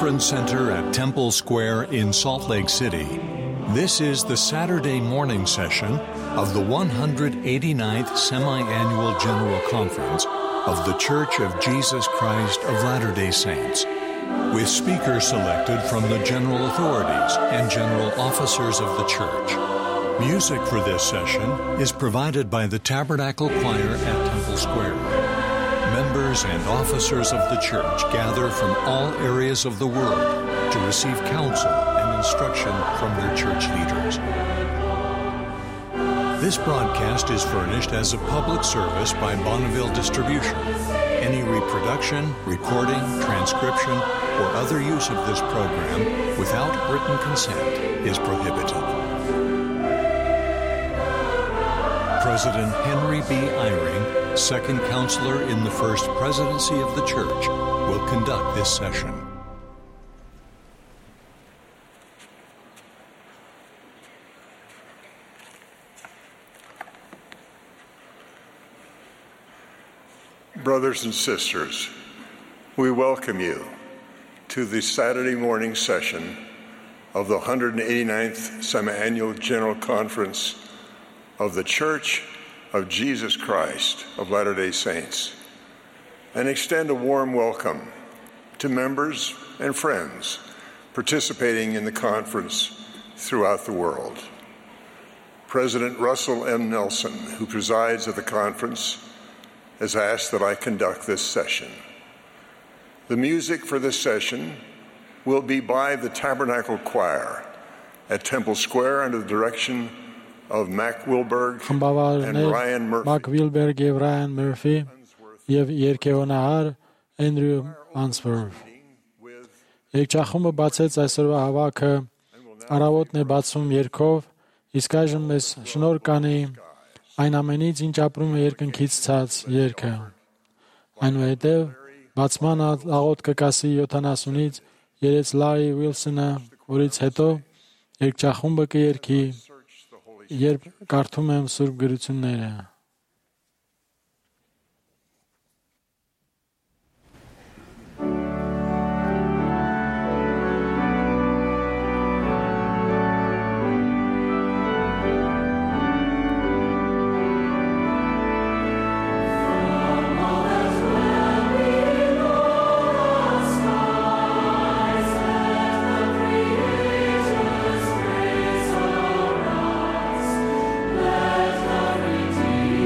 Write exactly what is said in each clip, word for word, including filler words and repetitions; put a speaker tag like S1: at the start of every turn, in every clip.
S1: Conference Center at Temple Square in Salt Lake City. This is the Saturday morning session of the one hundred eighty-ninth Semi-Annual General Conference of The Church of Jesus Christ of Latter-day Saints, with speakers selected from the general authorities and general officers of the church. Music for this session is provided by the Tabernacle Choir at Temple Square. Members and officers of the church gather from all areas of the world to receive counsel and instruction from their church leaders. This broadcast is furnished as a public service by Bonneville Distribution. Any reproduction, recording, transcription, or other use of this program without written consent is prohibited. President Henry B. Eyring, second counselor in the First Presidency of the Church, will conduct this session.
S2: Brothers and sisters, we welcome you to the Saturday morning session of the one hundred eighty-ninth Semi-Annual General Conference of the Church of Jesus Christ of Latter-day Saints, and extend a warm welcome to members and friends participating in the conference throughout the world. President Russell M. Nelson, who presides at the conference, has asked that I conduct this session. The music for this session will be by the Tabernacle Choir at Temple Square under the direction of Mac Wilberg and Ryan Murphy.
S3: Mac Wilberg եւ Ryan Murphy եւ երգեհոնահար Andrew Answorth. Երգչախումբը բացեց այսօրվա հավաքը առավոտն է բացում երգով, իսկ այժմ մեզ շնորհ կանի այն ամենից, ինչ ապրում է երկնքից ցած երգը։ Այնուհետև բացման աղոտ կկասի յոթանասունից երեց Լարի Ուիլսոնը, որից հետո երգչախումբը կերգի, երբ կարդում եմ Սուրբ գրությունները։
S4: Let the redeemed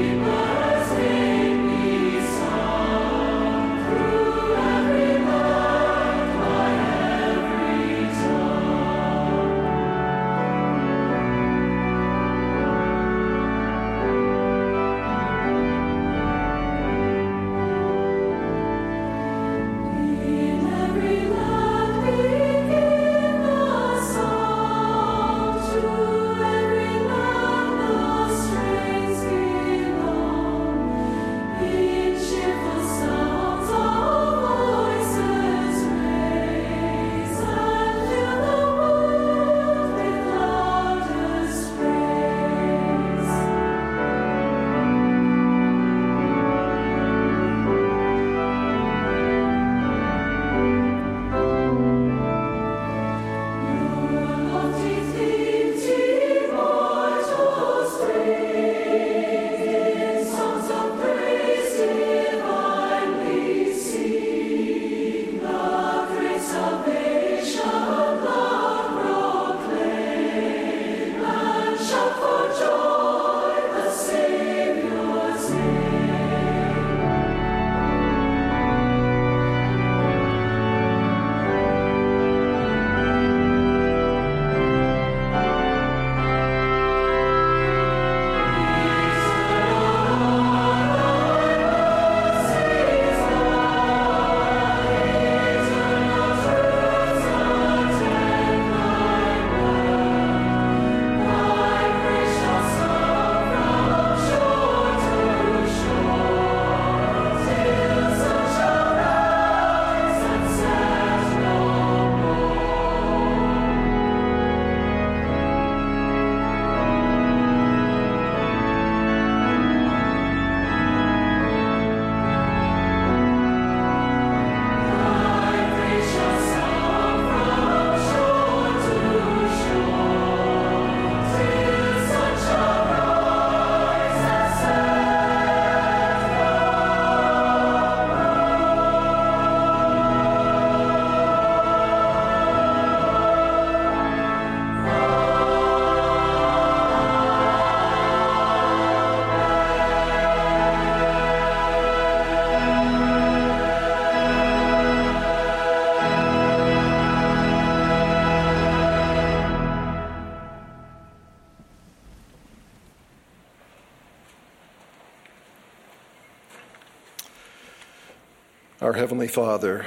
S4: Our Heavenly Father,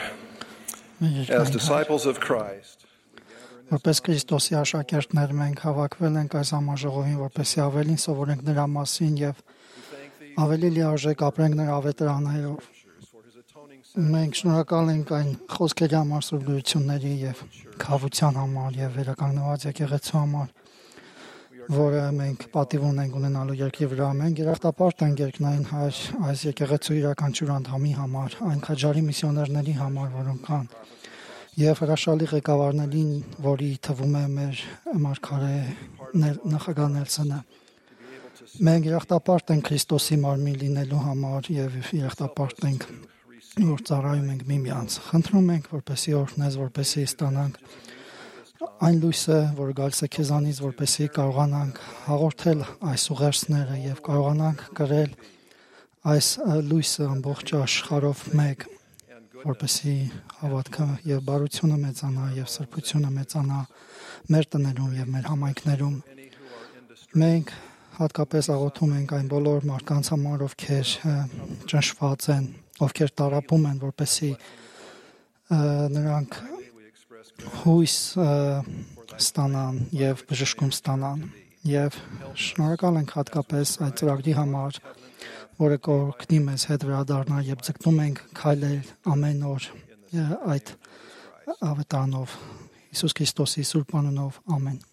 S4: as disciples of Christ,
S5: որպես Քրիստոսի աշակերտներ մենք հավաքվել ենք այս համաժողովին, որպեսզի ավելին սովորենք նրա մասին եւ ավելի լիարժեք ապրենք նրա ավետարաններով։ Մենք շնորհակալ ենք այն խոսքերի համար, սուրբությունների եւ քավության համար եւ վերականգնված եկեղեցու համար, որը մենք պատիվ ունենք ունենալու երկրի վրա։ Մենք երախտապարտ ենք երկնային Հայր այս եկեղեցու իրականչուր անդամի համար, այն քաջարի միսիոներների համար, որոնք կան, եւ հրաշալի ղեկավարներին, որի թվում է մեր մարգարե նախագահ Նելսոնը։ Մենք երախտապարտ ենք Քրիստոսի մարմին լինելու համար եւ երախտապարտ ենք, որ ծառայում ենք միմյանց։ Խնդրում ենք, որպեսզի օրհնես, որպեսզի ստանանք այն լույսը, որ գալիս է քեզանից, որպեսզի կարողանանք հաղորդել այս ուղերձները եւ կարողանանք կրել այս լույսը ամբողջ աշխարհով մեկ, որպեսզի հավատքը եւ բարությունը մեծանա եւ սրբությունը մեծանա մեր տներում եւ մեր համայնքներում։ Մենք հատկապես աղոթում ենք այն բոլոր մարդկանց համար, ովքեր ճնշված են, ովքեր տառապում են, որպեսզի նրանք հույս ստանան եւ բժշկում ստանան եւ շնորհակալ ենք հատկապես այդ ծրագրի համար, որը կօգնի մեզ հետ վերադառնալ եւ ձգտում ենք քայլել ամեն օր այդ ավետարանով Հիսուս Քրիստոսի սուրբ անունով ամեն։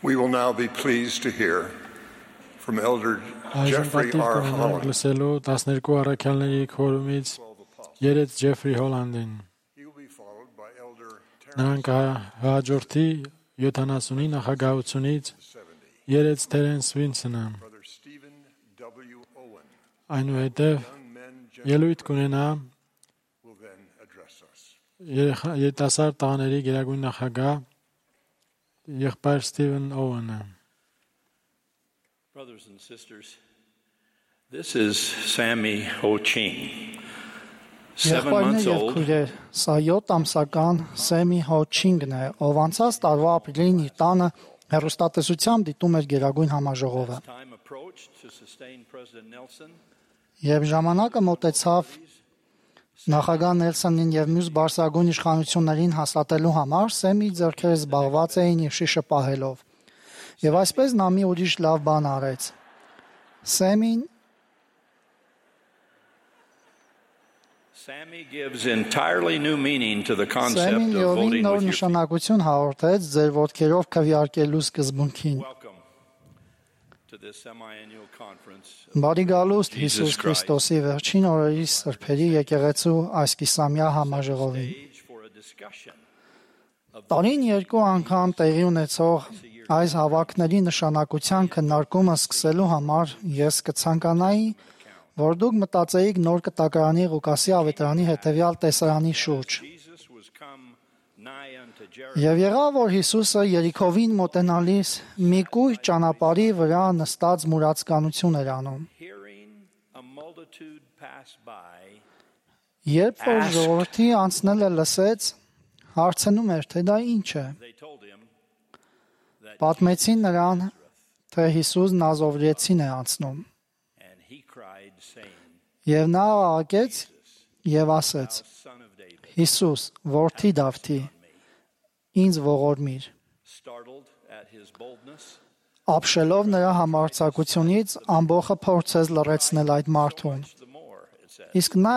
S2: We will now be pleased to hear from Elder
S3: Այժմ
S2: Jeffrey
S3: պատիվ
S2: R.
S3: կունենանք
S2: Holland.
S3: լսելու տասներկու առաքյալների քորումից երեց Ջեֆրի Հոլանդին։
S2: He will be followed by Elder
S3: Նրան կհաջորդի յոթանասունի նախագահությունից երեց Թերենս Վինսոնը։
S2: Brother Stephen W. Owen.
S3: Այնուհետև
S2: Young men
S3: ելույթ կունենա
S2: will then address us.
S3: երեխա- երիտասարդ տղաների գերագույն նախագահ եղբայր Ստիվեն Օուենը։
S6: Brothers and sisters, this is Sammy Ho Ching, seven
S5: Եղբայրներ
S6: months
S5: եւ
S6: old,
S5: քույրեր, սա յոթ ամսական Սեմի Հոչինգն է, ով անցած տարվա ապրիլին իր տանը հեռուստատեսությամբ դիտում էր Գերագույն համաժողովը։
S6: time approached to sustain President Nelson.
S5: Եվ ժամանակը մոտեցավ նախագահ Նելսոնին եւ մյուս բարձրագույն իշխանություններին հաստատելու համար Սեմի ձեռքերը զբաղված էին իր շիշը պահելով։ Եվ այսպես նա մի ուրիշ լավ բան արեց։ Սեմին
S6: Sammy gives entirely new meaning to the concept
S5: Սեմին
S6: of
S5: յովին
S6: voting
S5: նոր
S6: with your feet.
S5: նշանակություն հաղորդեց ձեր ոտքերով քվեարկելու սկզբունքին։
S6: Welcome to this semi-annual conference.
S5: Բարի գալուստ
S6: Jesus
S5: Հիսուս
S6: Christ.
S5: Քրիստոսի վերջին օրերի սրբերի եկեղեցու այս կիսամյա համաժողովին։
S6: Stage for a discussion of
S5: Տարին երկու անգամ տեղի ունեցող այս հավաքների նշանակության քննարկումը սկսելու համար ես կցանկանայի, որ դուք մտածեիք նոր կտակարանի Ղուկասի ավետարանի հետևյալ տեսարանի շուրջ։
S6: Jesus was come nigh unto Jericho.
S5: Եվ եղավ, որ Հիսուսը Երիքովին մոտենալիս մի կույր ճանապարհի վրա նստած մուրացկանություն էր անում։
S6: Hearing a multitude pass by,
S5: Երբ որ ժողովրդի անցնելը լսեց, հարցնում էր, թե դա ինչ է։
S6: they told him that
S5: Պատմեցին նրան, թե Հիսուս Նազովրեցին է անցնում։
S6: and he cried saying,
S5: Եվ նա աղաղակեց եւ ասեց.
S6: Son of David,
S5: Հիսուս, որդի Դավթի, ինձ ողորմիր։
S6: startled at his boldness,
S5: Ապշելով նրա համարձակությունից ամբողջը փորձեց լրացնել այդ մարդուն։
S6: the more it said,
S5: Իսկ նա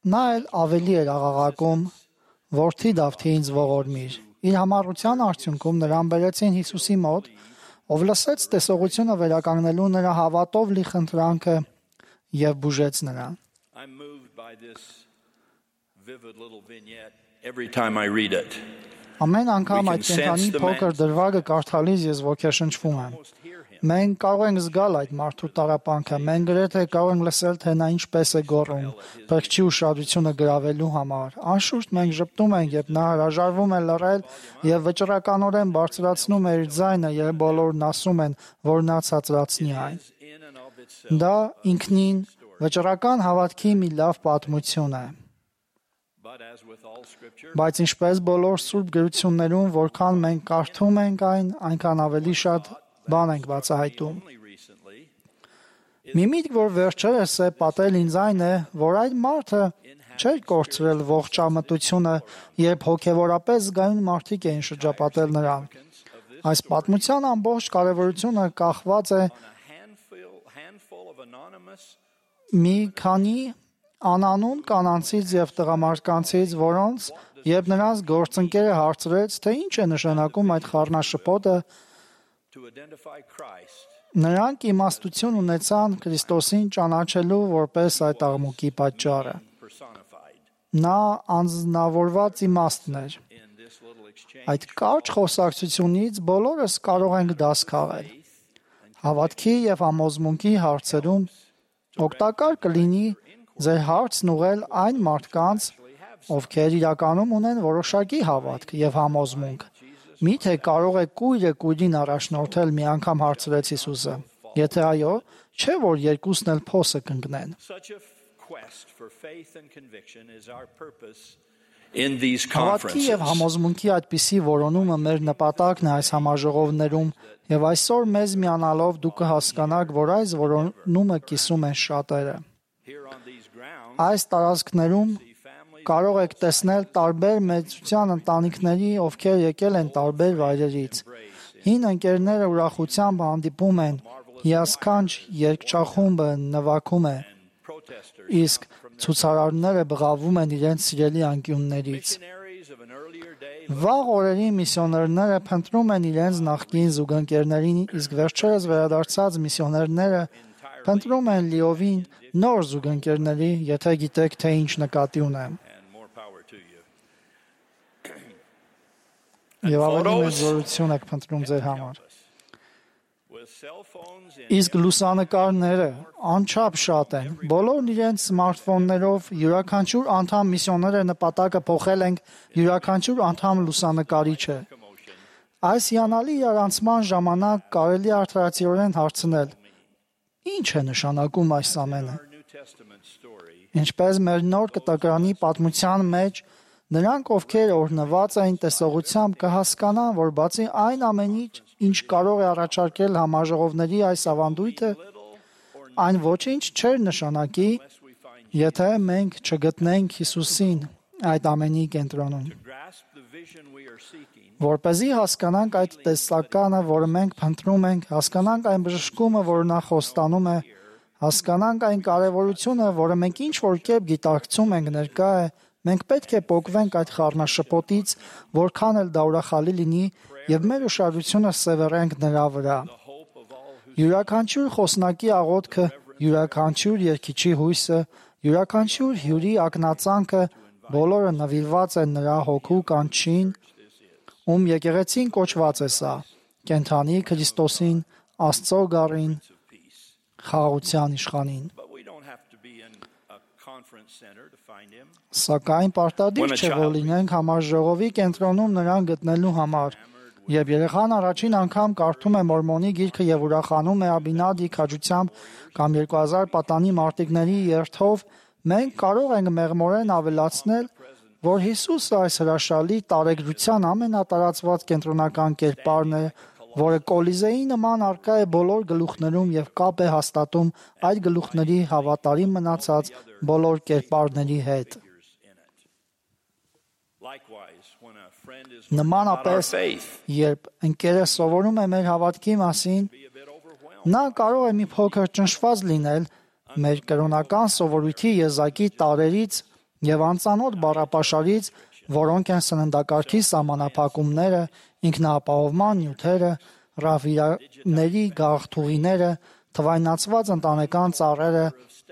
S5: նա էլ ավելի էր աղաղակում. Որդի Դավթի ինձ ողորմիր։ Իր համառության արդյունքում նրան բերեցին Հիսուսի մոտ, ով լսեց տեսողությունը վերականգնելու նրա հավատով լի խնդրանքը եւ բուժեց նրան։
S6: I'm moved by this vivid little vignette every time I read it.
S5: Ամեն անգամ
S6: We
S5: այդ
S6: can sense
S5: կենտրոնի
S6: the
S5: փոքր
S6: man's-
S5: դրվագը կարդալիս ես ոգեշնչվում եմ։
S6: Almost hear him.
S5: Մենք կարող ենք զգալ այդ մարդու տառապանքը, մենք գրեթե կարող ենք լսել, թե նա ինչպես է գոռում, բրկչի ուշադրությունը գրավելու համար։ Անշուշտ մենք ճպտում ենք, երբ նա հրաժարվում է լռել եւ վճռականորեն բարձրացնում է իր ձայնը, եւ բոլորն ասում են, որ նա ցածրացնի այն։
S6: In and of itself,
S5: Դա ինքնին վճռական հավատքի մի լավ պատմություն է։
S6: but as with all scripture,
S5: Բայց ինչպես բոլոր սուրբ գրություններում, որքան մենք կարդում ենք այն, այնքան ավելի շատ բան ենք բացահայտում։
S6: only recently
S5: Մի միտք, որ վերջերս է պատել ինձ այն է, որ այդ մարդը չէր կորցրել ողջամտությունը, երբ հոգևորապես զգայուն մարդիկ էին շրջապատել նրան։ Այս պատմության ամբողջ կարևորությունը կախված է
S6: a handful handful of anonymous
S5: մի քանի անանուն կանանցից եւ տղամարդկանցից, որոնց երբ նրանց գործընկերը հարցրեց, թե ինչ է նշանակում այդ խառնաշփոթը,
S6: to identify Christ
S5: նրանք իմաստություն ունեցան Քրիստոսին ճանաչելու որպես այդ աղմուկի պատճառը։
S6: personified
S5: Նա անձնավորված իմաստն էր։
S6: in this little exchange.
S5: Այդ կարճ խոսակցությունից բոլորս կարող ենք դաս քաղել։ Հավատքի եւ համոզմունքի հարցերում օգտակար կլինի ձեր հարցն ուղղել այն մարդկանց, ովքեր իրականում ունեն որոշակի հավատք եւ համոզմունք։ Միթե կարող է կույրը կույրին առաջնորդել, մի անգամ հարցրեց Հիսուսը։ Եթե այո, չէ՞ որ երկուսն էլ փոսը կընկնեն։
S6: Such a quest for faith and conviction is our purpose in these
S5: Հավատքի եւ
S6: conferences.
S5: համոզմունքի այդպիսի որոնումը մեր նպատակն է այս համաժողովներում եւ այսօր մեզ միանալով դուք կհասկանաք, որ այս որոնումը կիսում են շատերը։
S6: Here on these grounds,
S5: Այս տարածքներում կարող եք տեսնել տարբեր մեծության ընտանիքների, ովքեր եկել են տարբեր վայրերից։ Հին ընկերները ուրախությամբ հանդիպում են, հիասքանչ երգչախումբը նվագում է,
S6: protesters,
S5: իսկ ցուցարարները բղավում են իրենց սիրելի անկյուններից։
S6: missionaries of an earlier day
S5: Վաղ օրերի միսիոներները փնտրում են իրենց նախկին զուգընկերներին, իսկ վերջերս վերադարձած միսիոներները փնտրում են լիովին նոր զուգընկերների, եթե գիտեք, թե ինչ նկատի ունեմ։ Եվ ավելի մեծ զորություն եք փնտրում ձեր համար։ Իսկ լուսանկարները անչափ շատ են։ Բոլորն իրենց սմարթֆոններով յուրաքանչյուր անդամ միսիոները նպատակը փոխել ենք յուրաքանչյուր անդամ լուսանկարիչ է։ Այս հիանալի իրարանցման ժամանակ կարելի է արդարացիորեն հարցնել. Ինչ է նշանակում այս ամենը։ Ինչպես մեր նոր կտակարանի պատմության մեջ նրանք, ովքեր օրհնված էին տեսողությամբ, կհասկանան, որ բացի այն ամենից, ինչ կարող է առաջարկել համաժողովների այս ավանդույթը, այն ոչինչ չէր նշանակի, եթե մենք չգտնենք Հիսուսին այդ ամենի կենտրոնում։ Որպեսզի հասկանանք այդ տեսականը, որը մենք փնտրում ենք, հասկանանք այն բժշկումը, որը նա խոստանում է, հասկանանք այն կարևորությունը, որը մենք ինչ-որ կերպ գիտակցում ենք ներկա է, մենք պետք է պոկվենք այդ խառնաշփոթից, որքան էլ դա ուրախալի լինի, եւ մեր ուշադրությունը սևեռենք նրա վրա։ Յուրաքանչյուր խոսնակի աղոթքը, յուրաքանչյուր երգիչի հույսը, յուրաքանչյուր հյուրի ակնածանքը, բոլորը նվիրված են նրա հոգու կանչին, ում եկեղեցին կոչված է սա, կենթանի Քրիստոսին, Աստծո գառին, խաղաղության իշխանին։ Սակայն պարտադիր չէ, որ լինենք համաժողովի կենտրոնում նրան գտնելու համար։ Երբ երեխան առաջին անգամ կարդում է Մորմոնի գիրքը եւ ուրախանում է Աբինադի քաջությամբ կամ երկու հազար պատանի մարտիկների երթով, մենք կարող ենք մեղմորեն ավելացնել, որ Հիսուսը այս հրաշալի տարեգրության ամենատարածված կենտրոնական կերպարն է, որը Կոլիզեի նման արկա է բոլոր գլուխներում եւ կապ է հաստատում այդ գլուխների հավատարիմ մնացած բոլոր կերպարների հետ։ Նմանապես, երբ ընկերը սովորում է մեր հավատքի մասին, նա կարող է մի փոքր ճնշված լինել մեր կրոնական սովորույթի եզակի տարրերից եւ անծանոթ բառապաշարից, որոնք են սննդակարգի սահմանափակումները, ինքնաապահովման նյութերը, ռահվիրաների գաղթուղիները, թվայնացված ընտանեկան ծառերը,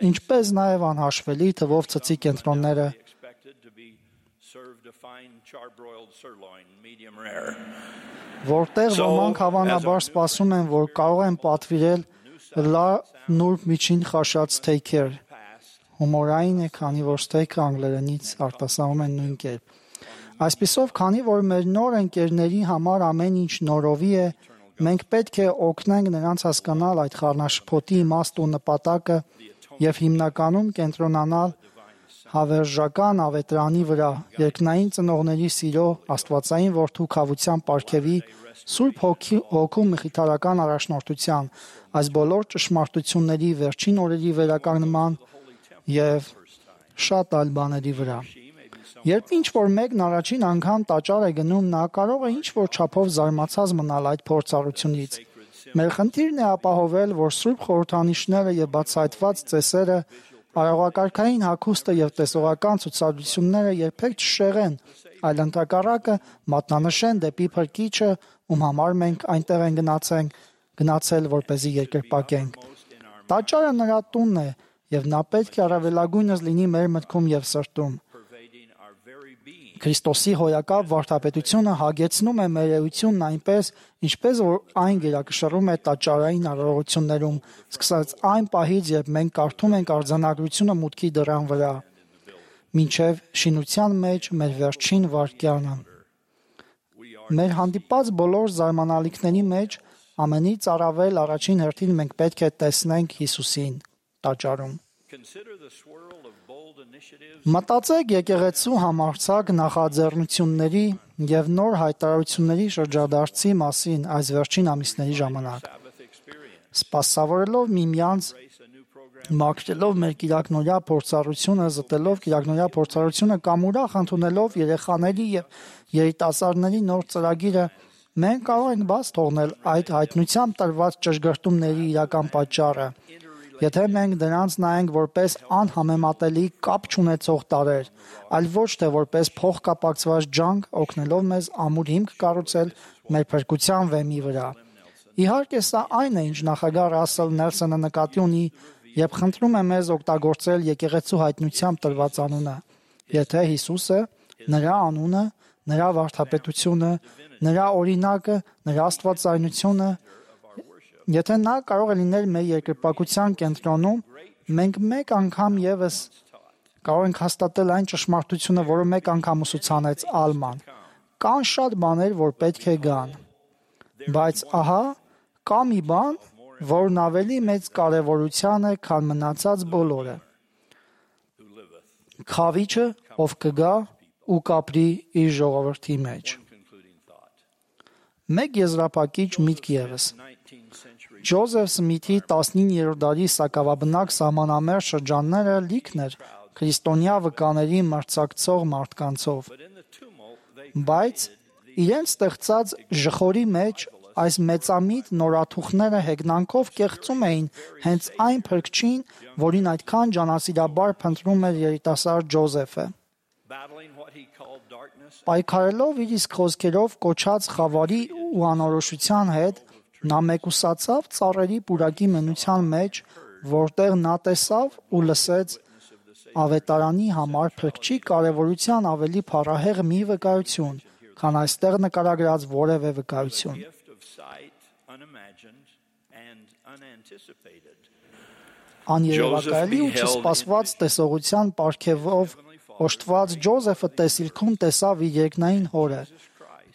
S5: ինչպես նաեւ անհաշվելի թվով ցծի կենտրոնները։ Որտեղ ոմանք հավանաբար սպասում են, որ կարող են պատվիրել լավ նուրբ միջին խաշած թեյքեր։ Հումորային է, քանի որ ստեյքը անգլերենից արտասանում են նույն կերպ։ Այսպիսով, քանի որ մեր նոր ընկերների համար ամեն ինչ նորովի է, մենք պետք է օգնենք նրանց հասկանալ այդ խառնաշփոթի իմաստը ու նպատակը եւ հիմնականում կենտրոնանալ հավերժական ավետրանի վրա, երկնային ծնողների սիրո, աստվածային որդու քավության պարգևի, Սուրբ Հոգու մխիթարական առաջնորդության, այս բոլոր ճշմարտությունների վերջին օրերի վերականգնման եւ շատ այլ բաների վրա։ Երբ ինչ-որ մեկն առաջին անգամ տաճար է գնում, նա կարող է ինչ-որ չափով զարմացած մնալ այդ փորձառությունից։ Մեր խնդիրն է ապահովել, որ Սուրբ խորհրդանիշները եւ բացահայտված ծեսերը, արարողակարգային հագուստը եւ տեսողական ցուցադրությունները երբեք չշեղեն, այլ ընդհակառակը մատնանշեն դեպի Փրկիչը, ում համար մենք այնտեղ են գնացենք, գնացել, որպեսզի երկրպագենք։ Տաճարը նրա տունն է, եւ նա պետք է առավելագույնս լինի մեր մտքում եւ սրտում։ Քրիստոսի հոյակապ վարդապետությունը հագեցնում է մեր էությունն այնպես, ինչպես որ այն գերակշռում է տաճարային արարողություններում, սկսած այն պահից, երբ մենք կարդում ենք արձանագրությունը մուտքի դռան վրա, մինչև շինության մեջ մեր վերջին վայրկյանը։ Մեր հանդիպած բոլոր զարմանալիքների մեջ ամենից առավել առաջին հերթին մենք պետք է տեսնենք Հիսուսին տաճարում։ Մտածեք եկեղեցու համարձակ նախաձեռնությունների եւ նոր հայտարարությունների շրջադարձի մասին այս վերջին ամիսների ժամանակ։ Սպասավորելով միմյանց, մաքրելով մեր կիրակնորյա փորձառությունը, զտելով կիրակնորյա փորձառությունը կամ ուրախ ընդունելով երեխաների եւ երիտասարդների նոր ծրագիրը, մենք կարող ենք բաց թողնել այդ հայտնությամբ տրված ճշգրտումների իրական պատճառը Եթե մենք դրանց նայենք որպես անհամեմատելի կապ չունեցող տարրեր, այլ ոչ թե որպես փոխկապակցված ջանք, օգնելով մեզ ամուր հիմք կառուցել մեր փրկության վեմի վրա։ Իհարկե, սա այն է, ինչ նախագահ Ռասել Նելսոնը նկատի ունի, երբ խնդրում է մեզ օգտագործել եկեղեցու հայտնությամբ տրված անունը։ Եթե Հիսուսը, նրա անունը, նրա վարդապետությունը, նրա օրինակը, նրա աստվածայնությունը, եթե նա կարող է լինել մեր երկրպագության կենտրոնում, մենք մեկ անգամ եւս կարող ենք հաստատել այն ճշմարտությունը, որը մեկ անգամ ուսուցանեց Ալման։ Կան շատ բաներ, որ պետք է գան։ Բայց ահա, կա մի բան, որն ավելի մեծ կարևորության է, քան մնացած բոլորը։ Խավիչը, ով կգա ու կապրի իր ժողովրդի մեջ։ Մեկ եզրափակիչ միտք ևս։ Ջոզեֆ Սմիթի տասնիններորդ դարի սակավաբնակ սահմանամերձ շրջանները լիքն էր քրիստոնյա վկաների մրցակցող մարդկանցով։ Բայց իրենց ստեղծած ժխորի մեջ այս մեծամիտ նորաթուխները հեգնանքով կեղծում էին հենց այն փրկչին, որին այդքան ջանասիրաբար փնտրում էր երիտասարդ Ջոզեֆը։ Պայքարելով իր իսկ խոսքերով կոչած խավարի ու անորոշության հետ, նա մեկուսացավ ծառերի պուրակի մենության մեջ, որտեղ նա տեսավ ու լսեց ավետարանի համար փրկչի կարևորության ավելի փառահեղ մի վկայություն, քան այստեղ նկարագրած որևէ վկայություն։ Աներևակայելի ու չսպասված տեսողության պարգևով օժտված Ջոզեֆը տեսիլքում տեսավ իր երկնային հորը,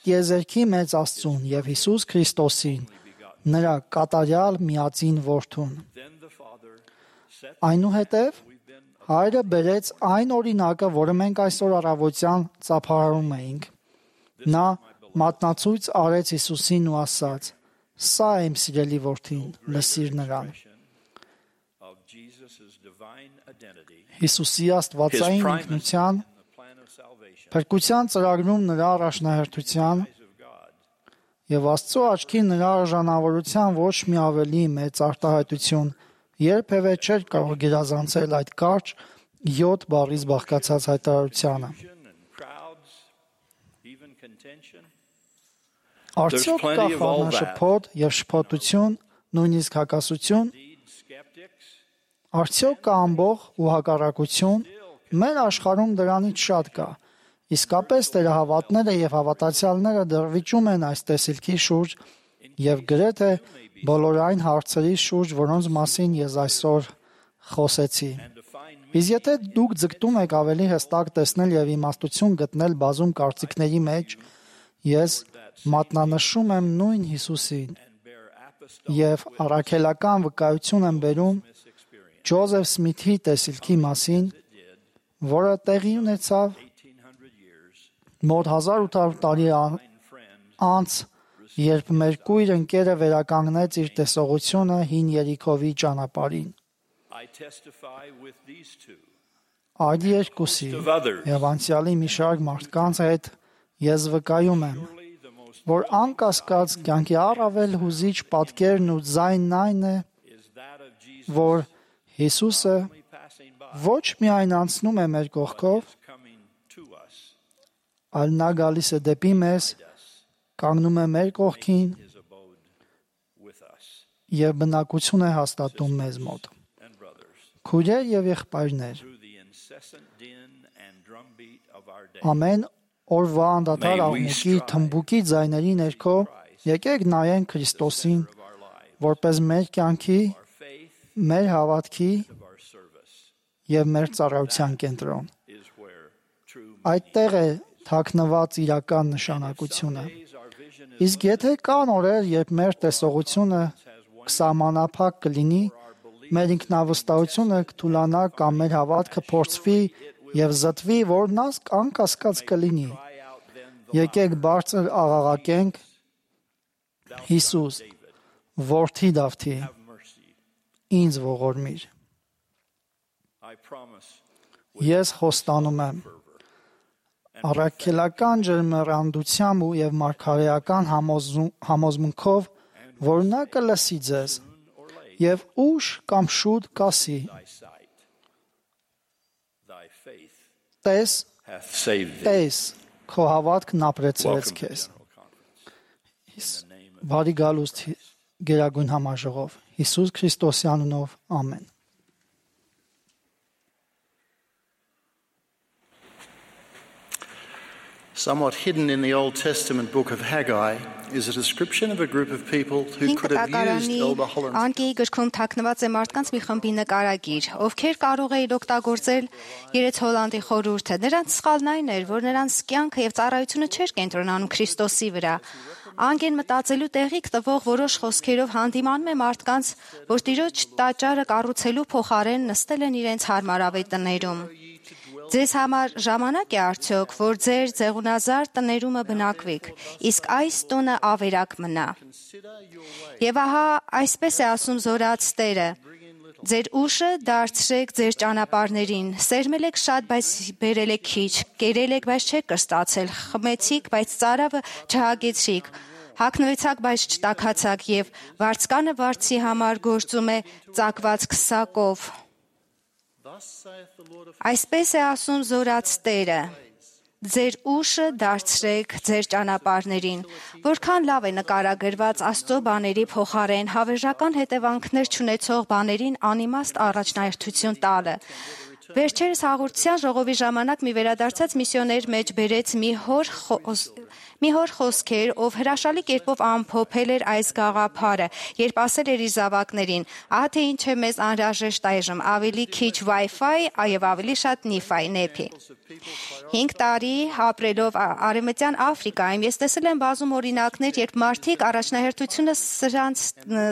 S5: տիեզերքի մեծ Աստծուն և Հիսուս Քրիստոսին, նրա կատարյալ միածին որդուն։ Այնուհետև հայրը բերեց այն օրինակը, որը մենք այսօր առավոտյան ծափահարում էինք։ Նա մատնացույց արեց Հիսուսին ու ասաց. «Սա է իմ սիրելի որդին, լսիր նրան»։ Հիսուսի աստվածային ինքնության, փրկության ծրագրում նրա առաջնահերթության և Աստծո աչքի նրա արժանավորության ոչ մի ավելի մեծ արտահայտություն երբևէ չէր կարող գերազանցել այդ կարճ յոթ բառից բաղկացած հայտարարությանը։ Արդյոք կա խառնաշփոթ և շփոթություն, նույնիսկ հակասություն։ Արդյոք կա ամբոխ ու հակառակություն։ Մեր աշխարհում դրանից շատ կա։ Իսկապես տերահավատները և հավատացյալները դեռ վիճում են այս տեսիլքի շուրջ և գրեթե բոլոր այն հարցերի շուրջ, որոնց մասին ես այսօր խոսեցի։ Իսկ եթե դուք ձգտում եք ավելի հստակ տեսնել և իմաստություն գտնել բազում կարծիքների մեջ, ես մատնանշում եմ նույն Հիսուսին և առաքելական վկայություն եմ բերում Ջոզեֆ Սմիթի տեսիլքի մասին, որը տեղի ունեցավ մոտ հազար ութ հարյուր տարի անց, երբ մեր կույր ընկերը վերականգնեց իր տեսողությունը հին Երիքովի ճանապարհին։ Այդ երկուսի և անցյալի մի շարք մարդկանց հետ ես վկայում եմ, որ անկասկած կյանքի առավել հուզիչ պատկերն ու ձայնն այն է, որ Հիսուսը ոչ միայն անցնում է մեր կողքով, այլ նա գալիս է դեպի մեզ, կանգնում է մեր կողքին և բնակություն է հաստատում մեզ մոտ։ Քույրեր և եղբայրներ, ամեն օրվա անդադար աղմուկի թմբուկի ձայների ներքո եկեք նայենք Քրիստոսին, որպես մեր կյանքի, մեր հավատքի և մեր ծառայության կենտրոն։ Այդտեղ է թաքնված իրական նշանակությունը։ Իսկ եթե կան օրեր, երբ մեր տեսողությունը կսահմանափակ կլինի, մեր ինքնավստահությունը կթուլանա կամ մեր հավատքը փորձվի և զտվի, որ նա անկասկած կլինի, եկեք բարձր աղաղակենք. Հիսուս, որդի Դավթի, ինձ ողորմիր։ Ես խոստանում եմ առաքելական ջերմեռանդությամբ և մարգարեական համոզմունքով, որ նա կլսի ձեզ եւ ուշ կամ շուտ կասի. Տես, տես, քո հավատքն ապրեցրեց քեզ։ Բարի գալուստ գերագույն համաժողով Հիսուս Քրիստոսի անունով, ամեն։
S4: Somewhat hidden in the Old Testament book of Haggai is a description of a group of people who could have used Elder Holland.
S7: Անկեի գրքում թաքնված է մարդկանց մի խմբի նկարագիր, ովքեր կարող էին օգտագործել Երեց Հոլանդի խորհուրդը։ Նրանց սխալն այն էր, որ նրանց կյանքը եւ ծառայությունը չէր կենտրոնանում Քրիստոսի վրա։ Անգեն մտածելու տեղիք տվող որոշ խոսքերով հանդիմանում է մարդկանց, որ Տիրոջ տաճարը կառուցելու փոխարեն նստել են իրենց հարմարավետ տներում։ Ձեզ համար ժամանակ է արդյոք, որ ձեր ձեղունազար տներումը բնակվեք, իսկ այս տունը ավերակ մնա։ Եվ ահա այսպես է ասում Զորաց Տերը. ձեր ուշը դարձրեք ձեր ճանապարհներին, սերմել եք շատ, բայց բերել եք քիչ, կերել եք, բայց չեք կրստացել, խմեցիք, բայց ծարավը չհագեցրիք, հագնվեցաք, բայց չտաքացաք, եւ վարձկանը վարձի համար գործում է ծակված քսակով։ Այսպես է ասում Զորաց Տերը. ձեր ուշը դարձրեք ձեր ճանապարհներին, որքան լավ է նկարագրված Աստծո բաների փոխարեն հավերժական հետևանքներ չունեցող բաներին անիմաստ առաջնահերթություն տալը։ Վերջերս հաղորդության ժողովի ժամանակ մի վերադարձած միսիոներ մեջ բերեց մի հոր մի հոր խոսքեր, ով հրաշալի կերպով ամփոփել էր այս գաղափարը, երբ ասել էր իր զավակներին. ահա թե ինչ է մեզ անհրաժեշտ այժմ, ավելի քիչ Wi-Fi եւ ավելի շատ Ni-Fi նեփի։ Հինգ տարի ապրելով Արևմտյան Աֆրիկայում ես տեսել եմ բազում օրինակներ, երբ մարդիկ առաջնահերթությունը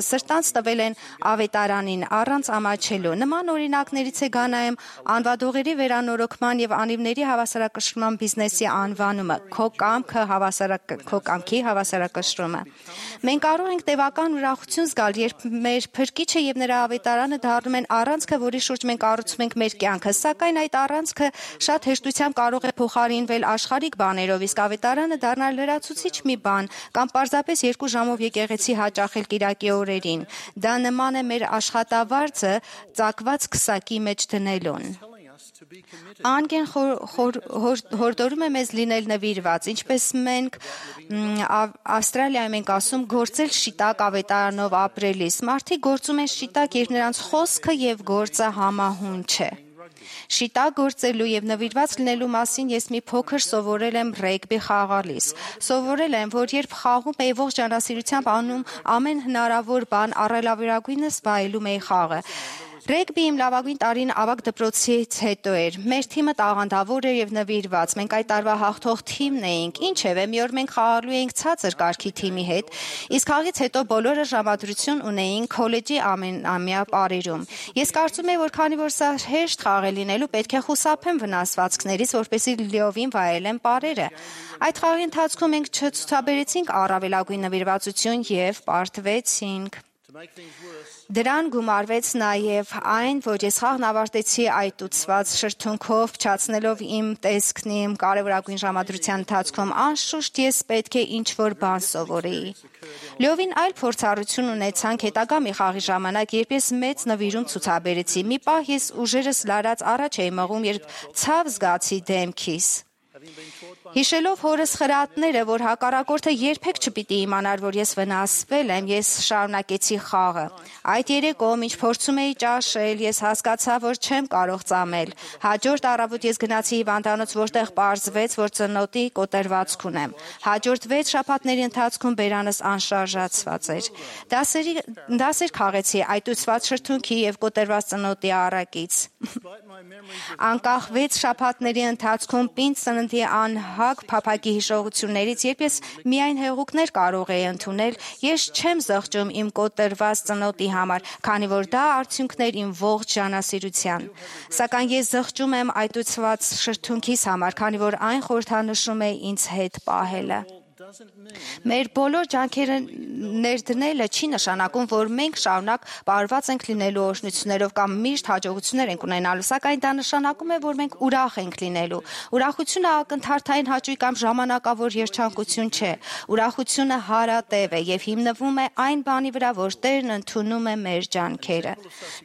S7: սրտանց տվել են ավետարանին առանց ամաչելու։ Նման օրինակներից է Գանայում անվադողերի վերանորոգման եւ անիվների հավասարակշռման բիզնեսի անվանումը, քո կամքը քո կամքի հավասարակշռումը։ Մենք կարող ենք տևական ուրախություն զգալ, երբ մեր Փրկիչը եւ նրա ավետարանը դառնում են առանցքը, որի շուրջ մենք կառուցում ենք մեր կյանքը, սակայն այդ առանցքը շատ հեշտությամբ կարող է փոխարինվել աշխարհիկ բաներով, իսկ ավետարանը դառնալ լրացուցիչ մի բան կամ պարզապես երկու ժամով եկեղեցի հաճախել կիրակի օրերին։ Դա նման է մեր աշխատավարձը ծակված քսակի մեջ դնելուն։ Անգեն հորդորում է մեզ լինել նվիրված, ինչպես մենք Ավստրալիայում ենք ասում, գործել շիտակ ավետարանով ապրելիս։ Մարդիկ գործում են շիտակ, երբ նրանց խոսքը եւ գործը համահուն չէ։ Շիտակ գործելու եւ նվիրված լինելու մասին ես մի փոքր սովորել եմ ռեգբի խաղալիս։ Սովորել եմ, որ երբ խաղում էի ողջ ջանասիրությամբ անում ամեն հնարավոր բան, առավելագույնս վայելում էի խաղը։ Ռեգբի իմ լավագույն տարին ավագ դպրոցից հետո էր։ Մեր թիմը տաղանդավոր էր եւ նվիրված։ Մենք այդ տարվա հաղթող թիմն էինք։ Ինչևէ, մի օր մենք խաղալու էինք ցածր կարգի թիմի հետ, իսկ խաղից հետո բոլորը ժամադրություն ունեին քոլեջի ամենամյա պարերում։ Ես կարծում եմ, որ քանի որ սա հեշտ խաղ է լինելու, պետք է խուսափեմ վնասվածքներից, որպեսզի լիովին վայելեմ պարերը։ Այդ խաղի ընթացքում մենք չցուցաբերեցինք առավելագույն նվիրվածություն եւ պարտվեցինք։ Դրան գումարվեց նաև այն, որ ես խաղն ավարտեցի այտուցված շրթունքով, փչացնելով իմ տեսքն իմ կարևորագույն ժամադրության ընթացքում, անշուշտ ես պետք է ինչ-որ բան սովորեի։ Լիովին այլ փորձառություն ունեցանք հետագա մի խաղի ժամանակ, երբ ես մեծ նվիրում ցուցաբերեցի։ Մի պահ ես ուժերս լարած առաջ էի մղում, երբ ցավ զգացի դեմքիս։ Հիշելով հորս խրատները, որ հակառակորդը երբեք չպիտի իմանար, որ ես վնասվել եմ, ես շարունակեցի խաղը։ Այդ երեկո, ինչ փորձում էի ճաշել, ես հասկացա, որ չեմ կարող ծամել։ Հաջորդ առավոտ ես գնացի հիվանդանոց, որտեղ պարզվեց, որ ծնոտի կոտրվածք ունեմ։ Հաջորդ վեց շաբաթների ընթացքում բերանս անշարժացված էր։ Դասերի դասեր խաղեցի այտուցված շրթունքի եւ կոտրված ծնոտի առակից։ Անկախ վեց շաբաթների ընթացքում պինդ ծննդի անհագ փափագի հիշողություններից, երբ ես միայն հեղուկներ կարող էի ընդունել, ես չեմ զղջում իմ կոտրված ծնոտի համար, քանի որ դա արդյունքներ իմ ողջ ժանասիրության։ Սակայն ես զղջում եմ այտուցված շրթունքիս համար, քանի որ այն խորհրդանշում է ինձ հետ պահելը։ Մեր բոլոր ջանքերը ներդնելը չի նշանակում, որ մենք շարունակ բարված ենք լինելու օրհնություններով կամ միշտ հաջողություններ ենք ունենալու, սակայն դա նշանակում է, որ մենք ուրախ ենք լինելու։ Ուրախությունը ակնթարթային հաճույք կամ ժամանակավոր երջանկություն չէ։ Ուրախությունը հարատև է եւ հիմնվում է այն բանի վրա, որ Տերն ընդունում է մեր ջանքերը։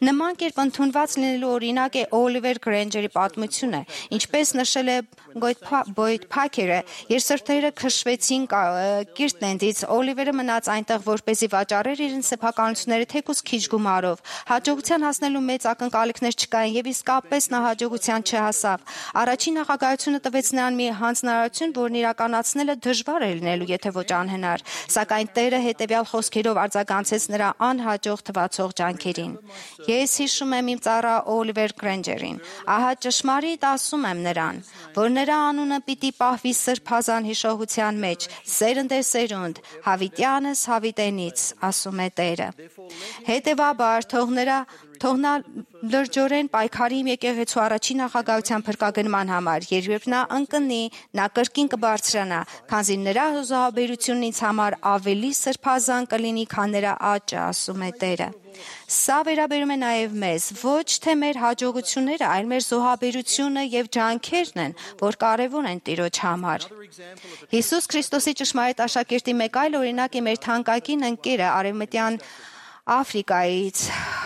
S7: Նման կերպ ընդունված լինելու օրինակ է Օլիվեր Գրենջերի պատմությունը, ինչպես նշել է Բոյդ Փաքերը, երբ սրտերը քշվեցին Կիրտլենդից, Օլիվերը մնաց այնտեղ, որպեսզի վաճառեր իր սեփականությունները թեկուզ քիչ գումարով։ Հաջողության հասնելու մեծ ակնկալիքներ չկային եւ իսկապես նա հաջողության չհասավ։ Առաջին նախագահությունը տվեց նրան մի հանձնարարություն, որն իրականացնելը դժվար է լինելու, եթե ոչ անհնար, սակայն Տերը հետեւյալ խոսքերով արձագանցեց նրա անհաջող թվացող ջանքերին։ Ես հիշում եմ իմ ծառա Օլիվեր Գրենջերին։ Ահա ճշմարիտ ասում եմ նրան, որ նրա անունը պիտի պահվի սրբազան հիշողության մեջ, սերնդեսերունդ, հավիտյանս հավիտենից, ասում է Տերը։ Հետևաբար, թող նրա թող նա լրջորեն պայքարի իմ եկեղեցու առաջին նախագահության փրկագնման համար, երբ նա ընկնի, նա կրկին կբարձրանա, քանզի նրա զոհաբերությունն ինձ համար ավելի սրբազան կլինի, քան նրա աճը, ասում է Տերը։ Սա վերաբերում է նաև մեզ, ոչ թե մեր հաջողությունները, այլ մեր զոհաբերությունը եւ ջանքերն են, որ կարևոր են Տիրոջ համար։ Հիսուս Քրիստոսի ճշմարիտ աշակերտի մեկ այլ օրինակ է մեր թանկագին ընկերը Արևմտյան Աֆրիկայից,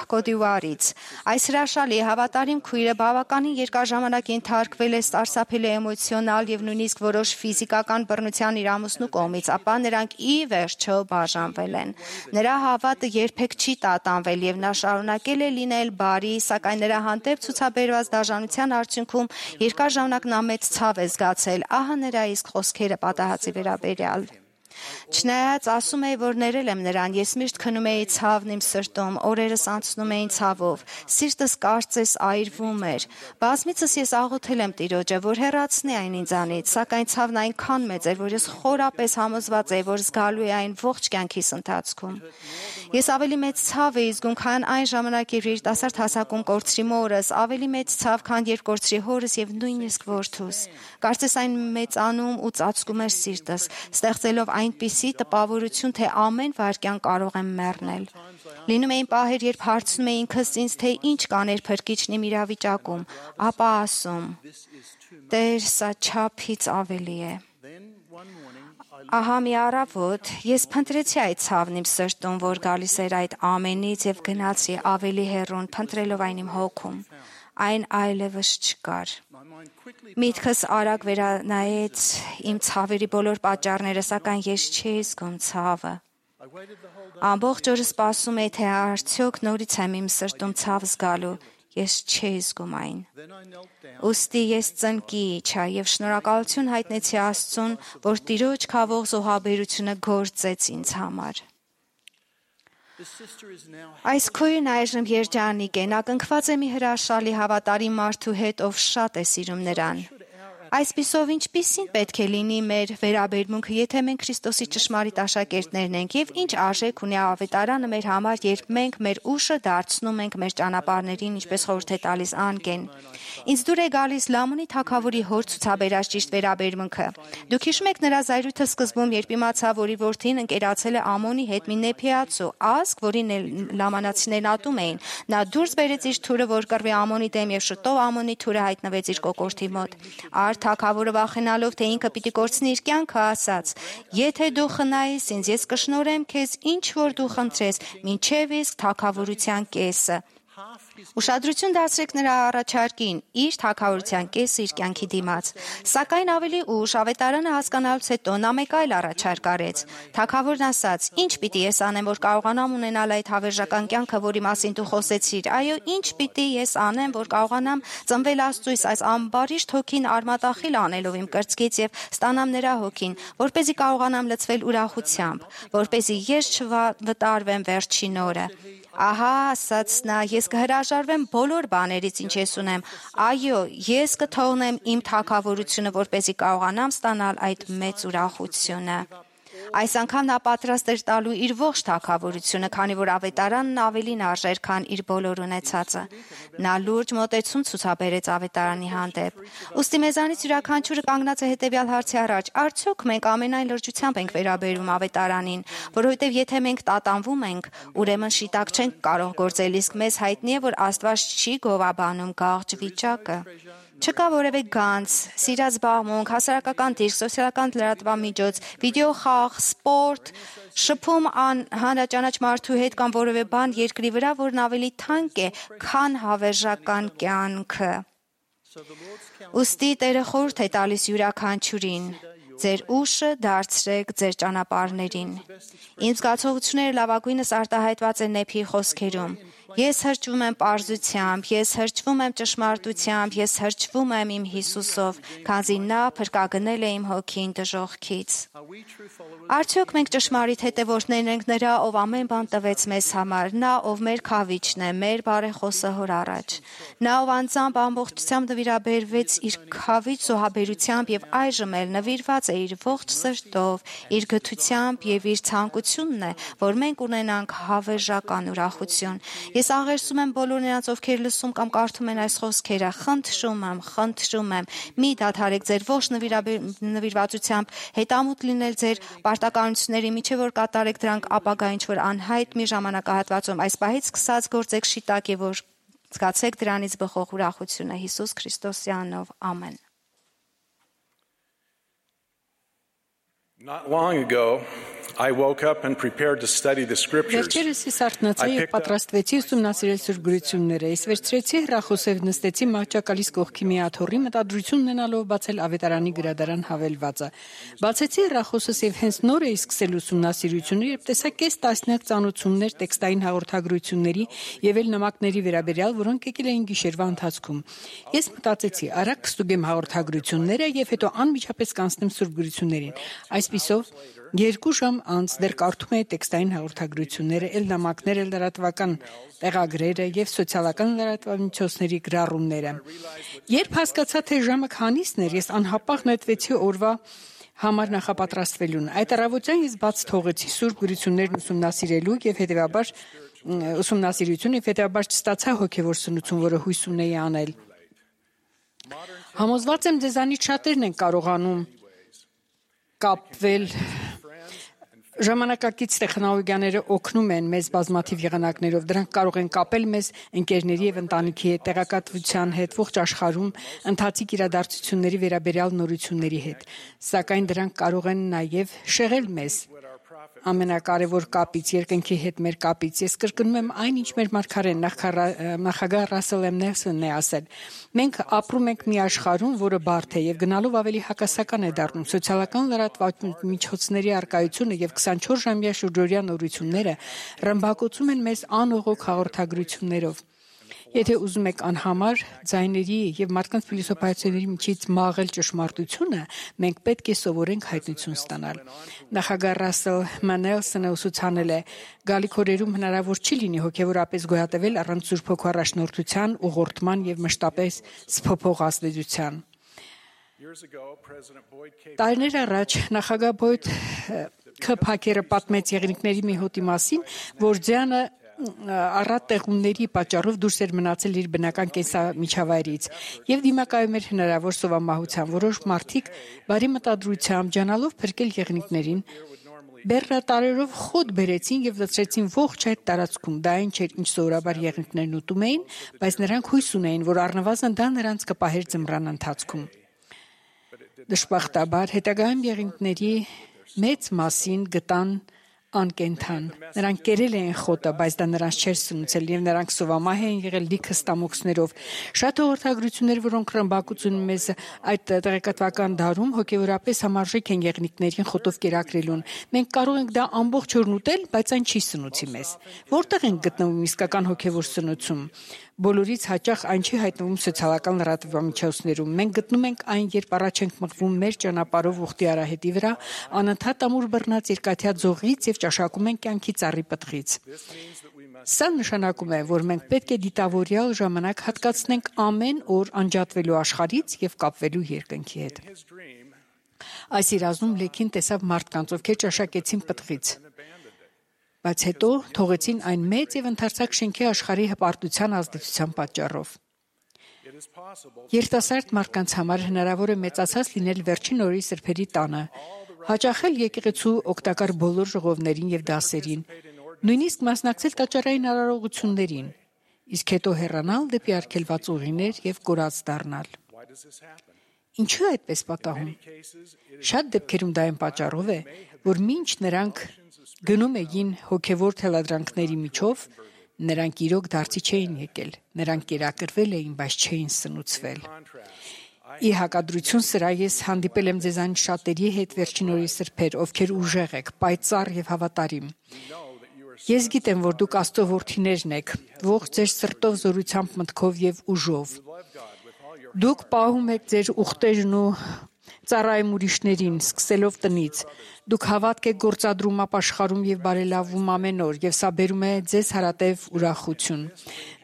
S7: Կոդիվուարից։ Այս հրաշալի հավատարիմ քույրը բավականին երկար ժամանակ ենթարկվել է սարսափելի էմոցիոնալ եւ նույնիսկ որոշ ֆիզիկական բռնության իր ամուսնու կողմից, ապա նրանք ի վերջո բաժանվել են։ Նրա հավատը երբեք չի տատանվել եւ նա շարունակել է լինել բարի, սակայն նրա հանդեպ ցուցաբերված դաժանության արդյունքում երկար ժամանակ նա մեծ ցավ է զգացել։ Ահա նրա իսկ խոսքերը պատահածի վերաբերյալ։ Չնայած ասում էի, որ ներել եմ նրան, ես միշտ քնում էի ցավն իմ սրտում, օրերս անցնում էին ցավով, սիրտս կարծես այրվում էր։ Բազմիցս ես աղոթել եմ Տիրոջը, որ հեռացնի այն ինձանից, սակայն ցավն այնքան մեծ էր, որ ես խորապես համոզված էի, որ զգալու է այն ողջ կյանքիս ընթացքում։ Ես ավելի մեծ ցավ էի զգում, քան այն ժամանակ, երբ երիտասարդ հասակում կորցրի մորս, ավելի մեծ ցավ, քան երբ կորցրի հորս եւ նույնիսկ որդուս։ Կարծես այն մեծանում ու ծածկում էր սիրտս, ստեղծելով այնպիսի տպավորություն, թե ամեն վայրկյան կարող եմ մեռնել։ Լինում էին պահեր, երբ հարցնում էի ինքս ինձ, թե ինչ կաներ փրկիչն իմ իրավիճակում, ապա ասում. Տեր, սա չափից ավելի է։ Ահա մի առավոտ ես փնտրեցի այդ ցավն իմ սրտում, որ գալիս էր այդ ամենից եւ գնացի ավելի հեռուն, փնտրելով այն իմ հոգում։ Այն այլևս չկար։ Միտքս արագ վերանայեց իմ ցավերի բոլոր պատճառները, սակայն ես չէի զգում ցավը։ Ամբողջ օրը սպասում էի, թե արդյոք նորից եմ իմ սրտում ցավ զգալու, ես չէի զգում այն։ Ուստի ես ծնկի իջա եւ շնորհակալություն հայտնեցի Աստծուն, որ Տիրոջ քավող զոհաբերությունը գործեց ինձ համար։ Այս քույրն այժմ երջանիկ է, նա կնքված է մի հրաշալի հավատարիմ մարդու հետ, ով շատ է սիրում նրան։ Այսպիսով, ինչպիսին պետք է լինի մեր վերաբերմունքը, եթե մենք Քրիստոսի ճշմարիտ աշակերտներն ենք, եւ ինչ արժեք ունի ավետարանը մեր համար, երբ մենք մեր ուշը դարձնում ենք մեր ճանապարհներին, ինչպես խորհուրդ է տալիս Անգեն։ Ինձ դուր է գալիս Լամոնի թագավորի հոր ցուցաբերած ճիշտ վերաբերմունքը։ Դուք հիշում եք նրա զայրույթը սկզբում, երբ իմացավ, որ իր որդին ընկերացել է Ամոնի հետ մի նեփիացու ազգ, որին լամանացիներն ատում էին։ Նա դուրս բերեց իր թուրը, որ կռվի Ամոնի դեմ, եւ շուտով Ամոնի թուրը հայտնվեց իր կոկորդի մոտ։ Թագավորը վախենալով, թե ինքը պիտի կորցնի իր կյանքը, ասաց. Եթե դու խնայես ինձ, ես կշնորհեմ քեզ ինչ որ դու խնդրես, մինչև իսկ թագավորության կեսը։ Ուշադրություն դարձրեք նրա առաջարկին, իր թագավորության կեսը իր կյանքի դիմաց։ Սակայն ավելի ուշ ավետարանը հասկանալուց հետո նա մեկ այլ առաջարկ արեց։ Թագավորն ասաց. Ինչ պիտի ես անեմ, որ կարողանամ ունենալ այդ հավերժական կյանքը, որի մասին դու խոսեցիր։ Այո, ինչ պիտի ես անեմ, որ կարողանամ ծնվել Աստծույս, այս ամբարիշտ հոգին արմատախիլ անելով իմ կրծքից եւ ստանամ նրա հոգին, որպեսզի կարողանամ լցվել ուրախությամբ, որպեսզի ես չվտարվեմ վերջին օրը։ Ահա, ասաց նա, ես կհրաժարվեմ բոլոր բաներից, ինչ ես ունեմ։ Այո, ես կթողնեմ իմ թագավորությունը, որպեսզի կարողանամ ստանալ այդ մեծ ուրախությունը։ Այս անգամ նա պատրաստ էր տալու իր ողջ թագավորությունը, քանի որ ավետարանն ավելին արժեր, քան իր բոլոր ունեցածը։ Նա լուրջ մոտեցում ցուցաբերեց ավետարանի հանդեպ։ Ուստի մեզանից յուրաքանչյուրը կանգնած է հետևյալ հարցի առաջ. արդյոք մենք ամենայն լրջությամբ ենք վերաբերում ավետարանին, որովհետև եթե մենք տատանվում ենք, ուրեմն շիտակ չենք կարող գործել, իսկ մեզ հայտնի է, որ Աստված չի գովաբանում գաղջ վիճակը։ Չկա որևէ գանձ, սիրած զբաղմունք, հասարակական դիրք, սոցիալական լրատվամիջոց, վիդեոխաղ, սպորտ, շփում հանրաճանաչ մարդու հետ կամ որևէ բան երկրի վրա, որն ավելի թանկ է, քան հավերժական կյանքը։ Ուստի Տերը խորհուրդ է տալիս յուրաքանչյուրին. ձեր ուշը դարձրեք ձեր ճանապարհներին։ Իմ զգացողությունները լավագույնս արտահայտված են Նեփիի խոսքերում։ Ես հրճվում եմ պարզությամբ, ես հրճվում եմ ճշմարտությամբ, ես հրճվում եմ իմ Հիսուսով, քանզի նա փրկագնել է իմ հոգին դժոխքից։ Արդյոք մենք ճշմարիտ հետևորդներն ենք նրա, ով ամեն բան տվեց մեզ համար, նա, ով մեր քավիչն է, մեր բարեխոսը հոր առաջ։ Նա, ով անձամբ ամբողջությամբ նվիրաբերվեց իր քավիչ զոհաբերությամբ եւ այժմ էլ նվիրված է իր ողջ սրտով, իր գթությամբ եւ իր ցանկությունն է, որ մենք ունենանք հավերժական ուրախություն։ Ես աղերսում եմ բոլոր նրանց, ովքեր լսում կամ կարդում են այս խոսքերը, խնդրում եմ, խնդրում եմ, մի դադարեք ձեր ողջ նվիրվածությամբ հետամուտ լինել ձեր պարտականությունների, միջև որ կատարեք դրանք ապագա ինչ-որ անհայտ մի ժամանակահատվածում, այս պահից սկսած գործեք շիտակ եւ որ զգացեք դրանից բխող ուրախությունը Հիսուս Քրիստոսի անունով, ամեն։
S8: Not long ago, I woke up and prepared to study the scriptures.
S9: Վերջերս ես արթնացա եւ պատրաստվեցի ուսումնասիրել Սուրբ գրությունները։ Ես վերցրեցի հրախոսև նստեցի մահճակալիս կողքի մի աթոռի մտադրություն ունենալով բացել ավետարանի գրադարան հավելվածը։ Բացեցի հրախոսս եւ հենց նոր էի սկսել ուսումնասիրությունը, երբ տեսա կես տասնյակ ծանոթություններ տեքստային հաղորդագրությունների եւ էլ նամակների վերաբերյալ, որոնք եկել էին գիշերվա ընթացքում։ Ես մտածեցի, արագ կստուգեմ հաղորդագրությունները եւ հետո անմիջապես կանցնեմ Սուրբ գրություններին։ Այսպիսով երկու ժամ անց դեռ կարդում էի տեքստային հաղորդագրությունները, ել նամակները, լրատվական տեղագրերը եւ սոցիալական լրատվամիջոցների գրառումները։ Երբ հասկացա, թե ժամը քանիսն էր, ես անհապաղ նետվեցի օրվա համար նախապատրաստվելուն։ Այդ առավոտյան ես բաց թողեցի Սուրբ գրություններն ուսումնասիրելու եւ հետեւաբար ուսումնասիրություն եւ հետեւաբար չստացա հոգեվոր սնուցում, որը հույս ունեի անել։ Համոզված եմ, ձեզանից շատերն են կարողանում կապվել Ժամանակակից տեխնոլոգիաները օգնում են մեզ բազմաթիվ եղանակներով, դրանք կարող են կապել մեզ ընկերների եւ ընտանիքի հետ, տեղեկատվության հետ, ողջ աշխարհում ընթացիկ իրադարձությունների վերաբերյալ նորությունների հետ, սակայն դրանք կարող են նաեւ շեղել մեզ ամենակարևոր կապից, երկնքի հետ մեր կապից։ Ես կրկնում եմ այն, ինչ մեր մարգարեն նախագահ Ռասել Էմ Նելսոնն է ասել. մենք ապրում ենք մի աշխարհում, որը բարդ է եւ գնալով ավելի հակասական է դառնում։ Սոցիալական լրատվամիջոցների առկայությունը եւ քսանչորս ժամյա շուրջօրյա նորությունները ռմբակոծում են մեզ անողոք հաղորդագրություններով։ Եթե ուզում եք անհամար ձայների եւ մարդկանց փիլիսոփայությունների միջից մաղել ճշմարտությունը, մենք պետք է սովորենք հայտնություն ստանալ։ Նախագահ Ռասել Մանելսոնը ուսուցանել է. գալիքորերում հնարավոր չի լինի հոգեվորապես գոյատևել առանց Սուրբ Հոգու առաջնորդության, ուղղորդման եւ մշտապես սփոփող ազդեցության։ Տարիներ առաջ նախագահ Բոյդ Քփակերը պատմեց եղնիկների մի հոտի մասին, որ ձյանը առատ տեղումների պատճառով դուրս էր մնացել իր բնական կենսամիջավայրից եւ դիմակայում էր հնարավոր սովամահության։ Որոշ մարդիկ բարի մտադրությամբ ջանալով փրկել եղնիկներին բեռնատարերով խոտ բերեցին եւ լցրեցին ողջ այդ տարածքում։ Դա այն չէր, ինչ սովորաբար եղնիկներն ուտում էին, բայց նրանք հույս ունեին, որ առնվազն դա նրանց կպահեր ձմռան ընթացքում։ Դժբախտաբար հետագայում եղնիկների մեծ մասին գտան անկենթան։ Նրանք կերել էին խոտը, բայց դա նրանց չէր սնուցել եւ նրանք սովամահ էին եղել լիքը ստամոքսներով։ Շատ հաղորդագրություններ, որոնք ռմբակոծում մեզ այդ տեղեկատվական դարում հոգեորապես համարժեք են եղնիկներին խոտով կերակրելուն։ Մենք կարող ենք դա ամբողջ օրն ուտել, բայց այն չի սնուցի մեզ։ Որտեղ են գտնվում իսկական հոգեվոր սնուցում։ Բոլորից հաճախ այն չի հայտնվում սոցիալական լրատվամիջոցներում։ Մենք գտնում ենք այն, երբ առաջ ենք մղվում մեր ճանապարհով ուխտի արահետի վրա, անընդհատ ամուր բռնած երկաթյա ձողից եւ ճաշակում ենք կյանքի ծառի պտղից։ Սա նշանակում է, որ մենք պետք է դիտավորյալ ժամանակ հատկացնենք ամեն օր անջատվելու աշխարհից եւ կապվելու երկնքի հետ։ Այս երազում Լեքին տեսավ մարդկանց, ովքեր ճաշակեցին պտղից, բայց հետո թողեցին այն մեծ եւ ընդարձակ շենքի աշխարհի հպարտության ազդեցության պատճառով։ Երիտասարդ մարդկանց համար հնարավոր է մեծացած լինել վերջին օրերի սրբերի տանը, հաճախել եկեղեցու օգտակար բոլոր ժողովներին եւ դասերին, նույնիսկ մասնակցել տաճարային արարողություններին, իսկ հետո հեռանալ դեպի արգելված ուղիներ եւ կորած դառնալ։ Ինչու է այդպես պատահում։ Շատ դեպքերում դա այն պատճառով է, որ մինչ նրանք գնում էին հոգևոր թելադրանքների միջով, նրանք իրոք դարձի չէին եկել, նրանք կերակրվել էին, բայց չէին սնուցվել։ Ի հակադրություն սրա ես հանդիպել եմ ձեզ այն շատերի հետ վերջին օրի սրբեր, ովքեր ուժեղ եք, պայծառ եւ հավատարիմ։ Ես գիտեմ, որ դուք Աստծո որդիներն եք, ողջ ձեր սրտով, զորությամբ, մտքով եւ ուժով։ Դուք պահում եք ձեր ուխտերն ու ծառայում ուրիշներին, սկսելով տնից։ Դուք հավատք եք գործադրում, ապաշխարում եւ բարելավում ամեն օր, եւ սա բերում է ձեզ հարատև ուրախություն։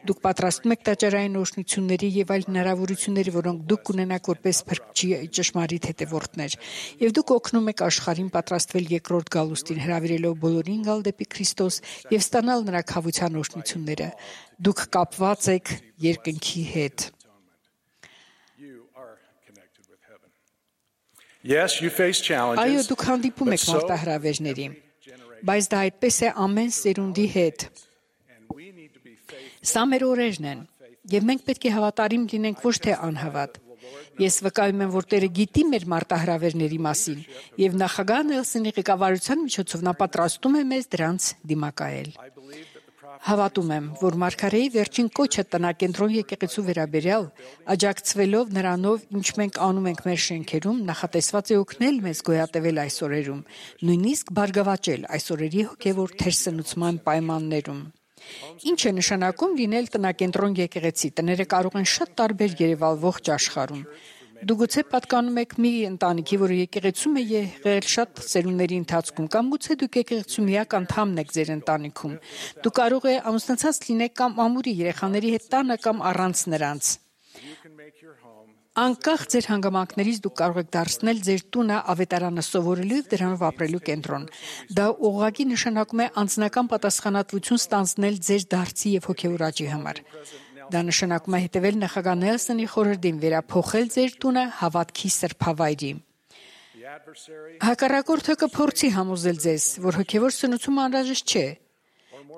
S9: Դուք պատրաստվում եք տաճարային օրհնությունների եւ այլ հնարավորությունների, որոնք դուք կունենաք որպես փրկչի ճշմարիտ հետևորդներ։ Եվ դուք օգնում եք աշխարհին պատրաստվել երկրորդ գալուստին, հրավիրելով բոլորին գալ դեպի Քրիստոս եւ ստանալ նրա քավության օրհնությունները։ Դուք կապված եք երկնքի հետ։
S8: Yes, you face challenges.
S9: Այո, դուք հանդիպում եք մարտահրավերների, բայց դա այդպես է ամեն սերունդի հետ։ Սա մեր օրերն են, եւ մենք պետք է հավատարիմ լինենք, ոչ թե անհավատ։ Ես վկայում եմ, որ Տերը գիտի մեր մարտահրավերների մասին, եւ նախագահ Նելսոնի ղեկավարության միջոցով նա պատրաստում է մեզ դրանց դիմակայել։ Հավատում եմ, որ Մարգարեի վերջին կոչը տնակենտրոն եկեղեցու վերաբերյալ, աջակցվելով նրանով, ինչ մենք անում ենք մեր շենքերում, նախատեսված է օգնել մեզ գոյատևել այս օրերում, նույնիսկ բարգավաճել այս օրերի հոգևոր թերսնուցման պայմաններում։ Ինչ է նշանակում լինել տնակենտրոն եկեղեցի։ Տները կարող են շատ տարբեր երևալ ողջ աշխարհում։ Դուք գուցե պատկանում եք մի ընտանիքի, որը եկեղեցում է եղել շատ սերունդների ընթացքում, կամ գուցե դուք եկեղեցու միակ անդամն եք ձեր ընտանիքում։ Դուք կարող եք ամուսնացած լինեք կամ ամուրի երեխաների հետ տանը կամ առանց նրանց։ Անկախ ձեր հանգամանքներից դուք կարող եք դարձնել ձեր տունը ավետարանը սովորելու եւ դրանով ապրելու կենտրոն։ Դա ուղղակի նշանակում է անձնական պատասխանատվություն ստանձնել ձեր դարձի եւ հոգեոր աճի համար։ Դա նշանակում է հետևել նախագահ Նելսոնի խորհրդին, վերափոխել ձեր տունը հավատքի սրբավայրի։ Հակառակորդը կփորձի համոզել ձեզ, որ հոգևոր սնուցումը անհրաժեշտ չէ,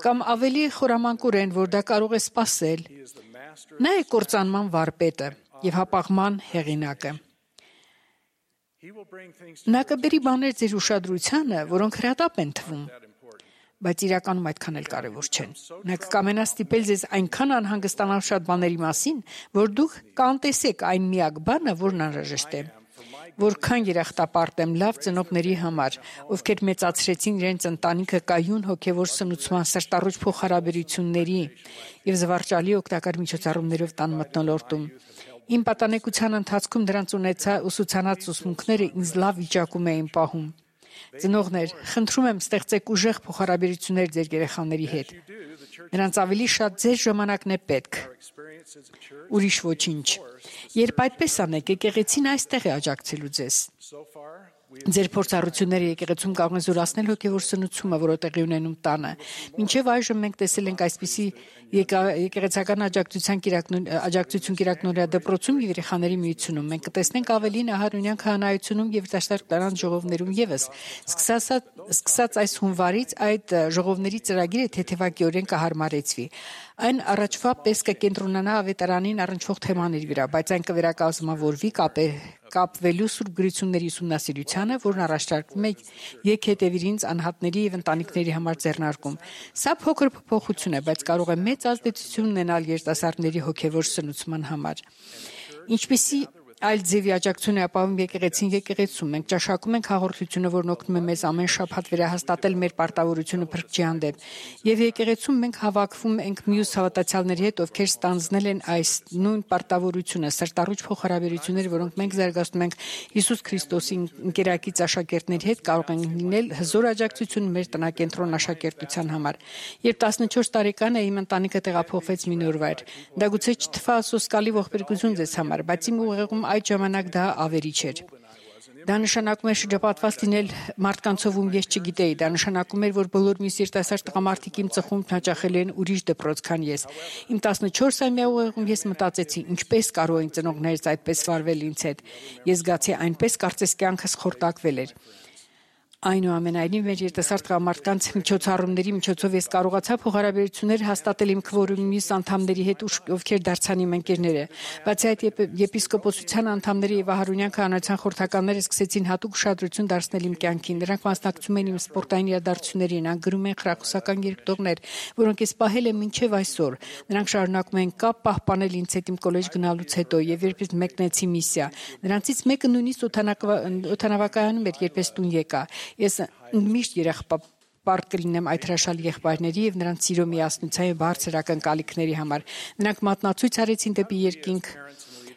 S9: կամ ավելի խորամանկորեն, որ դա կարող է սպասել։ Նա է կործանման վարպետը եւ հապաղման հեղինակը։ Նա կբերի բաներ ձեր ուշադրությանը, որոնք հրատապ են թվում, բայց իրականում այդքան էլ կարևոր չեն։ Նա կկամենա ստիպել ձեզ այնքան անհանգստանալ շատ բաների մասին, որ դուք կանտեսեք այն միակ բանը, որն անհրաժեշտ է։ Որքան երախտապարտ եմ լավ ծնողների համար, ովքեր մեծացրեցին իրենց ընտանիքը կայուն հոգևոր սնուցման, սրտառուչ փոխհարաբերությունների եւ զվարճալի օգտակար միջոցառումներով տան մթնոլորտում։ Իմ պատանեկության ընթացքում դրանց ունեցա ուսուցանած ուսմունքները ինձ լավ վիճակում էին պահում։ Ծնողներ, խնդրում եմ ստեղծեք ուժեղ փոխհարաբերություններ ձեր երեխաների հետ։ Նրանց ավելի շատ ձեր ժամանակն է պետք։ Ուրիշ ոչինչ։ Երբ այդպես անեք, եկեղեցին այստեղ է աջակցելու ձեզ։ Ձեր փորձառությունները եկեղեցում կարող են զորացնել հոգևոր սնուցումը, որը տեղի ունենում տանը։ Մինչև այժմ մենք տեսել ենք այսպիսի եկեղեցական աջակցության աջակցություն կիրակնորյա դպրոցում եւ երեխաների միությունում։ Մենք կտեսնենք ավելին ահարոնյան քահանայությունում եւ երիտասարդ կանանց ժողովներում եւս։ Սկսած այս հունվարից այդ ժողովների ծրագիրը թեթևակիորեն կհարմարեցվի։ Այն առաջվա պես կկենտրոնանա ավետարանին առնչվող թեմաների վրա, բայց այն կվերակազմավորվի կապվելու սուրբ գրությունների ուսումնասիրությանը, որն առաջարկվում է եկհետևիրինց անհատների եւ ընտանիքների համար ձեռնարկում։ Սա փոքր փոփոխություն է, բայց կարող է մեծ ազդեցություն ունենալ երիտասարդների հոգեվոր սնուցման համար։ Ինչպիսի այլ ձևի աջակցություն է ապահովում եկեղեցին եկեղեցում։ Մենք ճաշակում ենք հաղորդությունը, որն օգնում է մեզ ամեն շաբաթ վերահաստատել մեր պարտավորությունը փրկչի հանդեպ։ Եվ եկեղեցում մենք հավաքվում ենք մյուս հավատացյալների հետ, ովքեր ստանձնել են այս նույն պարտավորությունը, սրտառուչ փոխհարաբերությունները, որոնք մենք զարգացնում ենք Հիսուս Քրիստոսի ընկերակից աշակերտների հետ, կարող են լինել հզոր աջակցություն մեր տնակենտրոն աշակերտության համար։ Երբ տասնչորս տարեկան էի, իմ ընտանիքը տեղափոխվեց մի նոր վայր։ Դա գուցե չթվա սոսկալի ողբերգություն ձեզ համար, բայց իմ ուղեղում այդ ժամանակ դա ավերիչ էր։ Դա նշանակում էր շրջապատված լինել մարդկանցով, ում ես չգիտեի։ Դա նշանակում էր, որ բոլոր մյուս երիտասարդ տղամարդիկ իմ ծխում հաճախել են ուրիշ դպրոց, քան ես։ Իմ տասնչորսամյա ուղեղում ես մտածեցի, ինչպես կարող են ծնողներս այդպես վարվել ինձ հետ։ Ես զգացի այնպես, կարծես կյանքս խորտակվել էր։ Այնուամենայնիվ, մեր երիտասարդ տղամարդկանց միջոցառումների միջոցով ես կարողացա փոխհարաբերություններ հաստատել իմ քվորումի մյուս անդամների հետ, ովքեր դարձան իմ ընկերները։ Բացի այդ, եպիսկոպոսության անդամները եւ Ահարոնյան քահանայության խորհրդականները սկսեցին հատուկ ուշադրություն դարձնել իմ կյանքին։ Նրանք մասնակցում էին իմ սպորտային իրադարձություններին, անգրում են խրախուսական երկտողներ, որոնք ես պահել եմ մինչև այսօր։ Նրանք շարունակում են կապ պահպանել ինձ հետ իմ կոլեջ գնալուց հետո եւ երբ ես մեկնեցի միսիա։ Նրանցից մեկը նույնիսկ օդանավակայանում էր, երբ ես տուն եկա։ Ես միշտ երախպարտ կլինեմ այդ հրաշալի եղբայրների եւ նրանց սիրո միասնության եւ բարձր ակնկալիքների համար։ Նրանք մատնացույց արեցին դեպի երկինք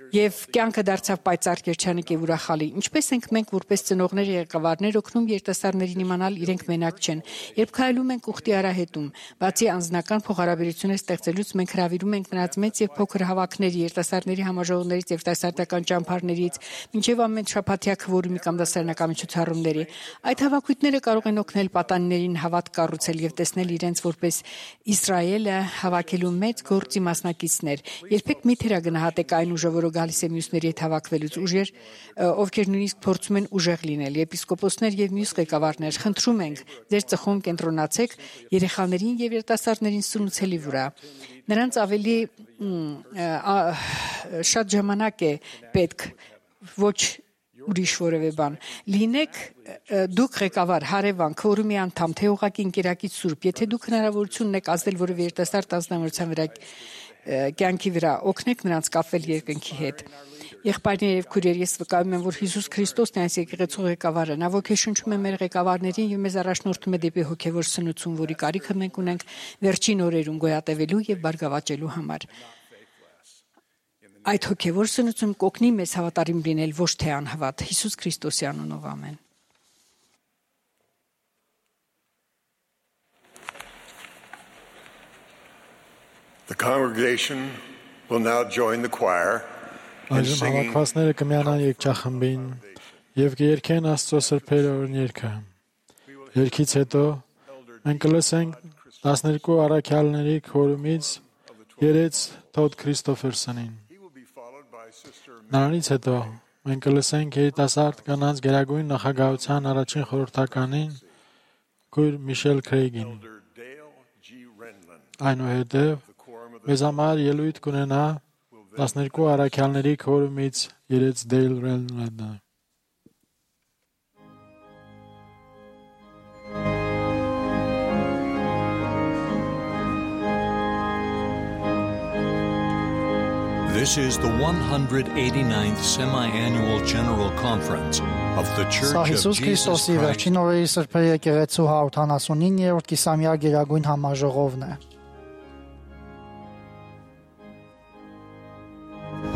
S9: եւ կյանքը դարձավ պայծառ երջանիկ եւ ուրախալի։ Ինչպես ենք մենք որպես ծնողներ եւ ղեկավարներ օգնում երիտասարդներին իմանալ իրենք մենակ չեն։ Երբ քայլում ենք ուխտի արահետում, բացի անձնական փոխհարաբերություններ ստեղծելուց, մենք հravirում ենք նրանց մեծ եւ փոքր հավաքների, երիտասարդների համաժողովներից, երիտասարդական ճամփարներից, մինչեւ ամեն շաբաթյա քվորումի կամ դասարանական միջոցառումների։ Այդ հավաքույթները կարող են օգնել պատանիներին հավատ կառուցել եւ տեսնել իրենց որպես Իսրայելը հավաքելու մեծ գործի մասնակիցներ։ Երբեք մի թերագնահատեք այն ուժը, որը գալիս է մյուսների հետ հավաքվելուց, ուժեր, ովքեր նույնիսկ փորձում են ուժեղ լինել։ Եպիսկոպոսներ եւ մյուս ղեկավարներ, խնդրում ենք, ձեր ծխում կենտրոնացեք երեխաներին եւ երիտասարդներին սնուցելի վրա։ Նրանց ավելի շատ ժամանակ է պետք, ոչ ուրիշ որևէ բան։ Լինեք դուք ղեկավար, հարևան, քվորումի անդամ, թե ուղղակի ընկերակից սուրբ, եթե դուք հնարավորություն ունեք ազդել որևէ երիտասարդ ազնվորության վրա կյանքի վրա, օգնեք նրանց կապվել երկնքի հետ։ Եղբայրներ եւ քույրեր, ես վկայում եմ, որ Հիսուս Քրիստոսն է այս եկեղեցու ղեկավարը։ Նա ոգեշնչում է մեր ղեկավարներին եւ մեզ առաջնորդում է դեպի հոգեվոր սնուցում, որի կարիքը մենք ունենք վերջին օրերում գոյատևելու եւ բարգավաճելու համար։ Այդ հոգեվոր սնուցում կօգնի մեզ հավատարիմ լինել, ոչ թե անհավատ։ Հիսուս Քրիստոսի անունով ամեն։
S2: The congregation will now join the choir in
S3: Այժմ
S2: singing
S3: հավաքվածները կմիանան երգչախմբին եւ կերկեն Աստծո սրբերը օրհներգը։ Երգից հետո մենք կլսենք տասներկու առաքյալների քորումից երեց Թոդ Քրիստոֆերսոնին։ Նրանից հետո մենք կլսենք երիտասարդ կանանց գերագույն նախագահության առաջին խորհրդականին քույր Միշել Քրեյգին։ Այնուհետև մեզ համար ելույթ կունենա տասներկու առաքյալների քորումից երեց Դեյլ Ռենլանդը։
S1: This is the one hundred eighty-ninth Semi-Annual General Conference of the Church
S5: Սա
S1: of
S5: Հիսուս
S1: Jesus
S5: Քրիստոսի
S1: Christ.
S5: վերջին օրերի սրբերի եկեղեցու հարյուրութանասունիններորդ կիսամյա գերագույն համաժողովն է։
S10: Peace.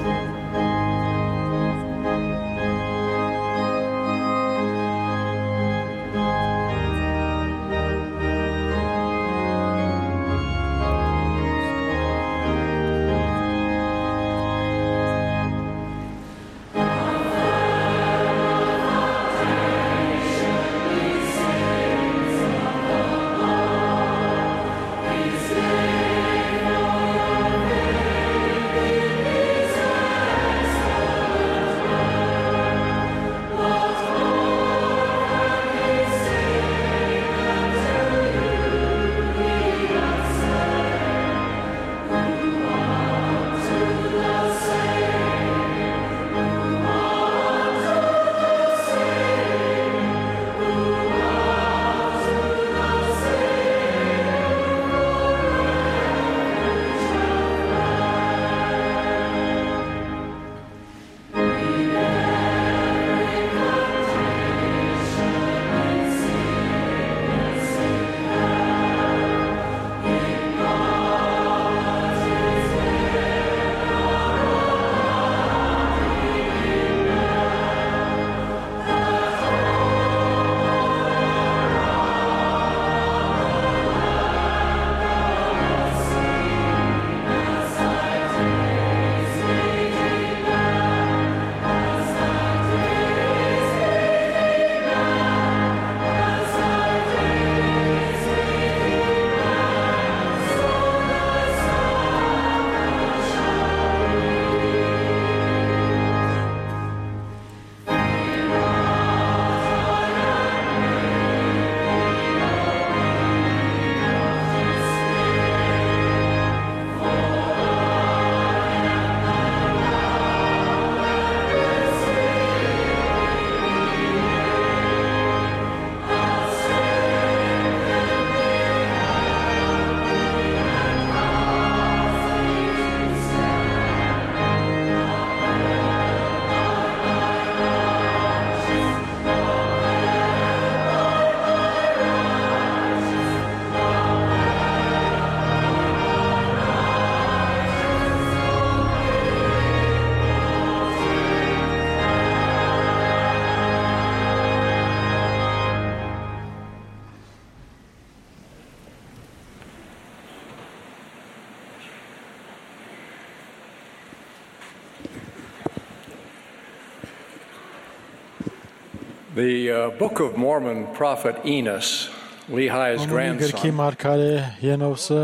S8: The uh, Book of Mormon prophet Enos, Lehi's
S3: Գրքի
S8: grandson,
S3: մարգարե Ենովսը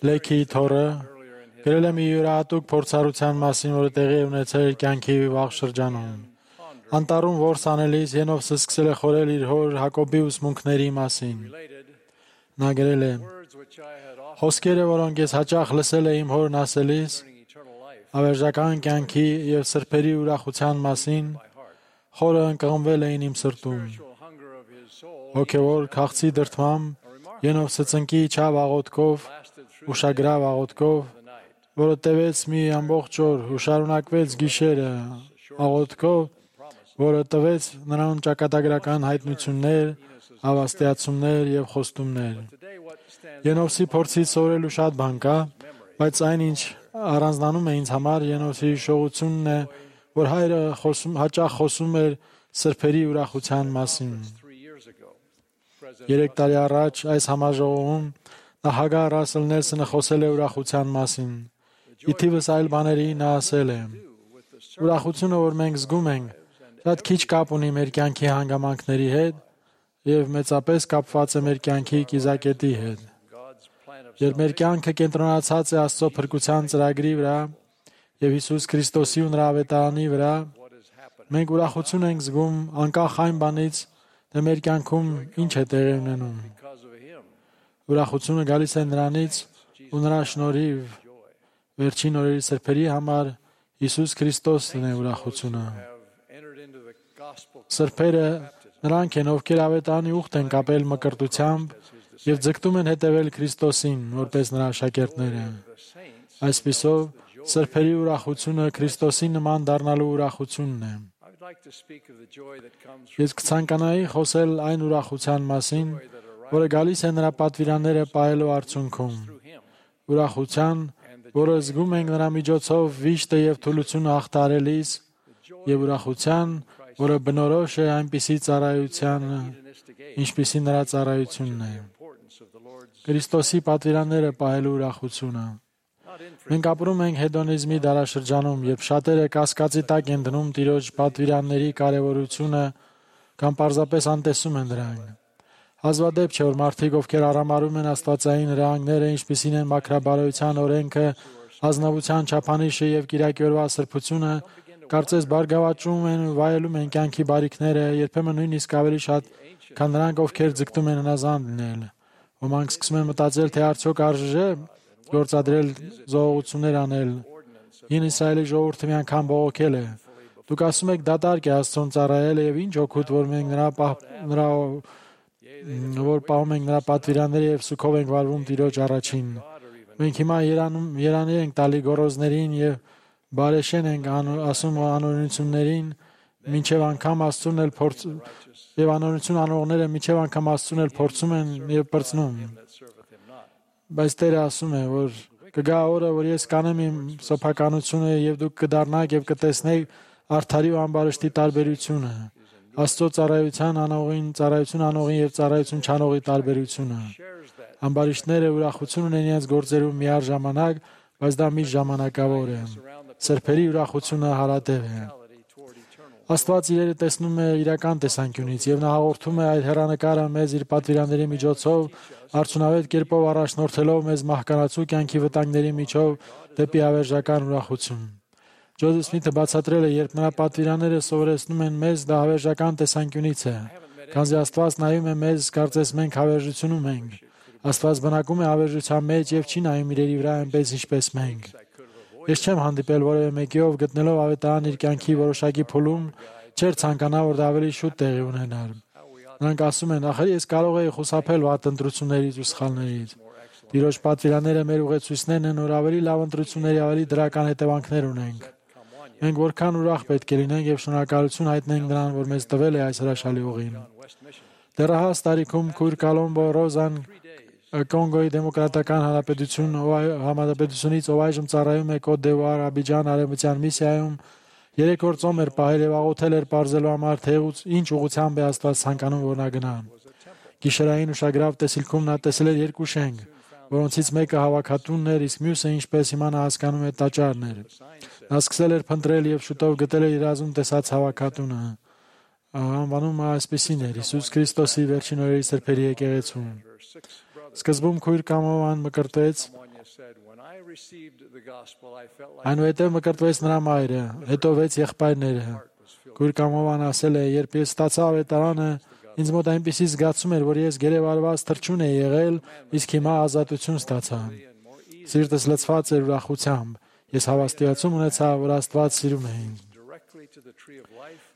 S3: Լեքիի թոռը գրել է մի յուրահատուկ փորձառության մասին, որը տեղի է ունեցել իր կյանքի վաղ շրջանում։ Անտառում որս անելիս Ենովսը սկսել է խորել իր հոր Հակոբի ուսմունքների մասին։ Նա գրել է. «Խոսքերը, որոնք ես հաճախ լսել եմ իմ հորն ասելիս, ավերժական կյանքի և սրբերի ուրախության մասին, խորը ընկղմվել էին իմ սրտում։ Հոգևոր քաղցի դրդմամբ Ենովսը ծնկի իջավ աղոթքով, ուշագրավ աղոթքով, որը տևեց մի ամբողջ օր ու շարունակվեց գիշերը աղոթքով, որը տվեց նրան ճակատագրական հայտնություններ, հավաստիացումներ և խոստումներ։ Ենովսի փորձից սովորելու շատ բան կա, բայց այն, ինչ առանձնանում է ինձ համար Ենովսի հիշողությունն է, որ հայրը խոսում, հաճախ խոսում էր սրբերի ուրախության մասին։ Երեք տարի առաջ այս համաժողովում նախագահ Ռասել Նելսոնը խոսել է ուրախության մասին։ Ի թիվս այլ բաների նա ասել է. «Ուրախությունը, որ մենք զգում ենք, շատ քիչ կապ ունի մեր կյանքի հանգամանքների հետ և մեծապես կապված է մեր կյանքի կիզակետի հետ։ Երբ մեր կյանքը կենտրոնացած է Աստծո փրկության ծրագրի վրա և Հիսուս Քրիստոսի ու նրա ավետարանի վրա, մենք ուրախություն ենք զգում անկախ այն բանից, թե մեր կյանքում ինչ է տեղի ունենում։ Ուրախությունը գալիս է նրանից ու նրա շնորհիվ վերջին օրերի սրբերի համար Հիսուս Քրիստոսն է ուրախությունը։ Սրբերը նրանք են, ովքեր ավետարանի ուխտ են կապել մկրտությամբ և ձգտում են հետևել Քրիստոսին, որպես նրա աշակերտները։ Այսպիսով, սրբերի ուրախությունը Քրիստոսի նման դառնալու ուրախությունն է։ Ես կցանկանայի խոսել այն ուրախության մասին, որը գալիս է նրա պատվիրանները պահելու արդյունքում։ Ուրախության, որը զգում ենք նրա միջոցով վիշտը և թուլությունը հաղթահարելիս, և ուրախության, որը բնորոշ է այնպիսի ծառայությանը, ինչպիսի նրա ծառայությունն է։ Քրիստոսի պատվիրանները պահելու ուրախությունը։ Մենք ապրում ենք հեդոնիզմի դարաշրջանում, երբ շատերը կասկածի տակ են դնում Տիրոջ պատվիրանների կարևորությունը կամ պարզապես անտեսում են դրանք։ Հազվադեպ չէ, որ մարդիկ, ովքեր արամարում են աստվածային հրահանգները, ինչպիսին են մաքրաբարոյության օրենքը, ազնվության չափանիշը և կիրակի օրվա սրբությունը, կարծես բարգավաճում են ու վայելում են կյանքի բարիքները, երբեմն նույնիսկ ավելի շատ, քան նրանք, ովքեր ձգտում են հնազանդ լինել։ Ոմանք սկսում են մտածել, թե արդյոք արժե գործադրել զոհողություններ անել։ Հին Իսրայելի ժողովուրդը մի անգամ բողոքել է. «Դուք ասում եք դատարկ է Աստծուն ծառայելը և ինչ օգուտ, որ մենք նրա նրա որ պահում ենք նրա պատվիրանները և սուգով ենք վարվում Տիրոջ առաջին։ Մենք հիմա երանում երանի ենք տալի գոռոզներին և բարեշեն ենք ասում անօրենություններին, մինչև անգամ Աստծուն էլ փորձ եւ անօրենություն անողները մինչև անգամ Աստծուն էլ փորձում են եւ պրծնում։ Բայց Տերը ասում է, որ կգա օրը, որ ես կանեմ իմ սոփականությունը եւ դուք կդառնաք եւ կտեսնեք արդարի ու ամբարշտի տարբերությունը, Աստծո ծառայության անողին, ծառայություն անողին եւ ծառայություն չանողի տարբերությունը։ Ամբարիշտները ուրախություն ունեն իրենց գործերում միառժամանակ, բայց դա միշտ ժամանակավոր է։ Սրբերի ուրախությունը հարատև է։ Աստված իրերը տեսնում է իրական տեսանկյունից եւ նա հաղորդում է այդ հեռանկարը մեզ իր պատվիրանների միջոցով, արդյունավետ կերպով առաջնորդելով մեզ մահկանացու կյանքի վտանգների միջով դեպի հավերժական ուրախություն։ Ջոզեֆ Սմիթը բացատրել է, երբ նրա պատվիրանները սովորեցնում են մեզ, դա հավերժական տեսանկյունից է, քանզի Աստված նայում է մեզ, կարծես մենք հավերժությունում ենք։ Աստված բնակում է հավերժության մեջ եւ չի նայում իրերի վրա այնպես, ինչպես մենք։ Ես չեմ հանդիպել որևէ մեկի, ով գտնելով ավետարան իր կյանքի որոշակի փուլում, չէր ցանկանա, որ դա ավելի շուտ տեղի ունենար։ Նրանք ասում են, ախր ես կարող էի խուսափել վատ ընտրություններից ու սխալներից։ Տիրոջ պատվիրանները մեր ուղեցույցներն են, որ ավելի լավ ընտրությունների ավելի դրական հետևանքներ ունենք։ Մենք որքան ուրախ պետք է լինենք եւ շնորհակալություն հայտնենք նրան, որ մեզ տվել է այս հրաշալի ուղին։ Դեռահաս տարիքում քույր Կոլոմբո Ռոզան Կոնգոյի Դեմոկրատական Հանրապետություն Հանրապետությունից, ով այժմ ծառայում է Կոտ դ'Իվուար Աբիջան արևմտյան միսիայում, երեք օր ծոմ էր պահել եւ աղոթել էր պարզելու համար, թե ինչ ուղղությամբ է Աստված ցանկանում, որ նա գնա։ Գիշերային ուշագրավ տեսիլքում նա տեսել էր երկու շենք, որոնցից մեկը հավաքատունն էր, իսկ մյուսը, ինչպես հիմա նա հասկանում է, տաճարն էր։ Նա սկսել էր փնտրել եւ շուտով գտել էր իր ազում տեսած հավաքատունը։ անվանում այսպեսին էր Հիսուս Քրիստոսի վերջին օրերի սրբերի եկեղեցուն։ Սկզբում քույր Կամոման մկրտվեց, այնուհետև մկրտվեց նրա մայրը, հետո վեց եղբայրները։ Քույր Կամոման ասել է, երբ ես ստացա ավետարանը, ինձ մոտ այնպիսի զգացում էր, որ ես գերեվարված թռչուն էի եղել, իսկ հիմա ազատություն ստացա։ Սիրտս լցված էր ուրախությամբ։ Ես հավաստիացում ունեցա, որ Աստված սիրում է ինձ։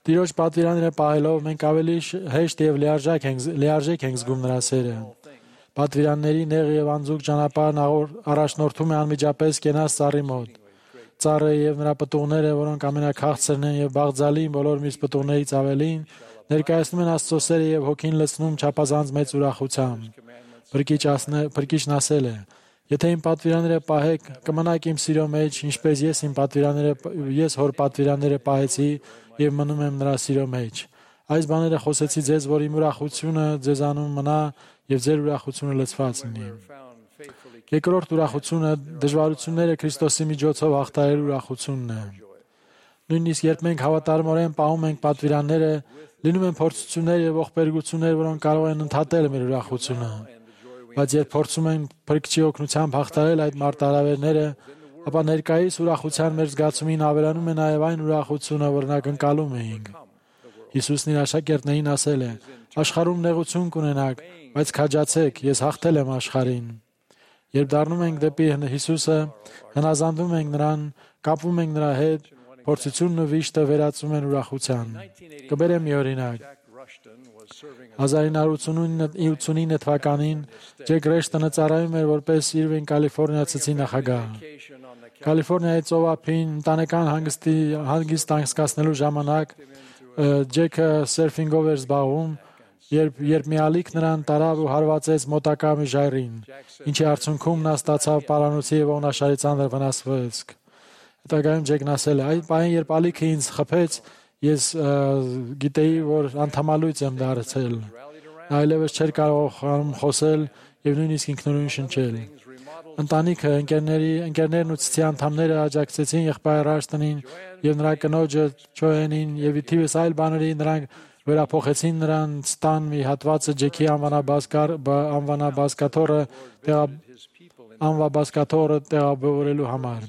S3: Տիրոջ պատվիրանները պահելով մենք ավելի հեշտ եւ լիարժեք ենք լիարժեք ենք զգում նրա սերը։ Պատվիրանների նեղ եւ անձուկ ճանապարհն առաջնորդում է անմիջապես կենաց ծառի մոտ։ Ծառը եւ նրա պտուղները, որոնք ամենաքաղցրն են եւ բաղձալի բոլոր մյուս պտուղներից ավելին, ներկայացնում են Աստծո սերը եւ հոգին լցնում չափազանց մեծ ուրախությամբ։ Փրկիչն ասել է. Եթե իմ պատվիրանները պահեք, կմնաք իմ սիրո մեջ, ինչպես ես իմ պատվիրանները ես հոր պատվիրանները պահեցի եւ մնում եմ նրա սիրո մեջ։ Այս բաները խոսեցի ձեզ, որ իմ ուրախությունը ձեզանում մնա եւ ձեր ուրախությունը լցված լինի։ Երկրորդ ուրախությունը դժվարությունները Քրիստոսի միջոցով հաղթահարելու ուրախությունն է։ Նույնիսկ երբ մենք հավատարմորեն պահում ենք պատվիրանները, լինում են փորձություններ եւ ողբերգություններ, որոնք կարող են ընդհատել մեր ուրախությունը։ Բայց երբ փորձում ենք Փրկչի օգնությամբ հաղթահարել այդ մարտահրավերները, ապա ներկայիս ուրախության մեր զգացումին ավելանում է նաև այն ուրախությունը, որ նակնկալում էինք։ Հիսուսն իր աշակերտներին ասել է. «Աշխարհում նեղություն կունենաք, բայց քաջացեք, ես հաղթել եմ աշխարհին»։ Երբ դառնում ենք դեպի Հիսուսը, հնազանդվում ենք նրան, կապվում ենք նրա հետ, փորձությունն ու վիշտը վերածում են ուրախության։ Կբերեմ մի օրինակ։ հազար ինը հարյուր ութսունինը թվականին Ջեք Ռեշտոնը ծառայում էր որպես Իրվին Կալիֆոռնիա ցցի նախագահ։ Կալիֆոռնիայի ծովափին ընտանեկան հանգստի հանգիստ անցկացնելու ժամանակ Ջեքը սերֆինգով էր զբաղվում, երբ երբ մի ալիք նրան տարավ ու հարվածեց մոտակա մի ժայռին, ինչի արդյունքում նա ստացավ պարանոցի եւ ողնաշարի ծանր վնասվածք։ Հետագայում Ջեկն ասել է. «Այդ պահին, երբ ալիքը ինձ խփեց, ես գիտեի, որ անդամալույց եմ դարձել»։ Նա այլևս չէր կարող խոսել եւ նույնիսկ ինքնուրույն շնչել։ Ընտանիքը, ընկերների, ընկերներն ու ցցի անդամները աջակցեցին եղբայր Ռաշտոնին եւ նրա կնոջը Չոենին եւ իթիվս այլ բաների նրանք վերափոխեցին նրանց տան մի հատվածը Ջեքի անվանաբազկար անվանաբազկաթորը անվաբազկաթորը տեղավորելու համար։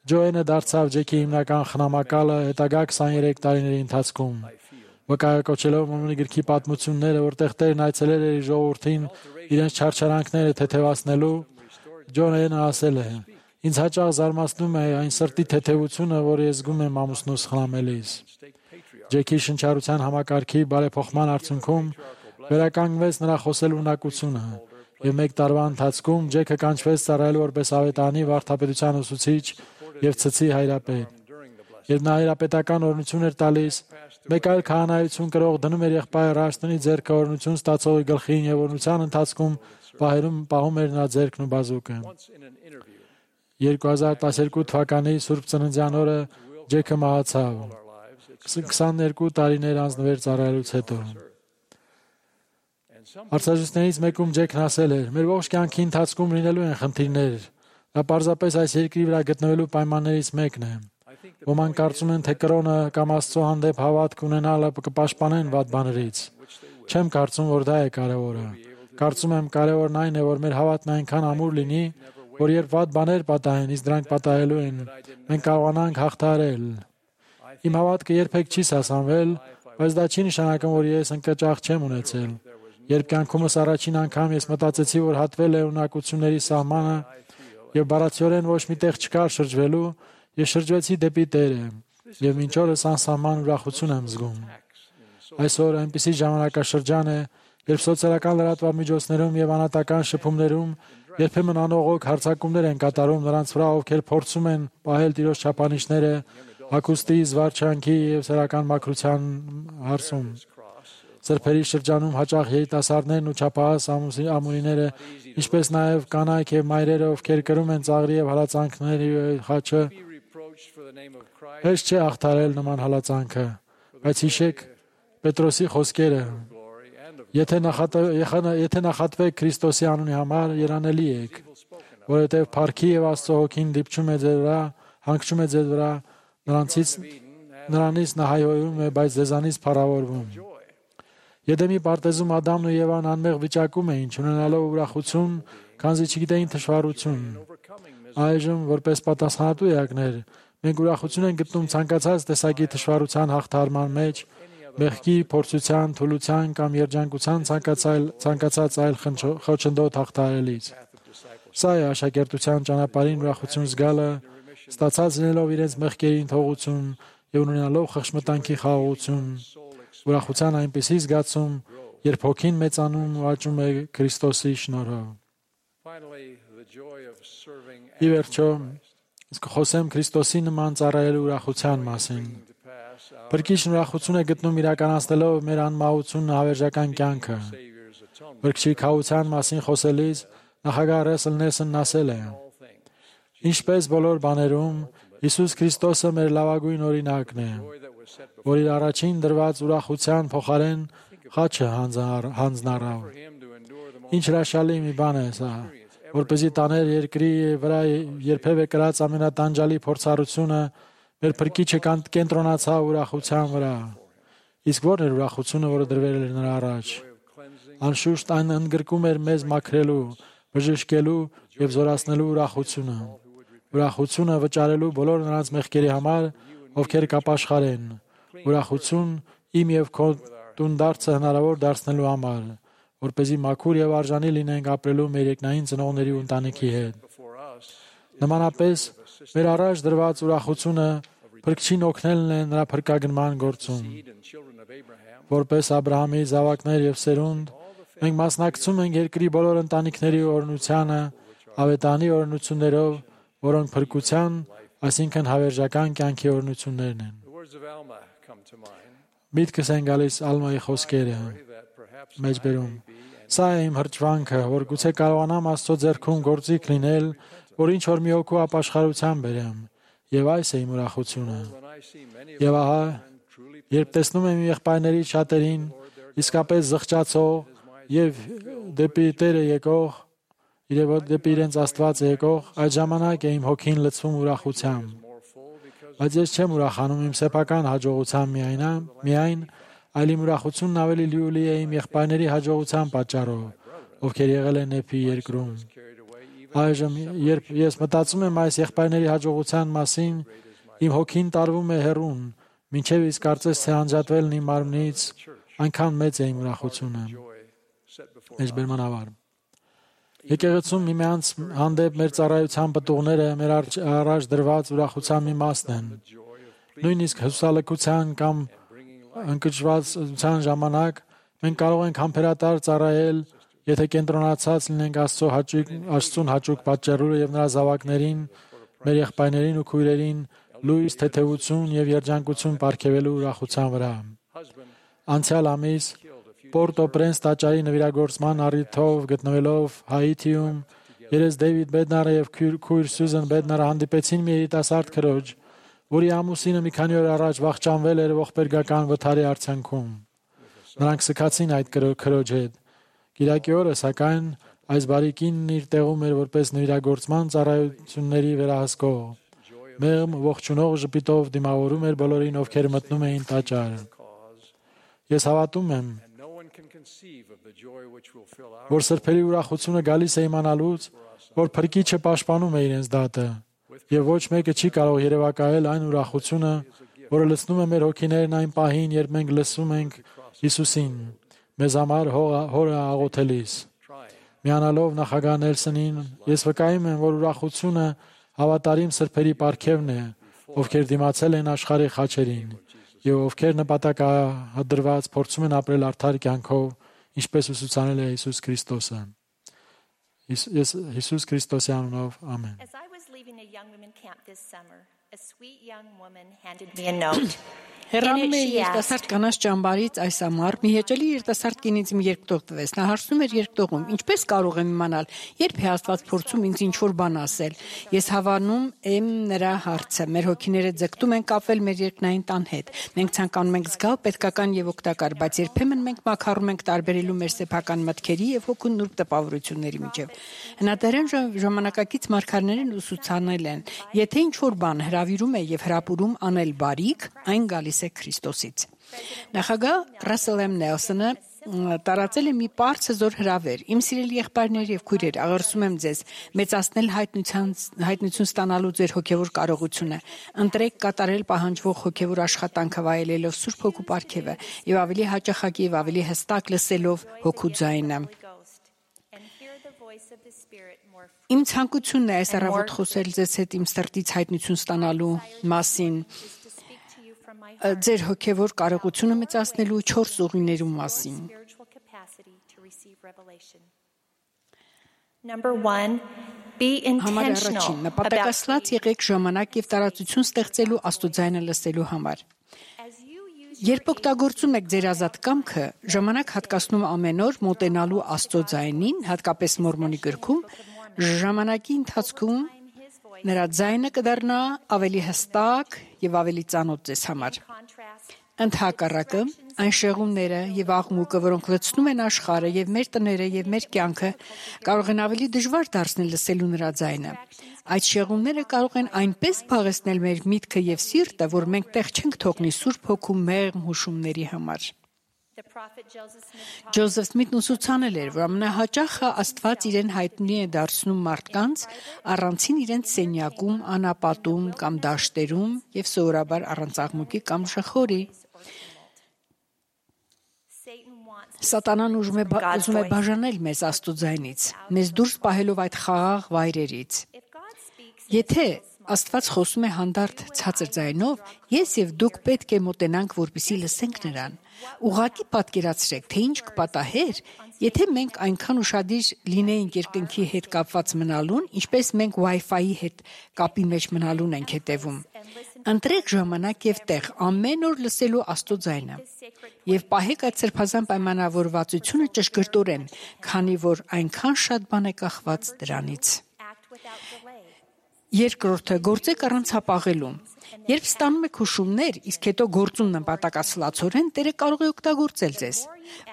S3: Ջոենը դարձավ Ջեքի հիմնական խնամակալը հետագա քսաներեք տարիների ընթացքում։ Վկայակոչելով Մորմոնի գրքի պատմությունները, որտեղ Տերն այցելել էր իր ժողովրդին իրենց չարչարանքները թեթևացնելու, Ջոենը ասել է. «Ինձ հաճախ զարմացնում է այն սրտի թեթևությունը, որ ես զգում եմ ամուսնուս խնամելիս»։ Ջեքի շնչառության համակարգի բարեփոխման արդյունքում վերականգնվեց նրա խոսելու ունակությունը, եւ մեկ տարվա ընթացքում Ջեքը կանչվեց ծառայելու որպես ավետարանի, վարդապետության ուսուցիչ եւ ցցի հայրապետ։ Երբ նա հայրապետական օրհնություն էր տալիս, մեկ այլ քահանայություն կրող դնում էր եղբայր Ռաշտոնի ձեռքը օրհնություն ստացողի գլխին եւ օրհնության ընթացքում պահերում պահում էր նրա ձեռքն ու բազուկը։ երկու հազար տասներկու թվականի Սուրբ Ծննդյան օրը Ջեքը մահացավ քսաներկու տարիներ անձնվեր ծառայելուց հետո։ Արցախից մեկում Ջեքն ասել էր. «Մեր ողջ կյանքի ընթացքում լինելու են խնդիրներ։ Դա պարզապես այս երկրի վրա գտնվելու պայմաններից մեկն է։ Ոմանք կարծում են, թե կրոնը կամ Աստծո հանդեպ հավատք ունենալը կպաշտպանեն վատ բաներից։ Չեմ կարծում, որ դա է կարևորը։ Կարծում եմ, կարևորն այն է, որ մեր հավատն այնքան ամուր լինի, որ երբ վատ բաներ պատահեն, իսկ դրանք պատահելու են, մենք կարողանանք հաղթահարել։ Իմ հավատքը երբեք չի սասանվել, բայց դա չի նշանակում, որ ես ընկճախ չեմ ունեցել։ Երբ կյանքումս առաջին անգամ ես մտածեցի, որ հատվել է ունակությունների սահմանը եւ բառացիորեն ոչ մի տեղ չկար շրջվելու, ես շրջվեցի դեպի Տերը եւ մինչ օրս անսահման ուրախություն եմ զգում։ Այսօր այնպիսի ժամանակաշրջան է, երբ սոցիալական լրատվամիջոցներում եւ անհատական շփումներում երբեմն անողոք հարձակումներ են կատարում նրանց վրա, ովքեր փորձում են պահել Տիրոջ չափանիշները հագուստի, զվարճանքի եւ սեռական մաքրության հարցում։ Սրբերի շրջանում հաճախ երիտասարդներն ու չափահաս ամուսինները, ինչպես նաև կանայք եւ մայրերը, ովքեր կրում են ծաղրի եւ հալածանքների խաչը, հեշտ չէ հաղթահարել նման հալածանքը, բայց հիշեք Պետրոսի խոսքերը. Եթե եթե նախատվեք Քրիստոսի անունի համար, երանելի եք, որովհետեւ փառքի եւ Աստծո հոգին դիպչում է ձեր վրա, հանգչում է ձեր վրա, նրանցից Նրանից նա հայհոյում է, բայց ձեզանից փառավորվում։ Եդեմի պարտեզում Ադամն ու Եվան անմեղ վիճակում էին, ունենալով ուրախություն, քանզի չգիտեին թշվառություն։ Այժմ, որպես պատասխանատու էակներ, մենք ուրախություն ենք գտնում ցանկացած տեսակի թշվառության հաղթահարման մեջ, մեղքի, փորձության, թուլության կամ երջանկության ցանկացած այլ խոչընդոտ հաղթահարելիս։ Սա է աշակերտության ճանապարհին ուրախություն զգալը, ստացած լինելով իրենց մեղքերին թողություն եւ ունենալով խղճմտանքի խաղաղություն, ուրախության այնպիսի զգացում, երբ հոգին մեծանում ու աճում է Քրիստոսի շնորհով։ Ի վերջո, իսկ խոսեմ Քրիստոսի նման ծառայելու ուրախության մասին։ Փրկիչն ուրախություն է գտնում իրականացնելով մեր անմահությունն հավերժական կյանքը։ Փրկչի քահության մասին խոսելիս նախագահ Ռեսլ Նեսոնն ասել է. Ինչպես բոլոր բաներում, Հիսուս Քրիստոսը մեր լավագույն օրինակն է, որ իր առաջին դրված ուրախության փոխարեն խաչը հանձնարավ։ Ինչ հրաշալի մի բան է սա, որպեսզի տաներ երկրի վրա երբևէ կրած ամենատանջալի փորձառությունը մեր Փրկիչը կենտրոնացավ ուրախության վրա։ Իսկ ո՞րն էր ուրախությունը, որը դրվել էր նրա առաջ։ Անշուշտ այն ընդգրկում էր մեզ մաքրելու, բժշկելու եւ զորացնելու ուրախությունը։ Ուրախությունը վճարելու բոլոր նրանց մեղքերի համար, ովքեր կապաշխար են։ Ուրախություն իմ եւ քո տունդարձը հնարավոր դարձնելու համար, որպեսզի մաքուր եւ արժանի լինենք ապրելու մեր երկնային ծնողների ու ընտանիքի հետ։ Նմանապես, մեր առաջ դրված ուրախությունը Փրկչին օգնելն է նրա փրկագնման գործում։ Որպես Աբրահամի զավակներ եւ սերունդ, մենք մասնակցում ենք երկրի բոլոր ընտանիքների օրհնությանը, ավետանի օրհնություններով, որոնք փրկության, այսինքն հավերժական կյանքի օրհնություններն են։ Միտքս են գալիս Ալմայի խոսքերը մեջբերում։ Սա է իմ հրճվանքը, որ գուցե կարողանամ Աստծո ձեռքում գործիք լինել, որ ինչ որ մի օգու ապաշխարության բերեմ, եւ այս է իմ ուրախությունը։ Եվ ահա, երբ տեսնում եմ եղբայրների շատերին իսկապես զղջացող եւ դեպի Տերը եկող, իրեւ դեպի իրենց Աստված եկող, այդ ժամանակ է իմ հոգին լցվում ուրախությամբ։ Բայց ես չեմ ուրախանում իմ սեփական հաջողության միայն, միայն, այլ իմ ուրախությունն ավելի լիուլի է իմ եղբայրների հաջողության պատճառով, ովքեր եղել են Եփի երկրում։ Այժմ, երբ ես մտածում եմ այս եղբայրների հաջողության մասին, իմ հոգին տարվում է հեռուն, մինչև իսկ կարծես թե անջատվելն իմ մարմնից, այնքան մեծ է իմ ուրախությունը։ Մեջբերման ավար։ Եկեղեցում միմյանց հանդեպ մեր ծառայության պտուղները մեր առաջ դրված ուրախության մի մասն են։ Նույնիսկ հուսալքության կամ ընկճվածության ժամանակ մենք կարող ենք համբերատար ծառայել, եթե կենտրոնացած լինենք Աստծո հաճույք, Աստծուն հաճույք պատճառելու եւ նրա զավակներին, մեր եղբայրներին ու քույրերին լույս, թեթևություն եւ երջանկություն ապարգևելու ուրախության վրա։ Անցյալ ամիս Պորտո-Պրենս տաճարի նվիրագործման առիթով գտնվելով Հայիթիում, երես Դեյվիդ Բեդնարը եւ քույր Սյուզան Բեդնարը հանդիպեցին մի երիտասարդ քրոջ, որի ամուսինը մի քանի օր առաջ վախճանվել էր ողբերգական վթարի արդյունքում։ Նրանք սկացին այդ քրոջ հետ։ Կիրակի օրը, սակայն, այս բարի կինն իր տեղում էր որպես նվիրագործման ծառայությունների վերահսկող։ Մեղմ ողջունող ժպիտով դիմավորում էր բոլորին, ովքեր մտնում էին տաճար։ Ես հավատում եմ, որ սրբերի ուրախությունը գալիս է իմանալուց, որ Փրկիչը պաշտպանում է իրենց դատը, եւ ոչ մեկը չի կարող երևակայել այն ուրախությունը, որը լցնում է մեր հոգիներն այն պահին, երբ մենք լսում ենք Հիսուսին, մեզ համար հորը աղոթելիս։ Միանալով նախագահ Նելսոնին, ես վկայում եմ, որ ուրախությունը հավատարիմ սրբերի պարգևն է, ովքեր դիմացել են աշխարհի խաչերին եւ ովքեր նպատակադրված փորձում են ապրել արդար կյանքով, ինչպես ուսուցանել է Հիսուս Քրիստոսը։ Ես Հիսուս Քրիստոսի անունով ամեն։
S10: As I was leaving a young women camp this summer, a sweet young woman handed me a note.
S9: Հեռանում է երիտասարդ կանանց ճամբարից այս ամառ մի հեճելի երիտասարդ կինից իմ երկտող տվեց։ Նա հարցնում էր երկտողում. ինչպես կարող եմ իմանալ, երբ է Աստված փորձում ինձ ինչ-որ բան ասել։ Ես հավանում եմ նրա հարցը։ Մեր հոգիները ձգտում են կապվել մեր երկնային տան հետ։ Մենք ցանկանում ենք զգալ պետքական եւ օգտակար, բայց երբեմն մենք մաքարում ենք տարբերելու մեր սեփական մտքերի եւ հոգու նուրբ տպավորությունների միջեւ։ Հնադարյան ժամանակակից մարգարեներն ուսուցանել են, եթե ինչ-որ բան հրավիրում է եւ հրապուրում անել բարիք, այն գալիս է Քրիստոսից։ Նախագահ Ռասել Էմ Նելսոնը տարածել է մի բարձր հրավեր. Իմ սիրելի եղբայրներ եւ քույրեր, աղերսում եմ ձեզ մեծացնել հայտնության հայտնություն ստանալու ձեր հոգեվոր կարողությունը, ընտրեք կատարել պահանջվող հոգեվոր աշխատանքը վայելելով Սուրբ Հոգու պարգևը եւ ավելի հաճախակի եւ ավելի հստակ լսելով Հոգու ձայնը։ Իմ ցանկությունն է այս առավոտ խոսել ձեզ հետ իմ սրտից հայտնություն ստանալու մասին, ձեր հոգևոր կարողությունը մեծացնելու չորս ուղիներու մասին։ Համար առաջին, նպատակասլաց եղեք ժամանակ եւ տարածություն ստեղծելու Աստուծայինը լսելու համար։ Երբ օգտագործում եք ձեր ազատ կամքը, ժամանակ հատկացնում ամեն օր մոտենալու Աստծո ձայնին, հատկապես Մորմոնի գրքում, ժամանակի ընթացքում նրա ձայնը կդառնա ավելի հստակ եւ ավելի ծանոթ ձեզ համար։ Ընդհակառակը, այն շեղումները եւ աղմուկը, որոնք լցնում են աշխարհը եւ մեր տները եւ մեր կյանքը, կարող են ավելի դժվար դարձնել լսելու նրա ձայնը։ Այդ շեղումները կարող են այնպես փաղեցնել մեր միտքը եւ սիրտը, որ մենք տեղ չենք թողնի Սուրբ Հոգու մեղմ հուշումների համար։ Ջոզեֆ Սմիթն ուսուցանել էր, որ ամենահաճախը Աստված իրեն հայտնի է դարձնում մարդկանց առանցին իրենց սենյակում, անապատում կամ դաշտերում եւ սովորաբար առանց աղմուկի կամ շխորի։ Սատանան ուզում է, ուզում է բաժանել մեզ Աստծո ձայնից, մեզ դուրս պահելով այդ խաղաղ վայրերից։ Եթե Աստված խոսում է հանդարտ ցածր ձայնով, ես եւ դուք պետք է մոտենանք, որպեսզի լսենք նրան։ Ուղղակի պատկերացրեք, թե ինչ կպատահեր, եթե մենք այնքան ուշադիր լինեինք երկնքի հետ կապված մնալուն, ինչպես մենք Wi-Fi-ի հետ կապի մեջ մնալուն ենք հետևում։ Ընտրեք ժամանակ եւ տեղ ամեն օր լսելու Աստծո ձայնը եւ պահեք այդ սրբազան պայմանավորվածությունը ճշգրտորեն, քանի որ այնքան շատ բան է կախված դրանից։ Երկրորդը, գործեք առանց հապաղելու։ Երբ ստանում եք հուշումներ, իսկ հետո գործում նպատակասլացորեն, Տերը կարող է օգտագործել ձեզ։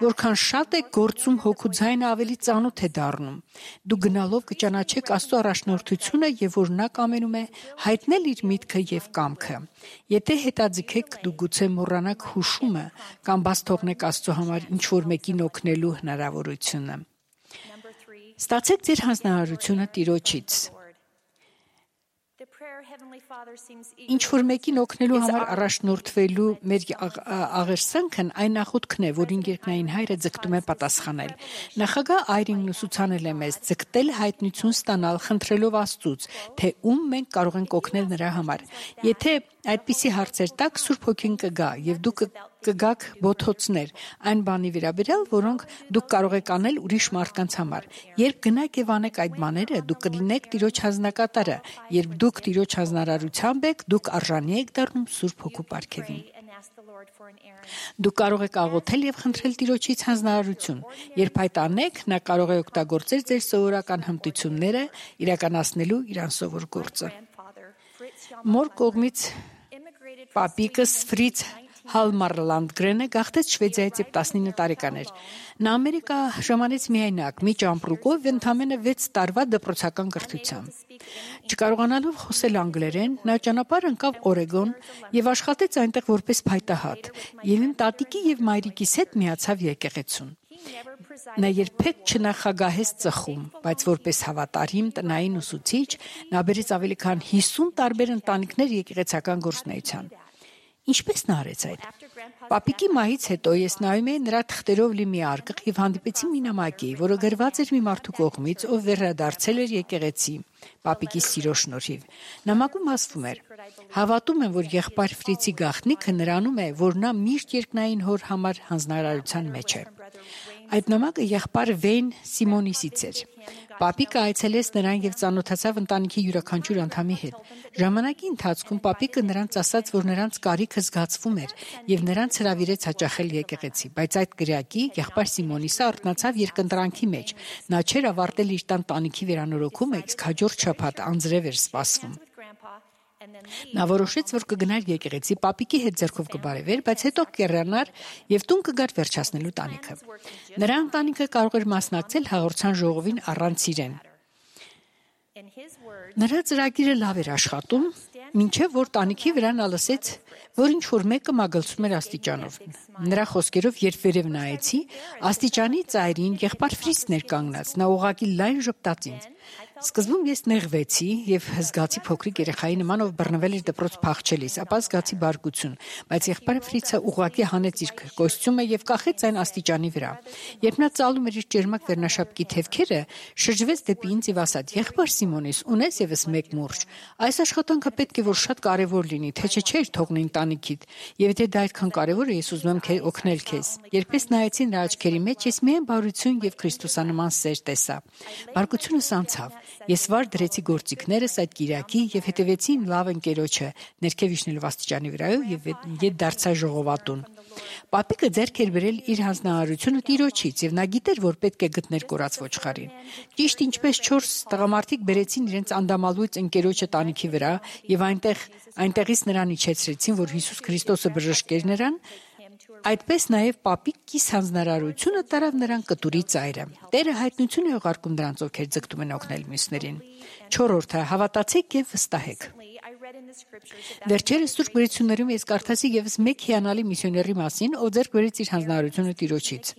S9: Որքան շատ եք գործում, Հոգու ձայնը ավելի ծանոթ է դառնում։ Դուք գնալով կճանաչեք Աստծո առաջնորդությունը եւ որ նա կամենում է հայտնել իր միտքը եւ կամքը։ Եթե հետաձգեք, դուք գուցե մոռանաք հուշումը կամ բաց թողնեք Աստծո համար ինչ որ մեկին օգնելու հնարավորությունը։ Ստացեք ձեր հանձնարարությունը Տիրոջից։ Ինչ որ մեկին օգնելու համար առաջնորդվելու մեր աղերսանքն այն նախուտքն է, որին երկնային Հայրը ձգտում է պատասխանել։ Նախագահ Այրինգն ուսուցանել է մեզ ձգտել հայտնություն ստանալ, խնդրելով Աստծուց, թե ում մենք կարող ենք օգնել նրա համար։ Եթե այդպիսի հարցեր տակ, Սուրբ Հոգին կգա եւ դուք կգաք բոթոցներ այն բանի վերաբերյալ, որոնք դուք կարող եք անել ուրիշ մարդկանց համար։ Երբ գնաք եւ անեք այդ բաները, դուք կլինեք Տիրոջ հանձնակատարը։ Երբ դուք Տիրոջ հանձնարարությամբ եք, դուք արժանի եք դառնում Սուրբ Հոգու պարգևին։ Դուք կարող եք աղոթել եւ խնդրել Տիրոջից հանձնարարություն։ Երբ այդ անեք, նա կարող է օգտագործել ձեր սովորական հմտությունները իրականացնելու իր անսովոր գործը։ Մոր կողմից Պապիկս Ֆրից Հալմարլանդգրենը գաղթեց Շվեդիայից երբ տասնինը տարեկան էր։ Նա Ամերիկա ժամանեց միայնակ, մի ճամպրուկով ընդամենը վեց տարվա դպրոցական կրթությամբ։ Չկարողանալով խոսել անգլերեն, նա ճանապարհ ընկավ Օրեգոն եւ աշխատեց այնտեղ որպես փայտահատ։ Եվ իմ տատիկի եւ մայրիկիս հետ միացավ եկեղեցուն։ Նա երբեք չնախագահեց ծխում, բայց որպես հավատարիմ տնային ուսուցիչ, նա բերեց ավելի քան հիսուն տարբեր ընտանիքներ եկեղեցական գործունեության։ Ինչպես նա արեց այդ։ Պապիկի մահից հետո ես նայում էի նրա թղթերով լի մի արկղ եւ հանդիպեցի մի նամակի, որը գրված էր մի մարդու կողմից, ով վերադարձել էր եկեղեցի, պապիկի սիրո շնորհիվ։ Նամակում ասվում էր. «Հավատում եմ, որ եղբայր Ֆրիցի գաղտնիքը նրանում է, որ նա միշտ երկնային հոր համար հանձնարարության մեջ է»։ Այդ նամակը եղբայր Վեյն Սիմոնիսից էր։ Պապիկը այցելեց նրան եւ ծանոթացավ ընտանիքի յուրաքանչյուր անդամի հետ։ Ժամանակի ընթացքում պապիկը նրանց ասաց, որ նրանց կարիքը զգացվում էր եւ նրանց հրավիրեց հաճախել եկեղեցի, բայց այդ գրակի եղբայր Սիմոնիսը արթնացավ երկընտրանքի մեջ։ Նա չէր ավարտել իր տան տանիքի վերանորոգումը, իսկ հաջորդ շաբաթ անձրև էր սպասվում։ Նա որոշեց, որ կգնար եկեղեցի, պապիկի հետ ձեռքով կբարևեր, բայց հետո կեռանար եւ տուն կգար վերջացնելու տանիքը։ Նրա ընտանիքը կարող էր մասնակցել հաղորդության ժողովին առանց իրեն։ Նրա ծրագիրը լավ էր աշխատում, մինչև որ տանիքի վրա նա լսեց, որ ինչ որ մեկը մագլցում էր աստիճանով։ Նրա խոսքերով, երբ վերև նայեցի, աստիճանի ծայրին եղբայր Ֆրիցն էր կանգնած, նա ուղղակի լայն ժպտաց ինձ։ Սկզբում ես նեղվեցի եւ հզգացի փոքրիկ երեխայի նման, ով բռնվել էր դպրոց փախչելիս, ապա զգացի բարկություն, բայց եղբայր Ֆրիցը ուղղակի հանեց իր կոստյումը եւ կախեց այն աստիճանի վրա։ Երբ նա ծալում էր իր ճերմակ վերնաշապկի թևքերը, շրջվեց դեպի ինձ եւ ասաց. «Եղբայր Սիմոնիս, ունես եւս մեկ մուրջ։ Այս աշխատանքը պետք է որ շատ կարեւոր լինի, թե չէ չէր թողնին տանիքիդ։ Եվ եթե դա այդքան կարեւոր է, ես ուզում եմ օգնել քեզ»։ Երբ ես նայեցի նրա աչքերի մեջ, ես միայն բարություն եւ քրիստոսանման սեր տեսա։ Բարկությունս անցավ։ Ես վար դրեցի գործիքներս այդ կիրակի եւ հետևեցի իմ լավ ընկերոջը, ներքև իջնելով աստիճանի վրայով եւ ետ դարձա ժողովատուն։ Պապիկը ձեռք էր բերել իր հանձնարարությունը Տիրոջից եւ նա գիտեր, որ պետք է գտներ կորած ոչխարին։ Ճիշտ ինչպես չորս տղամարդիկ բերեցին իրենց անդամալույց ընկերոջը տանիքի վրա եւ այնտեղ այնտեղից նրան իջեցրեցին, որ Հիսուս Քրիստոսը բժշկեր նրան, այդպես նաև պապիկ կիս հանձնարարությունը տարավ նրան կտուրի ծայրը։ Տերը հայտնություն է ուղարկում նրանց, ովքեր ձգտում են օգնել մյուսներին։ Չորրորդը՝ հավատացեք եւ վստահեք։ Վերջերս Սուրբ Գրություններում ես կարդացի եւս մեկ հիանալի միսիոների մասին, ով ձեռք բերեց իր հանձնարարությունը Տիրոջից։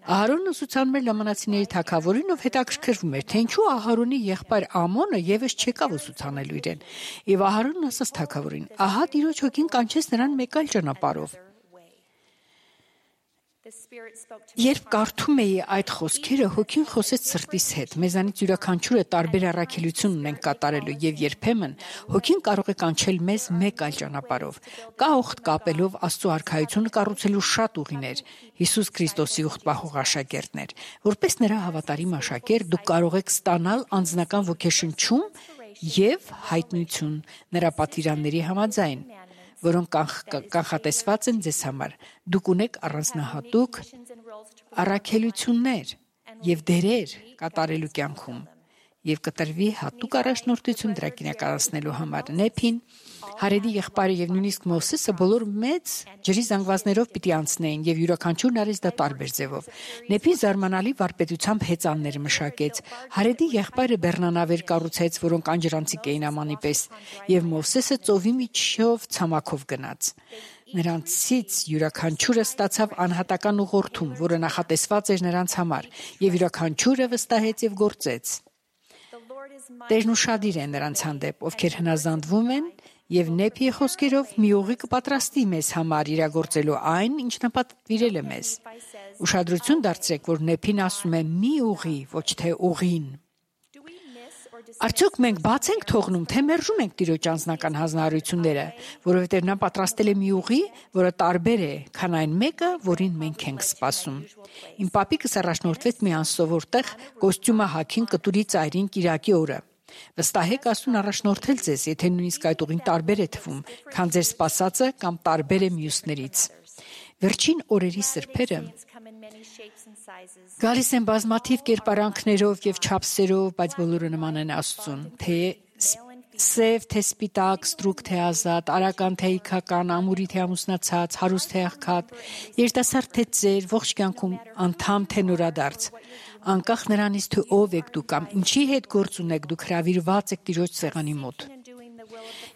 S9: Ահարոնն ուսուցանում էր լամանացիների թագավորին, ով հետաքրքրվում էր, թե ինչու Ահարոնի եղբայր Ամոնը եւս չեկավ ուսուցանելու իրեն։ Եվ Ահարոնն ասաց թագավորին. «Ահա Տիրոջ հոգին կանչեց նրան մեկ այլ ճանապարհով»։ Երբ կարդում էի այդ խոսքերը, հոգին խոսեց սրտիս հետ։ Մեզանից յուրաքանչյուրը տարբեր առաքելություն ունենք կատարելու եւ երբեմն հոգին կարող է կանչել մեզ մեկ այլ ճանապարհով։ Կա ուխտ կապելով Աստծո արքայությունը կառուցելու շատ ուղիներ։ Հիսուս Քրիստոսի ուխտ պահող աշակերտներ։ Որպես նրա հավատարիմ աշակերտ դուք կարող եք ստանալ անձնական ոգեշնչում եւ հայտնություն նրա պատվիրանների համաձայն, որոնք կանխատեսված են ձեզ համար։ Դուք ունեք առանձնահատուկ առաքելություններ եւ դերեր կատարելու կյանքում եւ կտրվի հատուկ առաջնորդություն դրա կիրականացնելու համար։ Նեփին, Հարեդի եղբայրը եւ նույնիսկ Մովսեսը բոլոր մեծ ջրի զանգվածներով պիտի անցնեին եւ յուրաքանչյուրն արեց դա տարբեր ձևով։ Նեփին զարմանալի վարպետությամբ հեծաններ մշակեց։ Հարեդի եղբայրը բեռնանավեր կառուցեց, որոնք անջրանցիկ էին ամանի պես, եւ Մովսեսը ծովի միջով ցամաքով գնաց։ Նրանցից յուրաքանչյուրը ստացավ անհատական ուղղորդում, որը նախատեսված էր նրանց համար, եւ յուրաքանչյուրը վստահեց եւ գործեց։ Տերն ուշադիր է նրանց հանդեպ, ովքեր հնազանդվում են եւ Նեփիի խոսքերով մի ուղի կպատրաստի մեզ համար իրագործելու այն, ինչ նա պատվիրել է մեզ։ Ուշադրություն դարձրեք, որ Նեփին ասում է մի ուղի, ոչ թե ուղին։ Արդյոք մենք բաց ենք թողնում, թե մերժում ենք Տիրոջ անձնական հանձնարարությունները, որովհետև նա պատրաստել է մի ուղի, որը տարբեր է, քան այն մեկը, որին մենք ենք սպասում։ Իմ պապիկս առաջնորդվեց մի անսովոր տեղ կոստյումը հագին կտուրի ծայրին կիրակի օրը։ Վստահեք Աստծուն առաջնորդել ձեզ, եթե նույնիսկ այդ ուղին տարբեր է թվում, քան ձեր սպասածը կամ տարբեր է մյուսներից։ Վերջին օրերի սրբերը գալիս են բազմաթիվ կերպարանքներով եւ չափսերով, բայց բոլորը նման են Աստծուն, թե սև, թե սպիտակ, ստրուկ, թե ազատ, արական, թե իքական, ամուրի, թե ամուսնացած, հարուստ, թե աղքատ, երիտասարդ, թե ծեր, ողջ կյանքում անդամ, թե նորադարձ։ Անկախ նրանից, թե ով եք դուք կամ ինչի հետ գործ ունեք, դուք հրավիրված եք Տիրոջ սեղանի մոտ։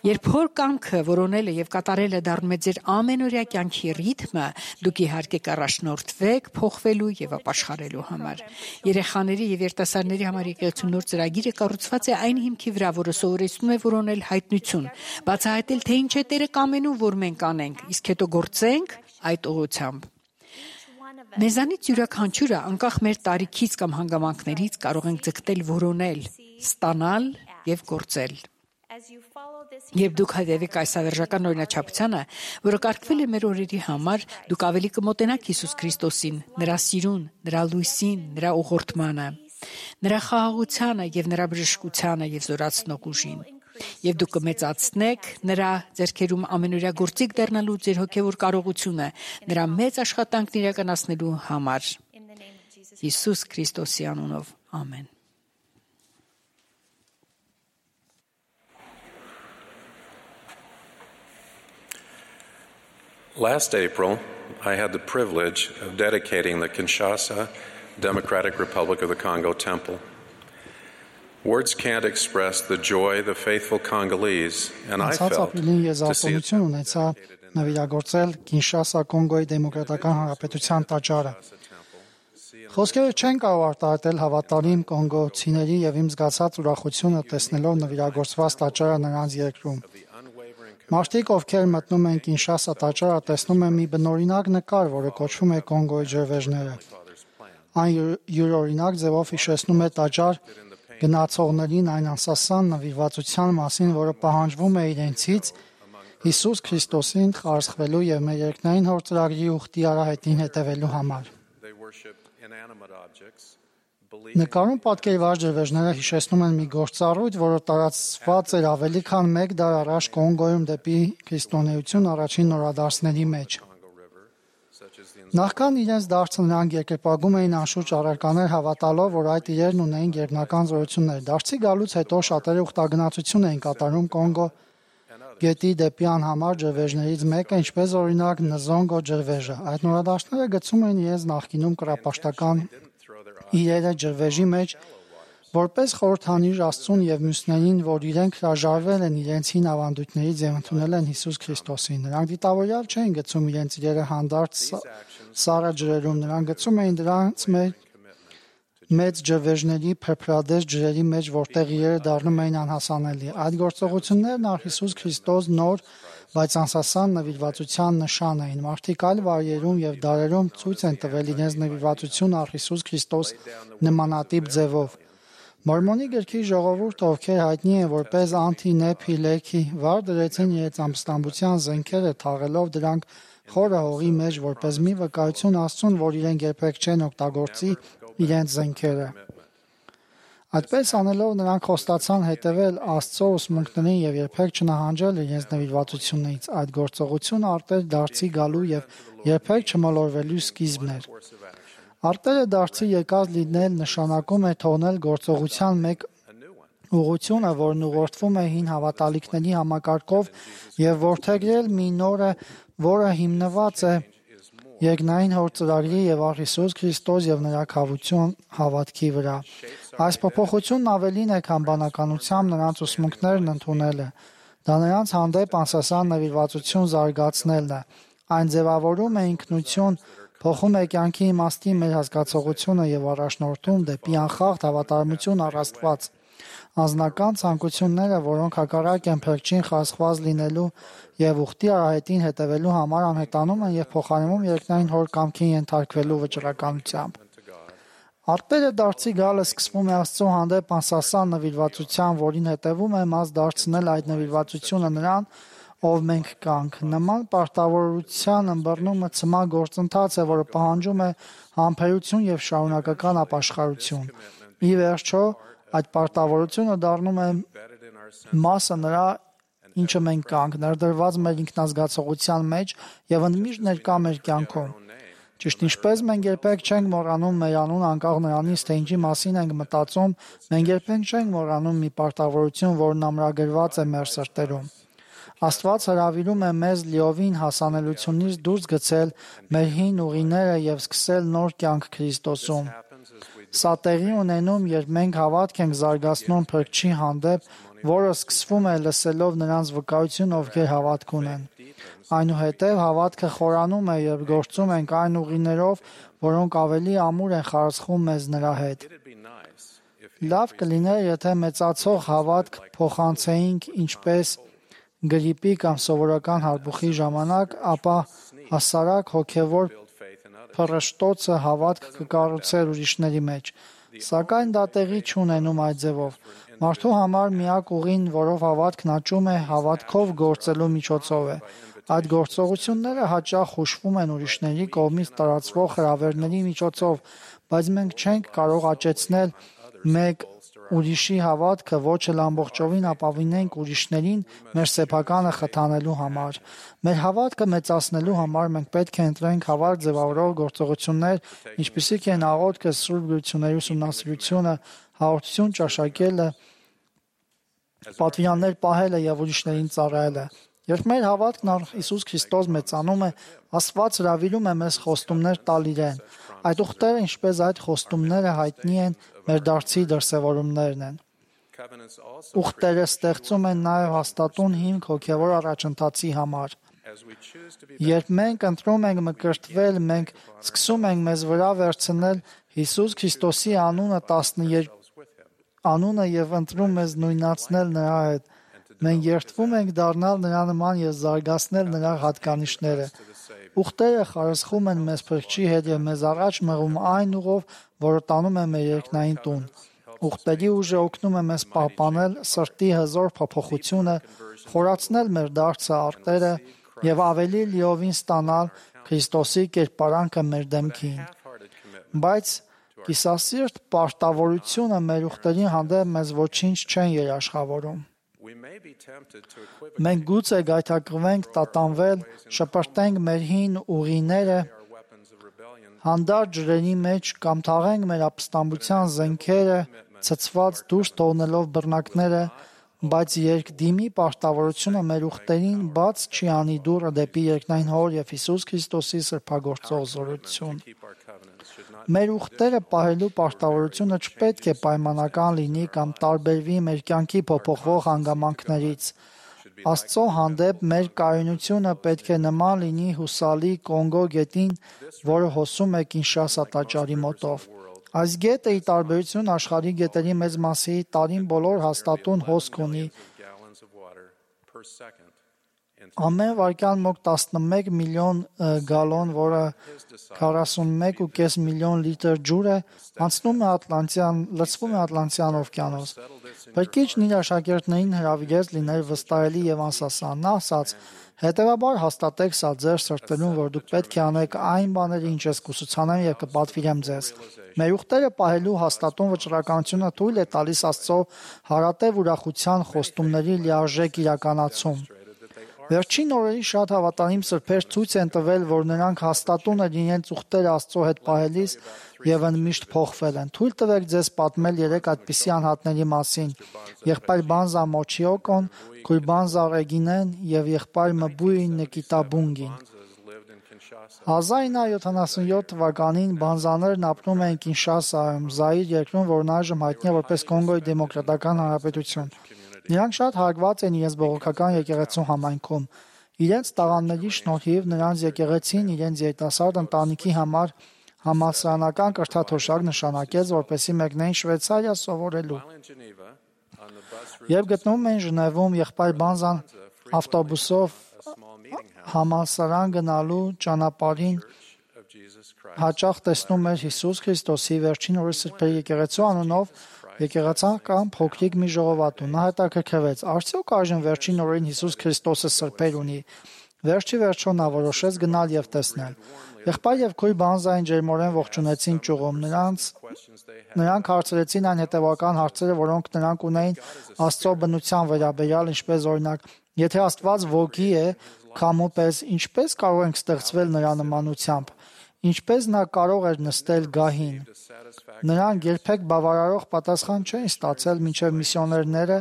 S9: Երբ հոր կամքը որոնելը եւ կատարելը դառնում է ձեր ամենօրյա կյանքի ռիթմը, դուք իհարկե կառաջնորդվեք փոխվելու եւ ապաշխարելու համար։ Երեխաների եւ երիտասարդների համար եկեղեցու նոր ծրագիրը կառուցված է այն հիմքի վրա, որը սովորեցնում է որոնել հայտնություն, բացահայտել թե ինչ է Տերը կամենում, որ մենք անենք, իսկ հետո գործենք այդ ուղղությամբ։ Մեզանից յուրաքանչյուրը անկախ մեր տարիքից կամ հանգամանքներից կարող ենք ձգտել որոնել, ստանալ եւ գործել։ Երբ դուք հետևեք այս ավերժական օրինաչափությանը, որը կարգվել է մեր օրերի համար, դուք ավելի կմոտենաք Հիսուս Քրիստոսին, նրա սիրուն, նրա լույսին, նրա ուղղորդմանը, նրա խաղաղությանը եւ նրա բժշկությանը եւ զորացնող ուժին։ Եվ դուք կմեծացնեք նրա ձեռքերում ամենօրյա գործիք դառնալու ձեր հոգեվոր կարողությունը, նրա մեծ աշխատանքն իրականացնելու համար։ Հիսուս Քրիստոսի անունով, ամեն։
S8: Last April, I had the privilege of dedicating the Kinshasa Democratic Republic of the Congo Temple. Words can't express the joy the faithful Congolese and I
S5: Անցած
S8: felt
S5: ապրիլին ես
S8: to see it
S5: արտոնություն ունեցա նվիրագործել Կինշասա Կոնգոյի Դեմոկրատական Հանրապետության տաճարը։ Խոսքերը չեն կարող արտահայտել հավատարիմ կոնգոցիների եւ իմ զգացած ուրախությունը տեսնելով նվիրագործված տաճարը նրանց երկրում։ Մարդիկ, ովքեր մտնում են Կինշասա տաճարը, տեսնում են մի բնօրինակ նկար, որը կոչվում է Կոնգոյի ջրվեժները։ Այն յուրօրինակ ձևով հիշեցնում է տաճար գնացողներին այն անսասան նվիրվածության մասին, որը պահանջվում է իրենցից Հիսուս Քրիստոսին խարսխվելու եւ մեր երկնային հոր ծրագրի ուխտի արահետին հետևելու համար։ Նկարում պատկերված ջրվեժները հիշեցնում են մի գործառույթ, որը տարածված էր ավելի քան մեկ դար առաջ Կոնգոյում դեպի քրիստոնեություն առաջին նորադարձների մեջ։ Նախքան իրենց դարձը նրանք երկրպագում էին անշուշտ առարկաներ հավատալով, որ այդ իրերն ունեին գերբնական զորություններ։ Դարձի գալուց հետո շատերը ուխտագնացություն էին կատարում Կոնգո գետի դեպի անհամար ջրվեժներից մեկը, ինչպես օրինակ Նզոնգո ջրվեժը։ Այդ նորադարձները գցում էին իրենց նախկինում կրապաշտական իրերը ջրվեժի մեջ, որպես խորհրդանիշ Աստծուն եւ մյուսներին, որ իրենք հրաժարվել են իրենց հին ավանդույթներից եւ ընդունել են Հիսուս Քրիստոսին։ Նրանք դիտավորյալ չեն գցում իրենց իրերը հանդարտ սառը ջրերում, նրանք գցում էին դրանց մեծ ջրվեժների փրփրադես ջրերի մեջ, որտեղ իրերը դառնում էին անհասանելի։ Այդ գործողություններն առ Հիսուս Քրիստոս նոր, բայց անսասան նվիրվածության նշան էին։ Մարդիկ այլ վայրերում եւ դարերում ցույց են տվել իրենց նվիրվածություն առ Հիսուս Քրիստոս նմանատիպ ձևով։ Մորմոնի գրքի ժողովուրդը, ովքեր հայտնի են որպես անտի-նեփի լեքի, վար դրեցին իրենց ամստամբության զենքերը, թաղելով դրանք խորը հողի մեջ, որպես մի վկայություն Աստծուն, որ իրենք երբեք չեն օգտագործի իրենց զենքերը։ Այդպես անելով նրանք խոստացան հետևել Աստծո ուսմունքներին եւ երբեք չնահանջել իրենց նվիրվածությունից։ Այդ գործողությունը արտեր դարձի գալու եւ երբեք չմոլորվելու սկիզբն էր։ Արտերը դարձի եկած լինել նշանակում է թողնել գործողության մեկ ուղղությունը, որն ուղղորդվում է հին հավատալիքների համակարգով եւ որդեգրել մի նորը, որը հիմնված է երկնային հոր ծրագրի եւ առ Հիսուս Քրիստոս եւ նրա քավություն հավատքի վրա։ Այս փոփոխությունն ավելին է, քան բանականությամբ նրանց ուսմունքներն ընդունելը։ Դա նրանց հանդեպ անսասան նվիրվածություն զարգացնելն է։ Այն ձևավորում է ինքնություն, փոխում է կյանքի իմաստի մեր հասկացողությունը եւ առաջնորդում դեպի անխախտ հավատարմություն առ Աստված։ Անձնական ցանկությունները, որոնք հակառակ են փրկչին խասխված լինելու եւ ուխտի արահետին հետևելու համար, անհետանում են եւ փոխարինվում երկնային հոր կամքին ենթարկվելու վճռականությամբ։ Արտերը դարձի գալը սկսվում է Աստծո հանդեպ անսասան նվիրվածության, որին հետևում է մաս դարձնել այդ նվիրվածությունը նրան, ով մենք կանք։ Նման պարտավորության ըմբռնումը ցմահ գործընթաց է, որը պահանջում է համբերություն եւ շարունակական ապաշխարություն։ Ի վերջո, այդ պարտավորությունը դառնում է մասը նրա, ինչը մենք կանք, ներդրված մեր ինքնազգացողության մեջ եւ ընդմիշտ ներկա մեր կյանքում։ Ճիշտ ինչպես մենք երբեք չենք մոռանում մեր անուն անկախ նրանից, թե ինչի մասին ենք մտածում, մենք երբեք չենք մոռանում մի պարտավորություն, որն ամրագրված է մեր սրտերում։ Աստված հրավիրում է մեզ լիովին հասանելությունից դուրս գցել մեր հին ուղիները եւ սկսել նոր կյանք Քրիստոսում։ Սա տեղի ունենում, երբ մենք հավատք ենք զարգացնում Փրկչի հանդեպ, որը սկսվում է լսելով նրանց վկայություն, ովքեր հավատք ունեն։ Այնուհետև հավատքը խորանում է, երբ գործում ենք այն ուղիներով, որոնք ավելի ամուր են խարսխում մեզ նրա հետ։ Լավ կլիներ, եթե մեծացող հավատք փոխանցեինք ինչպես գրիպի կամ սովորական հարբուխի ժամանակ, ապա հասարակ հոգևոր փռշտոցը հավատք կկառուցեր ուրիշների մեջ, սակայն դա տեղի չունենում այդ ձևով։ Մարդու համար միակ ուղին, որով հավատքն աճում է, հավատքով գործելու միջոցով է։ Այդ գործողությունները հաճախ հուշվում են ուրիշների կողմից տարածվող հրավերների միջոցով, բայց մենք չենք կարող աճեցնել մեկ ուրիշի հավատքը, ոչ էլ ամբողջովին ապավինենք ուրիշներին մեր սեփականը խթանելու համար։ Մեր հավատքը մեծացնելու համար մենք պետք է ընտրենք հավատ ձևավորող գործողություններ, ինչպիսիք են աղոթքը, սուրբ գրությունների ուսումնասիրությունը, հաղորդություն ճաշակելը, պատվիրաններ պահելը եւ ուրիշներին ծառայելը։ Երբ մեր հավատքն առ Հիսուս Քրիստոս մեծանում է, Աստված հրավիրում է մեզ խոստումներ տալ իրեն։ Այդ ուխտերը, ինչպես այդ խոստումները հայտնի են, մեր դարձի դրսևորումներն են։ Ուխտերը ստեղծում են նաև հաստատուն հիմք հոգևոր առաջընթացի համար։ Երբ մենք ընտրում ենք մկրտվել, մենք սկսում ենք մեզ վրա վերցնել Հիսուս Քրիստոսի անունը տասներկու անունը եւ ընտրում մեզ նույնացնել նրա հետ։ Մենք երդվում ենք դառնալ նրա նման եւ զարգացնել նրա հատկանիշները։ Ուխտերը խարսխում են մեզ Փրկչի հետ եւ մեզ առաջ մղում այն ուղով, որը տանում է մեր երկնային տուն։ Ուխտերի ուժը օգնում է մեզ պահպանել սրտի հզոր փոփոխությունը, խորացնել մեր դարձը արտերը եւ ավելի լիովին ստանալ Քրիստոսի կերպարանքը մեր դեմքին։ Բայց կիսասիրտ պարտավորությունը մեր ուխտերի հանդեպ մեզ ոչինչ չեն երաշխավորում։ Մենք գուցե գայթակղվենք, տատանվել, շպրտենք մեր հին ուղիները հանդարտ ջրերի մեջ կամ թաղենք մեր ապստամբության զենքերը, ցցված դուրս թողնելով բռնակները, բայց երկդիմի պարտավորությունը մեր ուխտերին բաց չի անի դուռը դեպի երկնային Հոր եւ Հիսուս Քրիստոսի սրբագործող զորություն։ Մեր ուխտերը պահելու պարտավորությունը չպետք է պայմանական լինի կամ տարբերվի մեր կյանքի փոփոխվող հանգամանքներից։ Աստծո հանդեպ մեր կայունությունը պետք է նման լինի հուսալի Կոնգո գետին, որը հոսում է Կինշասա տաճարի մոտով։ Այս գետը ի տարբերություն աշխարհի գետերի մեծ մասի տարին բոլոր հաստատուն հոսք ունի։ Ամեն վայրկյան մոտ տասնմեկ միլիոն գալոն, որը քառասունմեկ ու կես միլիոն լիտր ջուր է, անցնում է Ատլանտյան, լցվում է Ատլանտյան օվկիանոս։ Փրկիչն իր աշակերտներին հրավիրեց լինել վստահելի եւ անսասան։ Նա ասաց. «Հետևաբար հաստատեք սա ձեր սրտերում, որ դուք պետք է անեք այն բաները, ինչ ես կուսուցանեմ եւ կպատվիրեմ ձեզ»։ Մեր ուխտերը պահելու հաստատուն վճռականությունը թույլ է տալիս Աստծո հարատև ուրախության խոստումների լիարժեք իրականացում։ Վերջին օրերի շատ հավատարիմ սրբեր ցույց են տվել, որ նրանք հաստատուն են իրենց ուխտերը Աստծո հետ պահելիս եւ ընդմիշտ փոխվել են։ Թույլ տվեք ձեզ պատմել երեք այդպիսի անհատների մասին. եղբայր Բանզա Մոչիոկոն, քույր Բանզա Ռեգինեն եւ եղբայր Մբուի Նկիտաբունգին։ հազար ինը հարյուր յոթանասունյոթ թվականին Բանզաներն ապրում էին Կինշասայում, Զայիր երկրում, որն այժմ հայտնի է որպես Կոնգոյի դեմոկրատական հանրապետություն։ Նրանք շատ հարգված են իրենց բողոքական եկեղեցու համայնքում։ Իրենց տաղանդների շնորհիվ նրանց եկեղեցին իրենց երիտասարդ ընտանիքի համար համալսարանական կրթաթոշակ նշանակեց, որպեսզի մեկնեին Շվեյցարիա սովորելու։ Երբ գտնվում էին Ժնևում, եղբայր Բանզան ավտոբուսով համալսարան գնալու ճանապարհին հաճախ տեսնում էր Հիսուս Քրիստոսի վերջին օրերի սրբերի եկեղեցու անունով եկեղեցական փոքրիկ մի ժողովածու։ Նա հետաքրքրվեց. արդյոք այժմ վերջին օրերին Հիսուս Քրիստոսը սրբեր ունի։ Վերջի վերջո նա որոշեց գնալ եւ տեսնել։ Եղբայր եւ քույր Բանզային ջերմորեն ողջունեցին ճյուղում։ Նրանց նրանք հարցրեցին այն հետևական հարցերը, որոնք նրանք ունեին Աստծո բնության վերաբերյալ, ինչպես օրինակ. եթե Աստված ոգի է, քամու պես, ինչպես կարող ենք ստեղծվել նրա նմանությամբ։ Ինչպես նա կարող էր նստել գահին։ Նրանք երբեք բավարարող պատասխան չէին ստացել, մինչև միսիոներները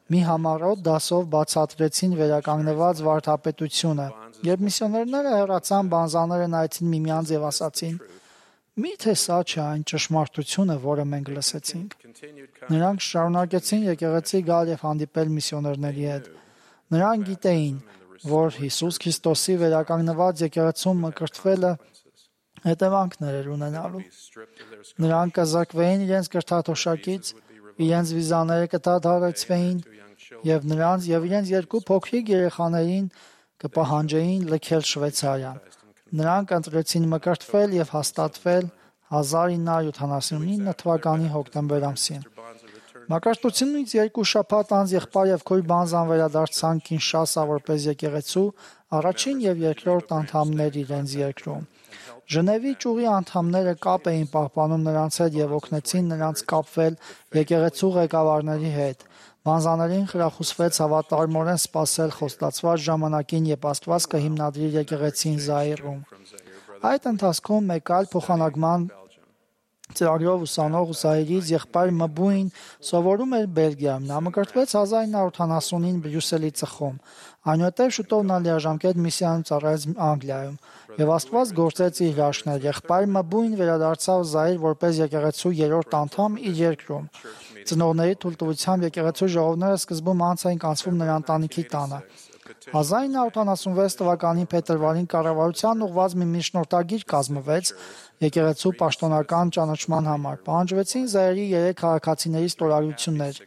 S5: մի համառոտ դասով բացատրեցին վերականգնված վարդապետությունը։ Երբ միսիոներները հեռացան, Բանզաները նայեցին միմյանց եւ ասացին. «Միթե սա չէ այն ճշմարտությունը, որը մենք լսեցինք»։ Նրանք շարունակեցին եկեղեցի գալ եւ հանդիպել միսիոներների հետ։ Նրանք գիտեին, որ Հիսուս Քրիստոսի վերականգնված եկեղեցում մկրտվելը հետևանքներ էր ունենալու։ Նրանք կզրկվեին իրենց կրթաթոշակից, իրենց վիզաները կդադարեցվեին եւ նրանց եւ իրենց երկու փոքրիկ երեխաներին կպահանջեին լքել Շվեյցարիան։ Նրանք ընտրեցին մկրտվել եւ հաստատվել հազար ինը հարյուր յոթանասունինը թվականի հոկտեմբեր ամսին։ Մակարդությունից երկու շաբաթ անց եղբայր եւ քույր Բանզան վերադարձան Կինշասա որպես եկեղեցու առաջին եւ երկրորդ անդամներ իրենց երկրում։ Ժնևի ճյուղի անդամները կապ էին պահպանում նրանց հետ եւ օգնեցին նրանց կապվել եկեղեցու ղեկավարների հետ։ Բանզաներին խրախուսվեց հավատարմորեն սպասել խոստացված ժամանակին, երբ Աստված կհիմնադրի եկեղեցին Զայիրում։ Այդ ընթացքում մեկ այլ փոխանակման ծրագրով ուսանող Զայրից եղբայր Մբուին սովորում էր Բելգիայում։ Նա մկրտվեց հազար իննսուն ութանասունին Բրյուսելի ծխում։ Այնուհետև շուտով նա լիաժամկետ միսիայում ծառայեց Անգլիայում։ Եվ Աստված գործեց իր հրաշքներ։ Եղբայր Մբուին վերադարձավ Զայր որպես եկեղեցու երրորդ անդամ իր երկրում։ Ծնողների թույլտվությամբ եկեղեցու ժողովները սկզբում անց էին կանցվում նրա ընտանիքի տանը։ հազար իննսուն ութանասունվեց թվականին փետրվարին կառավարության ուղղված մի միջնորդագիր կազմվեց եկեղեցու պաշտոնական ճանաչման համար։ Պահանջվեցին Զայրի երեք քաղաքացիների ստորագրություններ։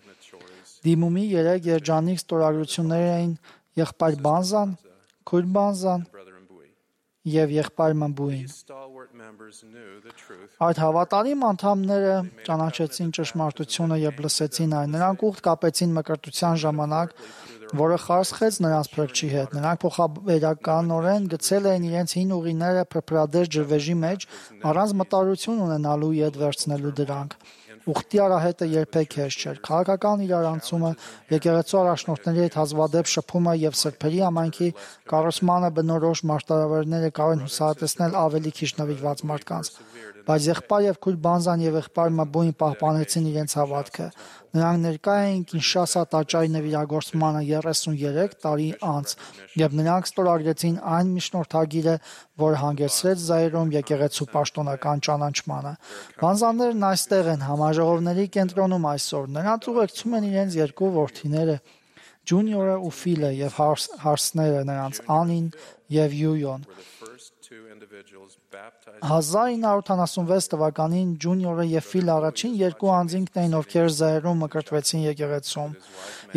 S5: Դիմումի երեք երջանիկ ստորագրություններ էին եղբայր Բանզան, քույր Բանզան և եղբայր Մբուին։ Այդ հավատարիմ անդամները ճանաչեցին ճշմարտությունը և լսեցին այն։ Նրանք ուխտ կապեցին մկրտության ժամանակ, որը խարսխեց նրանց փրկչի հետ։ Նրանք փոխաբերականորեն գցել էին իրենց հին ուղիները փրփրադես ջրվեժի մեջ, առանց մտարություն ունենալու ետ վերցնելու դրանք։ Ուխտի արահետը երբեք հեշտ չէր։ Քաղաքական իրարանցումը, եկեղեցու առաջնորդների հետ հազվադեպ շփումը և սրբերի համայնքի կառուցմանը բնորոշ մարտահրավերները կարող են հուսահատեցնել ավելի քիչ նվիրված մարդկանց։ Բայց եղբայր և քույր Բանզան և եղբայր Մբուին պահպանեցին իրենց հավատքը։ Նրանք ներկա էին Կինշասա տաճարի նվիրագործմանը երեսունյերեք տարի անց, և նրանք ստորագրեցին այն միջնորդագիրը, որը հանգեցրեց Զայրում եկեղեցու պաշտոնական ճանաչմանը։ Բանզաներն այստեղ են համաժողովների կենտրոնում այսօր։ Նրանց ուղեկցում են իրենց երկու որդիները՝ Ջունիորը ու Ֆիլը և հարսները նրանց՝ Անին և Յույոն։ հազար իննսուն ութանասունվեց թվականին Ջունիորը և Ֆիլը առաջին երկու անձինքն էին, ովքեր Զայրում մկրտվեցին եկեղեցում։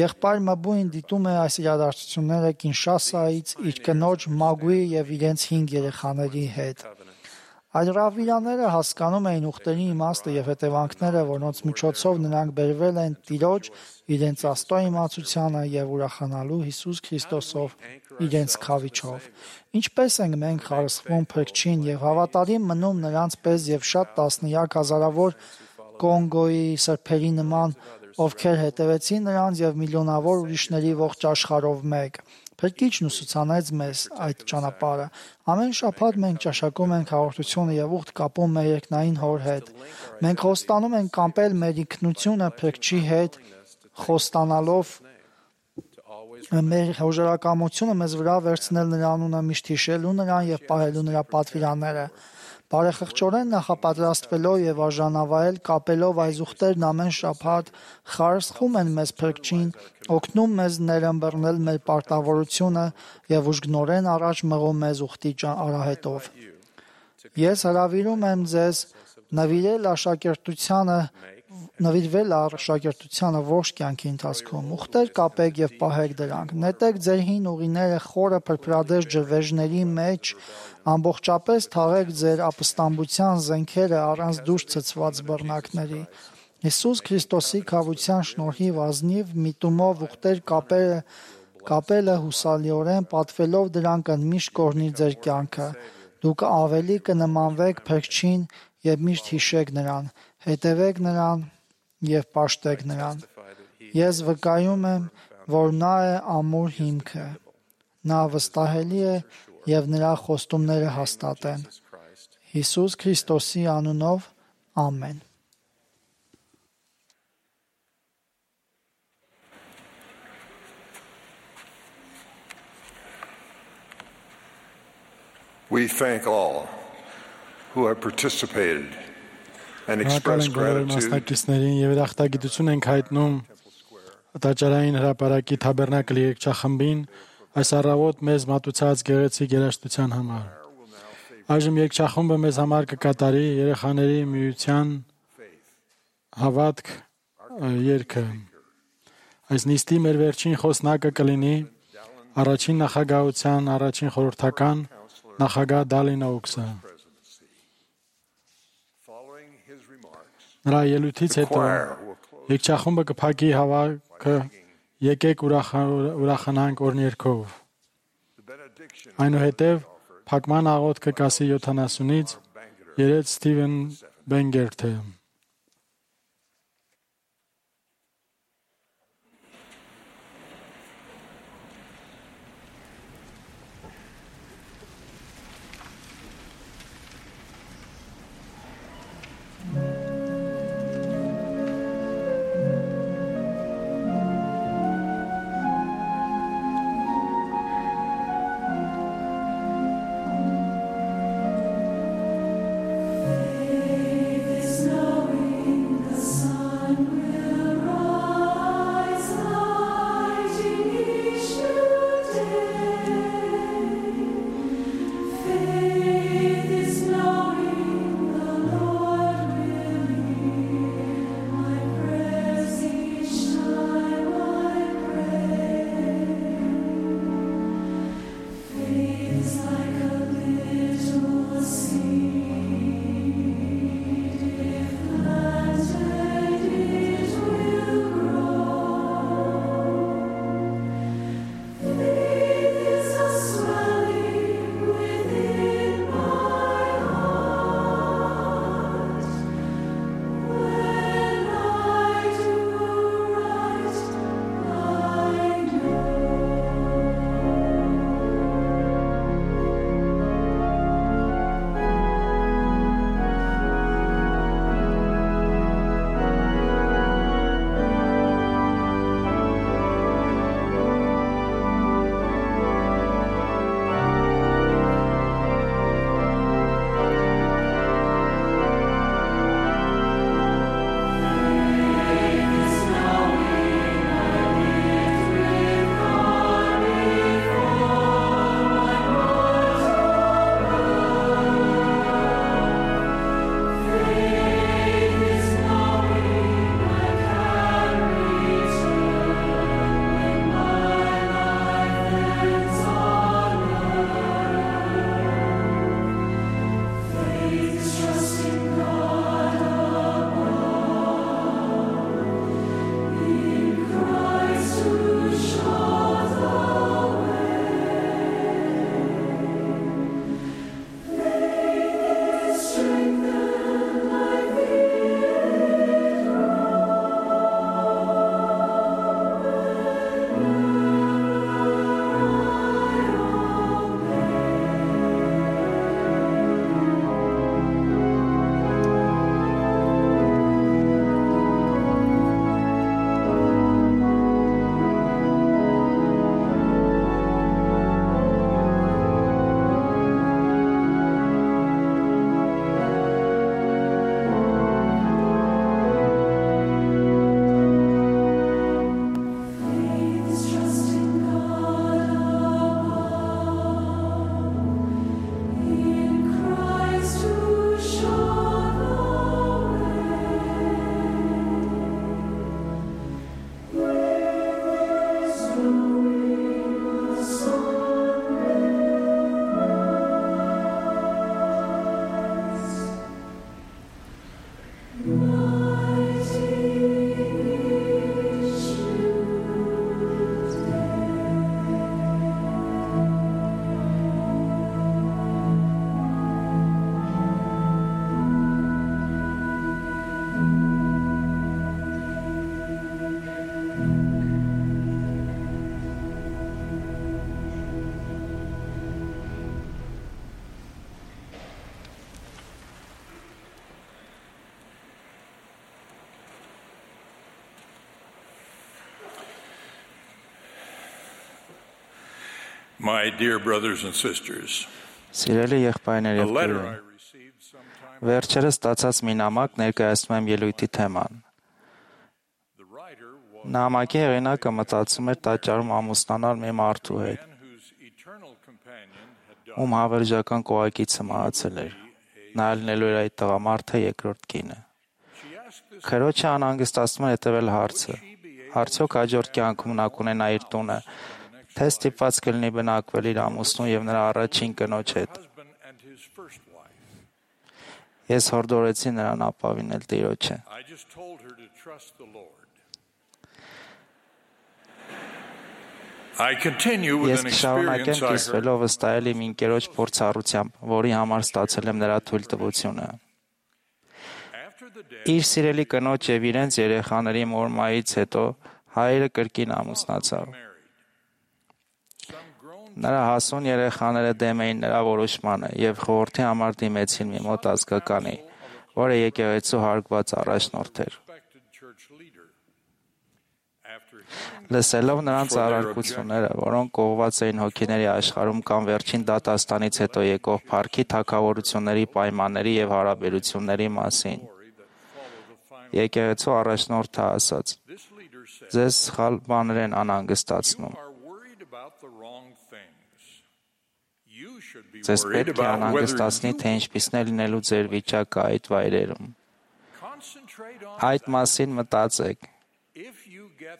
S5: Եղբայր Մբուին դիտում է այս իրադարձությունները Կինշասայից իր կնոջ Մագուի և իրենց հինգ երեխաների հետ։ Այդ ռավվիրաները հասկանում էին ուխտերի իմաստը և հետևանքները, որոնց միջոցով նրանք բերվել են Տիրոջ իրենց աստծո իմացությանը և ուրախանալու Հիսուս Քրիստոսով իրենց քավիչով։ Ինչպես ենք մենք խարսխվում փրկչին և հավատարիմ մնում նրանց պես և շատ տասնյակ հազարավոր Կոնգոյի սրբերի նման, ովքեր հետևեցին նրանց և միլիոնավոր ուրիշների ողջ աշխարհով մեկ։ Փրկիչն ուսուցանեց մեզ այդ ճանապարհը։ Ամեն շաբաթ մենք ճաշակում ենք հաղորդությունը և ուխտ կապում մեր երկնային Հոր հետ։ Մենք խոստանում ենք կապել մեր ինքնությունը Փրկչի հետ, խոստանալով մեր հոժարակամությունը մեզ վրա վերցնել նրա անունը միշտ հիշելու նրան և պահելու նրա պատվիրանները։ Բարեխղճորեն նախապատրաստվելով և արժանավայել կապելով այս ուխտերն ամեն շաբաթ խարսխում են մեզ Փրկչին, օգնում մեզ ներըմբռնել մեր պարտավորությունը և ուժգնորեն առաջ մղում մեզ ուխտի արահետով։ Ես հրավիրում եմ ձեզ նվիրել աշակերտությանը նվիրվել աշակերտությանը ողջ կյանքի ընթացքում։ Ուխտեր կապեք և պահեք դրանք։ Նետեք ձեր հին ուղիները խորը փրփրադես ջրվեժների մեջ, ամբողջապես թաղեք ձեր ապստամբության զենքերը առանց դուրս ցցված բռնակների։ Հիսուս Քրիստոսի քավության շնորհիվ ազնիվ միտումով ուխտեր կապերը կապելը հուսալիորեն պատվելով դրանք ընդմիշտ կօրհնի ձեր կյանքը։ Դուք ավելի կնմանվեք Փրկչին և միշտ հիշեք նրան, հետևեք նրան և պաշտեք նրան։ Ես վկայում եմ, որ նա է ամուր հիմքը։ Նա վստահելի է և նրա խոստումները հաստատ են։ Հիսուս Քրիստոսի անունով, ամեն։
S2: We thank all who have participated and expressed gratitude.
S3: Մասնակիցներին եւ երախտագիտություն ենք հայտնում տաճարային հրապարակի Թաբերնակլի երգչախմբին այս առավոտ մեզ մատուցած գեղեցիկ երաժշտության համար։ Այժմ երգչախումբը մեզ համար կկատարի երեխաների միության հավատք երգը։ Այս նիստի մեր վերջին խոսնակը կլինի առաջին նախագահության առաջին խորհրդական նախագահ Դալին Օուքսը։ Նրա ելույթից հետո երգչախումբը կփակի հավաքը եկեք ուրախանանք օրհներգով։ Այնուհետև փակման աղոթքը կասի յոթանասունից երեց Սթիվեն Բենգերթը։
S11: Mm-hmm.
S6: My dear brothers and sisters,
S11: Սիրելի եղբայրներ եւ քույրեր, վերջերս ստացած մի նամակ ներկայացնում եմ ելույթի թեման։ Նամակի հեղինակը մտածում էր տաճարում ամուսնանալ մի մարդու հետ, ում հավերժական կողակիցը մահացել էր։ Նա ելնելու էր այդ տղամարդը երկրորդ կինը։ Քրոջը անհանգստացնում էր հետևել հարցը. արդյոք հաջորդ կյանքում նա կունենա իր տունը, թե ստիպված կլինի բնակվել իր ամուսնու եւ նրա առաջին կնոջ հետ։ Ես հորդորեցի նրան ապավինել Տիրոջը։ Ես կշարունակեմ կիսվելով վստահել իմ ընկերոջ փորձառությամբ, որի համար ստացել եմ նրա թույլտվությունը։ Իր սիրելի կնոջ եւ իրենց երեխաների մորմայից հետո հայրը կրկին ամուսնացավ։ Նրա հասուն երեխաները դեմ էին նրա որոշմանը եւ խորհրդի համար դիմեցին մի մոտ ազգականի, որը եկեղեցու հարգված առաջնորդ էր։ Լսելով նրանց առարկությունները, որոնք կողված էին հոգիների աշխարհում կամ վերջին դատաստանից հետո եկող փառքի թագավորությունների պայմանների եւ հարաբերությունների մասին, եկեղեցու առաջնորդը ասաց. «Ձեզ սխալ բաներ են անհանգստացնում։ Ձեզ պետք է անհանգստացնի, թե ինչպիսին է լինելու ձեր վիճակը այդ վայրերում։ Այդ մասին մտածեք։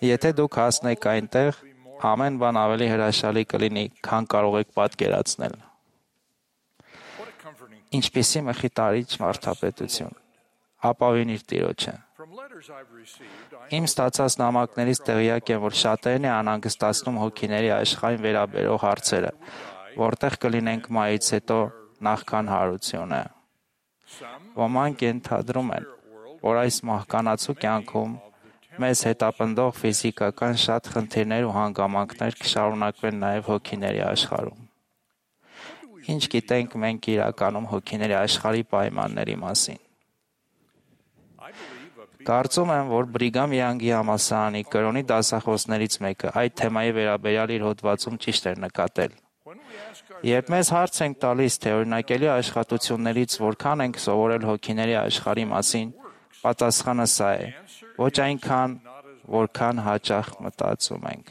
S11: Եթե դուք հասնեք այնտեղ, ամեն բան ավելի հրաշալի կլինի, քան կարող եք պատկերացնել»։ Ինչպիսի մխիթարիչ մարդապետություն։ Ապավինիր Տիրոջը։ Իմ ստացած նամակներից տեղյակ եմ, որ շատերն է անհանգստացնում հոգիների աշխարհին վերաբերող հարցերը, որտեղ կլինենք մահից հետո նախքան հարությունը։ Ոմանք ենթադրում են, որ այս մահկանացու կյանքում մեզ հետապնդող ֆիզիկական շատ խնդիրներ ու հանգամանքներ կշարունակվեն նաև հոգիների աշխարհում։ Ինչ գիտենք մենք իրականում հոգիների աշխարհի պայմանների մասին։ Կարծում եմ, որ Բրիգամ Յանգի համալսարանի կրոնի դասախոսներից մեկը այդ թեմայի վերաբերյալ իր հոդվածում ճիշտ էր նկատել։ Երբ մեզ հարց ենք տալիս, թե օրինակելի աշխատություններից որքան ենք սովորել հոգիների աշխարհի մասին, պատասխանը սա է. ոչ այնքան, որքան հաճախ մտածում ենք։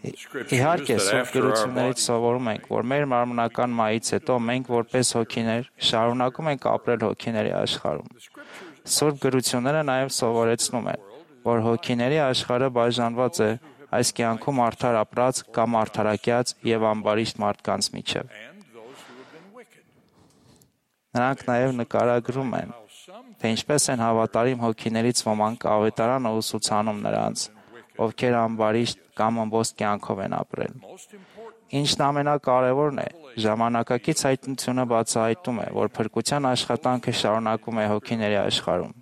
S11: Իհարկե, Սուրբ գրություններից սովորում ենք, որ մեր մարմնական մահից հետո մենք որպես հոգիներ շարունակում ենք ապրել հոգիների աշխարհում։ Սուրբ գրությունները նաև սովորեցնում են, որ հոգիների աշխարհը բաժանված է այս կյանքում արդար ապրած կամ արդարակյաց եւ ամբարիշտ մարդկանց միջև։ Նրանք նաև նկարագրում են, թե ինչպես են հավատարիմ հոգիներից ոմանք ավետարանը ուսուցանում նրանց, ովքեր ամբարիշտ կամ ըմբոստ կյանքով են ապրել։ Ինչն ամենակարևորն է, ժամանակակից հայտնությունը բացահայտում է, որ փրկության աշխատանքը շարունակվում է հոգիների աշխարհում։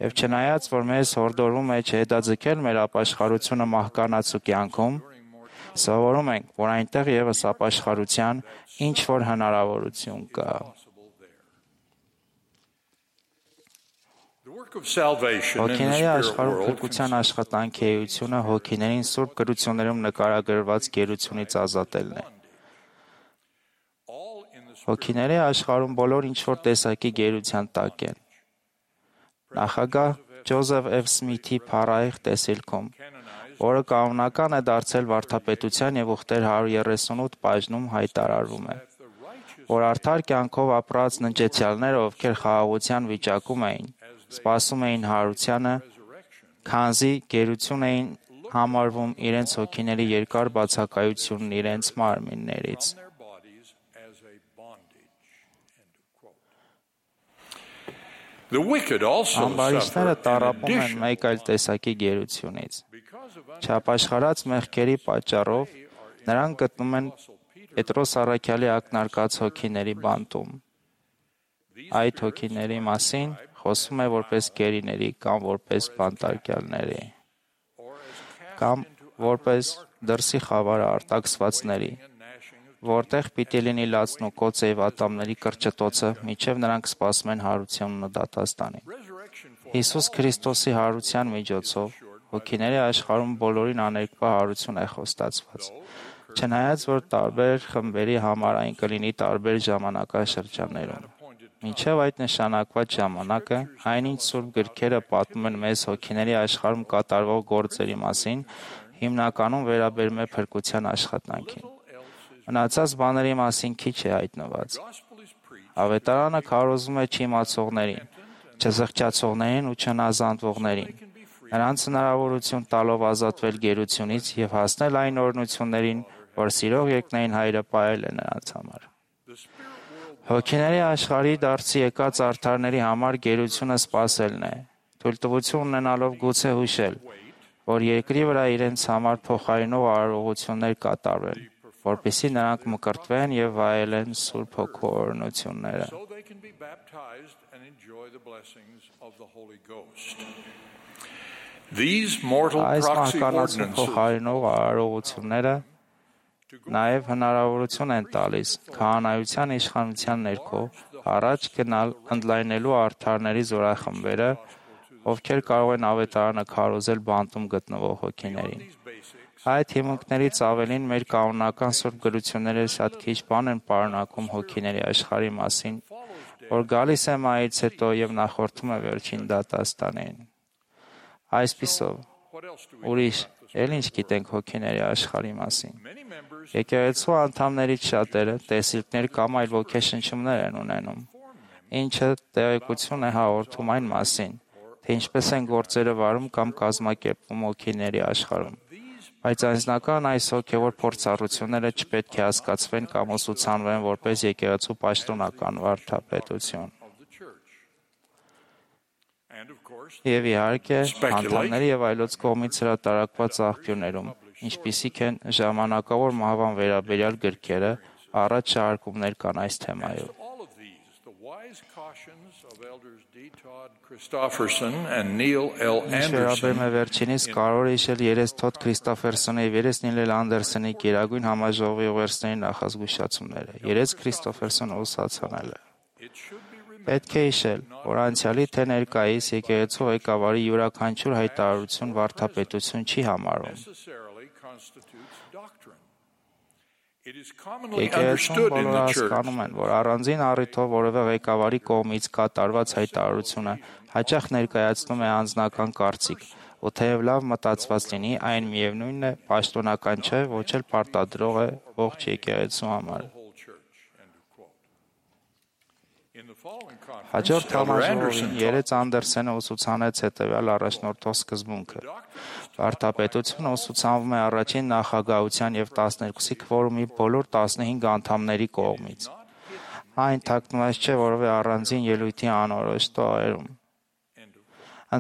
S11: Եվ չնայած, որ մեզ հորդորվում է չհետաձգել մեր ապաշխարությունը մահկանացու կյանքում, սովորում ենք, որ այնտեղ ևս ապաշխարության ինչ որ հնարավորություն կա։ Հոգիների աշխարհում փրկության աշխատանքի էությունը հոգիներին Սուրբ գրություններում նկարագրված գերությունից ազատելն է։ Հոգիների աշխարհում բոլոր ինչ-որ տեսակի գերության տակ են։ Նախագահ Ջոզեֆ Էֆ Սմիթի փառահեղ տեսիլքում, որը կանոնական է դարձել վարդապետության եւ ուխտեր հարյուր երեսունութ բաժնում հայտարարվում է, որ արդար կյանքով ապրած ննջեցյալները, ովքեր խաղաղության վիճակում էին, սպասում էին հարությանը, քանզի գերություն էին համարվում իրենց հոգիների երկար բացակայությունն իրենց մարմիններից։ Ամբարիշտները տառապում են մեկ այլ տեսակի գերությունից։ Չապաշխարած մեղքերի պատճառով նրանք գտնում են Պետրոս առաքյալի ակնարկած հոգիների բանտում։ Այդ հոգիների մասին խոսում է որպես գերիների կամ որպես բանտարկյալների, կամ որպես դրսի խավարը արտաքսվածների, որտեղ պիտի լինի լացն ու կոծը եւ ատամների կրճտոցը, մինչեւ նրանք սպասում են հարությունն ու դատաստանին։ Հիսուս Քրիստոսի հարության միջոցով Հոգիների աշխարհում բոլորին աներկբա հարություն է խոստացված։ Չնայած որ տարբեր խմբերի համար այն կլինի տարբեր ժամանակաշրջաններում։ Մինչև այդ նշանակված ժամանակը, այնինչ Սուրբ գրքերը պատմում են մեզ հոգիների աշխարհում կատարվող գործերի մասին, հիմնականում վերաբերում է փրկության աշխատանքին։ Մնացած բաների մասին քիչ է հայտնված։ Ավետարանը քարոզում է չիմացողներին, չզղջացողներին ու չնազանդվողներին, նրանց հնարավորություն տալով ազատվել գերությունից և հասնել այն օրհնություններին, որ սիրող երկնային Հայրը պահել է նրանց համար։ Հոգիների աշխարհի դարձի եկած արդարների համար գերությունը սպասելն է, թույլտվություն ունենալով գուցե հուշել, որ երկրի վրա իրենց համար փոխարինող արարողություններ կատարվեն, որպեսզի նրանք մկրտվեն և վայելեն Սուրբ Հոգու օրհնությունները։ Այս մահկանացու փոխարինող արարողությունները նաև հնարավորություն են տալիս քահանայության իշխանության ներքո առաջ գնալ ընդլայնելու արդարների զորախմբերը, ովքեր կարող են ավետարանը քարոզել բանտում գտնվող հոգիներին։ Այդ հիմունքներից ավելին մեր կանոնական սուրբ գրությունները շատ քիչ բան են պարունակում հոգիների աշխարհի մասին, որ գալիս է մահից հետո և նախորդում է վերջին դատաստանին։ Այսպիսով, ուրիշ էլ ինչ գիտենք հոգիների աշխարհի մասին։ Եկեղեցու անդամներից շատերը տեսիլքներ կամ այլ ոգեշնչումներ են ունենում, ինչը տեղեկություն է հաղորդում այն մասին, թե ինչպես են գործերը վարում կամ կազմակերպվում հոգիների աշխարհում, բայց անձնական այս հոգևոր փորձառությունները չպետք է հասկացվեն կամ ուսուցանվեն որպես եկեղեցու պաշտոնական վարդապետություն։ Եվ իհարկե, անդամների և այլոց կողմից հրատարակված աղբյուրներում, ինչպիսիք են ժամանակավոր մահվան վերաբերյալ գրքերը, առաջ շարժումներ կան այս թեմայով։ Ինչ վերաբերում է վերջինիս, կարող է հիշել երես Թոդ Քրիստոֆերսոնի և երես Նիլ Էլ Անդերսոնի գերագույն համաժողովի ուղերձների նախազգուշացումները։ Երես Քրիստոֆերսոնը ուսուցանել է։ Պետք է հիշել, որ անցյալի թե ներկայիս եկեղեցու ղեկավարի յուրաքանչյուր հայտարարություն վարդապետություն չի համարում։ Եկեղեցում բոլորը հասկանում են, որ առանձին առիթով որևէ ղեկավարի կողմից կատարված հայտարարությունը հաճախ ներկայացնում է անձնական կարծիք, ու թեև լավ մտածված լինի, այն միևնույնն է, պաշտոնական չէ, ոչ էլ պարտադրող է ողջ եկեղեցու համար։ Հաջորդ համաժողովին երես Անդերսենը ուսուցանեց հետևյալ առաջնորդող սկզբունքը։ Վարդապետությունը ուսուցանվում է առաջին նախագահության և տասներկուսի քվորումի բոլոր տասնհինգ անդամների կողմից։ Այն թաքնված չէ որևէ առանձին ելույթի անորոշ տողերում։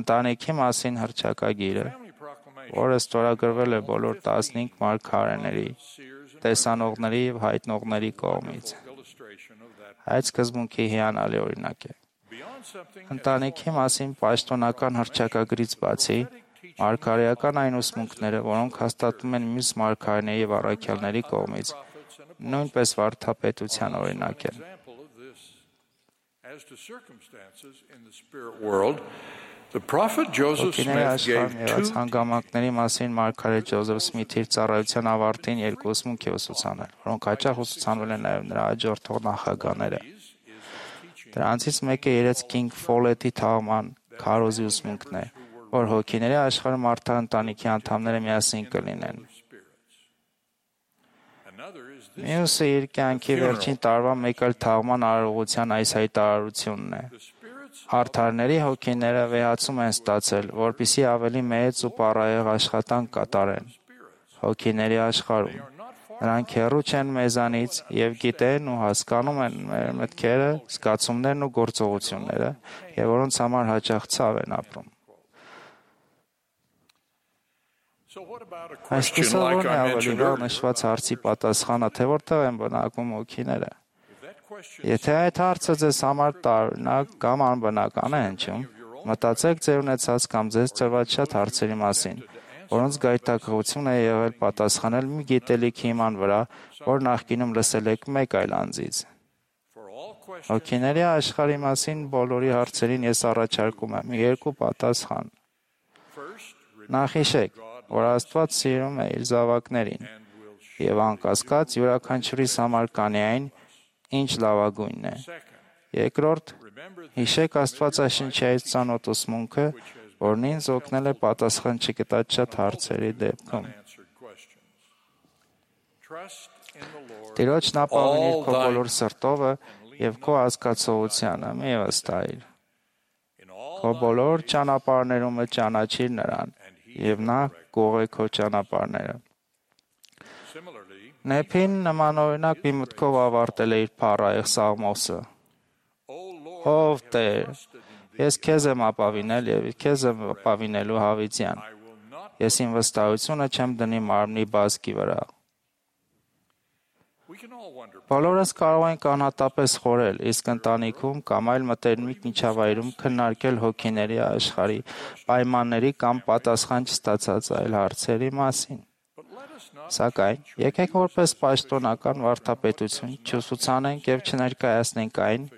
S11: Ընտանիքի մասին հռչակագիրը, որը ստորագրվել է բոլոր տասնհինգ մարգարեների, տեսանողների և հայտնողների կողմից։ Այդ սկզբունքի հիանալի օրինակ է։ Ընտանիքի մասին պաշտոնական հռչակագրից բացի, մարգարեական այն ուսմունքները, որոնք հաստատվում են մյուս մարգարեների և առաքյալների կողմից, նույնպես վարդապետության օրինակ են։ Հոգիների աշխարհում եղած հանգամանքների մասին մարգարե Ջոզեֆ Սմիթի իր ծառայության ավարտին երկու ուսմունք է ուսուցանել, որոնք հաճախ ուսուցանվել են նաև նրա հաջորդող նախագահները։ Դրանցից մեկը երեց Քինգ Ֆոլետի թաղման քարոզի ուսմունքն է, որ հոգիների աշխարհում արդար ընտանիքի անդամները միասին կլինեն։ Մյուսը իր կյանքի վերջին տարվա մեկ այլ թաղման արարողության այս հայտարարությունն է։ Արդարների հոգիները վեհացում են ստացել, որպեսզի ավելի մեծ ու պարահեղ աշխատանք կատարեն հոգիների աշխարհում։ Նրանք հեռու չեն մեզանից և գիտեն ու հասկանում են մեր մտքերը, զգացումներն ու գործողությունները, և որոնց համար հաճախ ցավ են ապրում։ Այսպիսով ո՞րն է ավելի վաղ նշված հարցի պատասխանը, թե որտեղ են բնակվում հոգիները։ Եթե այդ հարցը ձեզ համար տարօրինակ կամ անբնական է հնչում, մտածեք ձեր ունեցած կամ ձեզ տրված շատ հարցերի մասին, որոնց գայթակղություն է եղել պատասխանել մի գիտելիքի հիման վրա, որ նախկինում լսել եք մեկ այլ անձից։ Հոգիների աշխարհի մասին բոլորի հարցերին ես առաջարկում եմ երկու պատասխան։ Նախիշեք, որ Աստված սիրում է իր զավակներին եւ անկասկած յուրաքանչյուրիս համար կանի այն, ինչ լավագույնն է։ Երկրորդ, հիշեք Աստվածաշնչի ծանոթ ուսմունքը, որն ինձ օգնել է պատասխան չգտած շատ հարցերի դեպքում։ Տիրոջն ապավինիր քո բոլոր սրտովը եւ քո հասկացողությանը, մի վստահիր։ Քո բոլոր ճանապարհներում ճանաչիր նրան, եւ նա կողե քո ճանապարհները։ Նեփին նմանօրինակ մի մտքով ավարտել է իր փառահեղ Սաղմոսը. Ով Տեր, ես քեզ եմ ապավինել եւ քեզ եմ ապավինելու հավիտյան։ Ես իմ վստահությունը չեմ դնի մարմնի բազկի վրա։ Բոլորս կարող ենք անհատապես խորել, իսկ ընտանիքում կամ այլ մտերմիկ միջավայրում քննարկել հոգիների աշխարհի պայմանների կամ պատասխան չստացած այլ հարցերի մասին։ Սակայն, եկեք որպես պաշտոնական վարդապետություն չուսուցանենք եւ չներկայացնենք այն,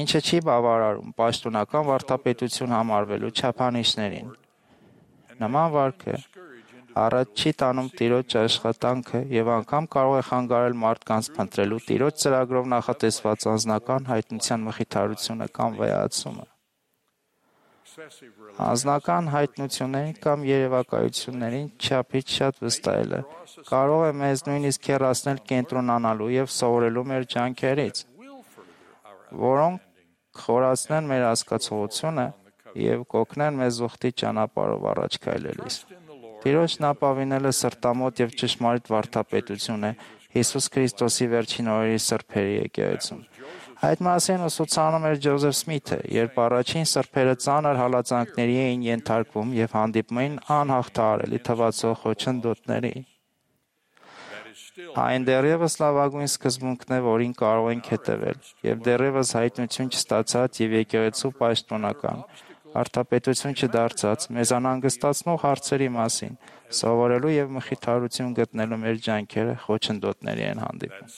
S11: ինչը չի բավարարում պաշտոնական վարդապետություն համարվելու չափանիշներին։ Նման վարքը առաջ չի տանում Տիրոջ աշխատանքը եւ անգամ կարող է խանգարել մարդկանց փնտրելու Տիրոջ ծրագրով նախատեսված անձնական հայտնության մխիթարությունը կամ վեհացումը։ Անձնական հայտնություններին կամ երևակայություններին չափից շատ վստահելը կարող է մեզ նույնիսկ հեռացնել կենտրոնանալու եւ սովորելու մեր ջանքերից, որոնք խորացնեն մեր հասկացողությունը եւ կօգնեն մեզ ուխտի ճանապարհով առաջ քայլելիս։ Տիրոջն ապավինելը սրտամոտ եւ ճշմարիտ վարդապետություն է Հիսուս Քրիստոսի վերջին օրերի սրբերի եկեղեցում։ Այդ մասին ուսուցանում էր Ջոզեֆ Սմիթը, երբ առաջին սրբերը ծանր հալածանքների էին ենթարկվում եւ հանդիպում էին անհաղթահարելի թվացող խոչընդոտների։ Այն դեռևս լավագույն սկզբունքն է, որին կարող ենք հետևել, եւ դեռևս հայտնություն չստացած եւ եկեղեցու պաշտոնական վարդապետություն չդարձած մեզ անհանգստացնող հարցերի մասին սովորելու եւ մխիթարություն գտնելու մեր ջանքերը խոչընդոտների են հանդիպում։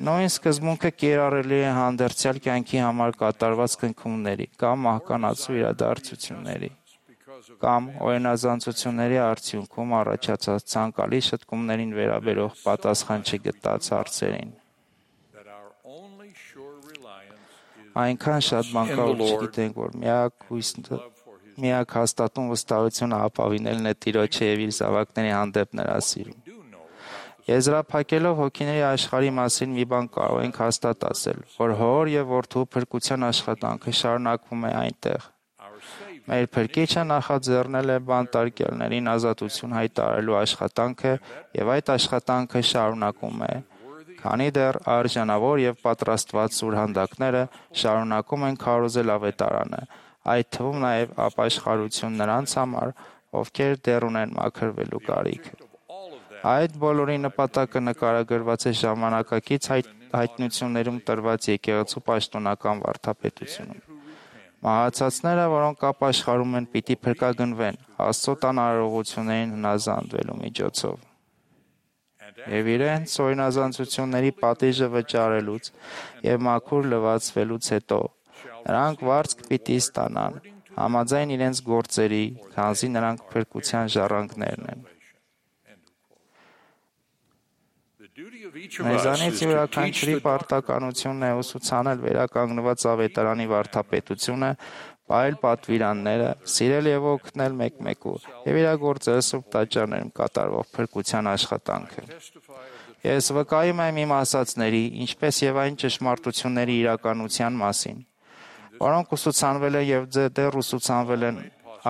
S11: Նույն սկզբունքը կիրառելի է հանդերձյալ կյանքի համար կատարված քննումների կամ մահկանացու իրադարձությունների կամ օրինազանցությունների արդյունքում առաջացած ցանկալի շտկումներին վերաբերող պատասխան չգտած հարցերին։ Այնքան շատ բան կա, որ չգիտենք, որ միակ հույսը, միակ հաստատուն վստահությունը ապավինելն է Տիրոջը եւ իր զավակների հանդեպ նրա սիրում։ Եզրափակելով հոգիների աշխարհի մասին մի բան կարող ենք հաստատ ասել, որ հոր եւ որդու փրկության աշխատանքը շարունակվում է այնտեղ։ Մեր Փրկիչը նախաձեռնել է բանտարկյալներին ազատություն հայտարարելու աշխատանքը եւ այդ աշխատանքը շարունակում է, քանի դեռ արժանավոր եւ պատրաստված սուրհանդակները շարունակում են քարոզել ավետարանը, այդ թվում նաեւ ապաշխարություն նրանց համար, ովքեր դեռ ունեն մաքրվելու կարիք։ Այդ բոլորի նպատակը նկարագրված է ժամանակակից հայտ, հայտնություններում տրված եկեղեցու պաշտոնական վարդապետությունում։ Մահացածները, որոնք ապաշխարում են, պիտի փրկագնվեն Աստծո տանարողություններին հնազանդվելու միջոցով։ Եվ իրենց օրինազանցությունների պատիժը վճարելուց եւ մաքուր լվացվելուց հետո նրանք վարձք պիտի ստանան համաձայն իրենց գործերի, քանզի նրանք փրկության ժառանգներն են։ Մեզանից յուրաքանչյուրի պարտականությունն է ուսուցանել վերականգնված ավետարանի վարդապետությունը, պահել պատվիրանները, սիրել եւ օգնել մեկ-մեկու եւ իրագործել սուրբ տաճարներում կատարվող փրկության աշխատանքը։ Ես վկայում եմ իմ ասածների, ինչպես եւ այն ճշմարտությունների իրականության մասին, որոնք ուսուցանվել են եւ դեռ ուսուցանվել են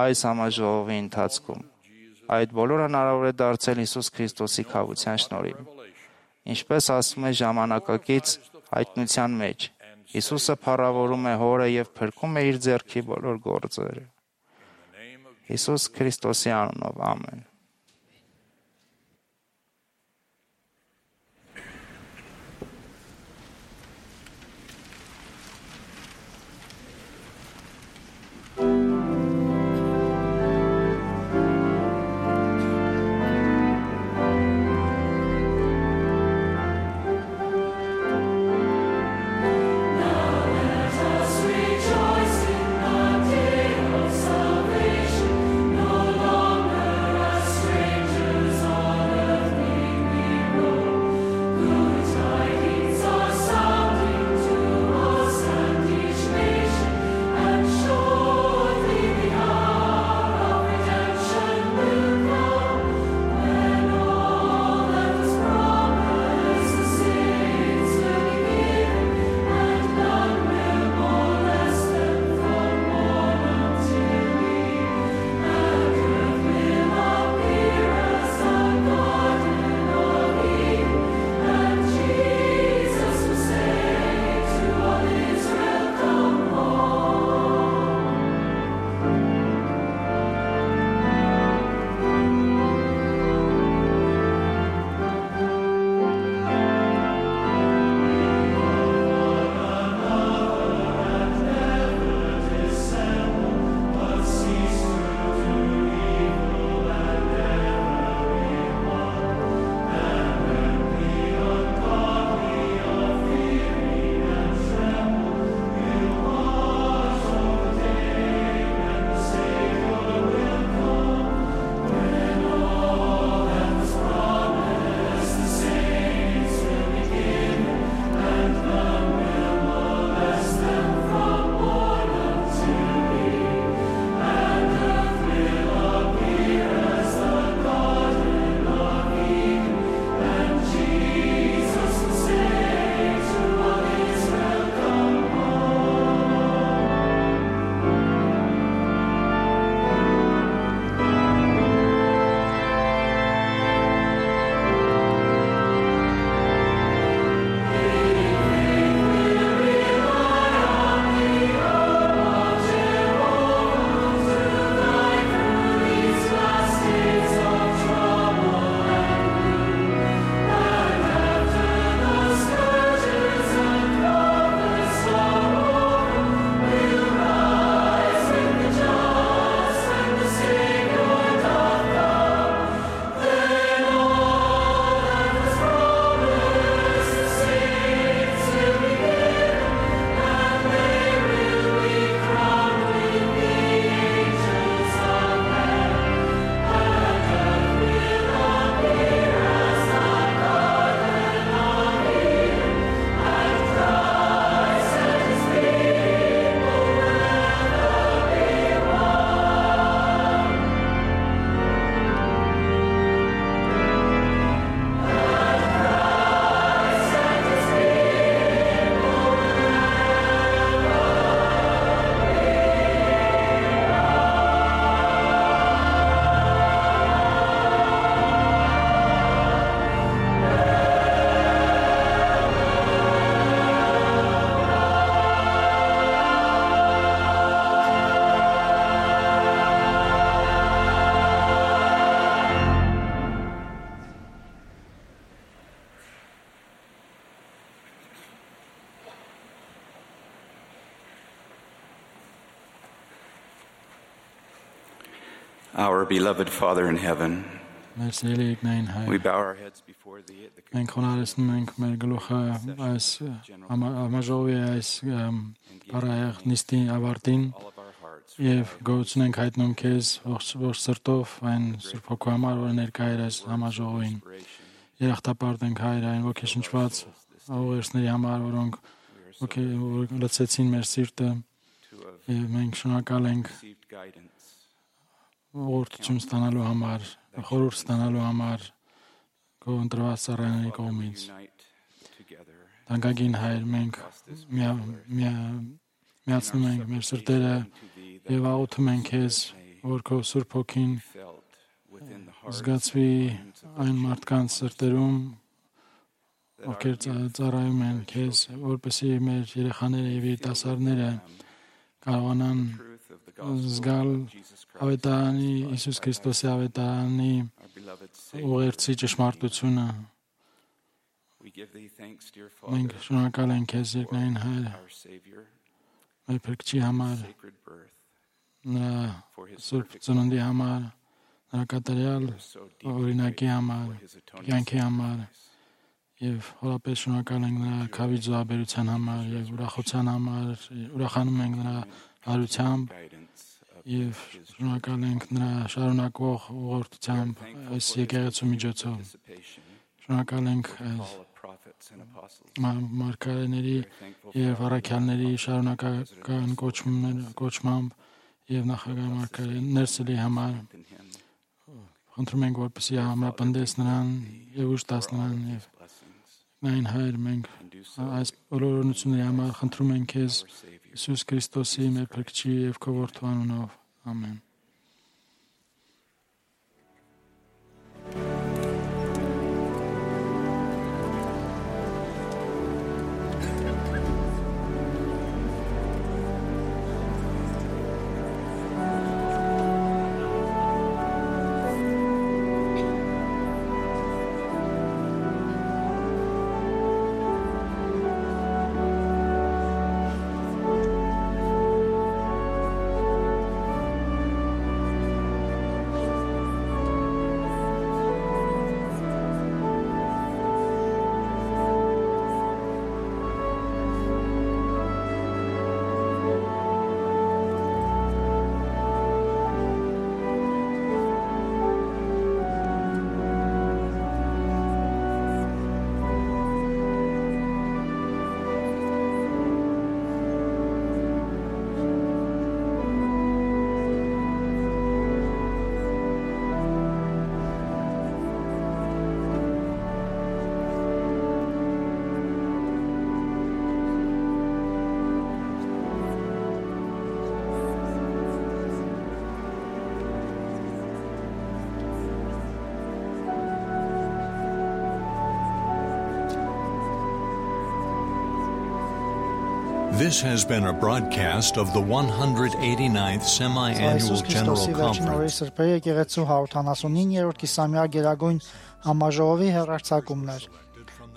S11: այս համաժողովի ընթացքում։ Այդ բոլորը հնարավոր է դարձել Հիսուս Քրիստոսի քավության շնորհիվ։ Ինչպես ասում է ժամանակակից հայտնության մեջ, Հիսուսը փառավորում է Հորը եւ փրկում է իր ձեռքի բոլոր գործերը։ Հիսուս Քրիստոսի անունով, ամեն։
S12: No Our beloved Father in heaven,
S3: Մեր սիրելի Եկնային
S12: we
S3: Հայր,
S12: bow our heads before thee at the
S3: մենք խոնարհեցնում ենք մեր գլուխը այս համաժողովի այս բարայեղ նիստի ավարտին եւ գոհություն ենք հայտնում քեզ ողջ սրտով այն Սուրբ Հոգու համար, որ ներկա էր այս համաժողովին։ Երախտապարտ ենք Հայր այն ոգեշնչված ուղերձների համար, որոնք լցեցին մեր սիրտը եւ մենք շնորհակալ ենք ուղղորդություն ստանալու համար, խորհուրդ ստանալու համար քո ընտրված ծառայների կողմից։ Տանկագին Հայր, մենք միացնում ենք մեր սրտերը եւ աղոթում ենք քեզ, որ քո Սուրբ Հոգին զգացվի այն մարդկանց սրտերում, ովքեր ծառայում են քեզ, որպեսզի մեր երեխաները եւ երիտասարդները կարողանան զգալ ավետարանի Հիսուս Քրիստոսի ավետարանի ուղերձի ճշմարտությունը։ Մենք շնորհակալ ենք քեզ, Եկնային Հայր, մեր Փրկչի համար, նրա Սուրբ ծնունդի համար, նրա կատարյալ օրինակի համար, կյանքի համար եւ հորապես շնորհակալ ենք նրա քավի զոհաբերության համար եւ ուրախության համար, ուրախանում ենք նրա հարությամբ եւ շնորհակալ ենք նրա շարունակվող ուղղորդությամբ այս եկեղեցու միջոցով։ Շնորհակալ ենք մարգարեների եւ առաքյալների շարունակական կոչմամբ եւ նախագահ մարգարե Ներսելի համար։ Խնդրում ենք, որպեսզի համապնդես նրան եւ ուժ տաս նրան եւ Նայն Հայր, մենք այս բոլոր օրհնությունների համար խնդրում ենք քեզ Հիսուս Քրիստոսի մեր Փրկչի եւ քո որդու անունով։ Ամեն։
S1: This has been a broadcast of the one hundred eighty-ninth Semi-Annual General Conference.
S5: Եկեղեցու հարյուրիններորդ կիսամյա գերագույն համաժողովի հեռարձակումներ։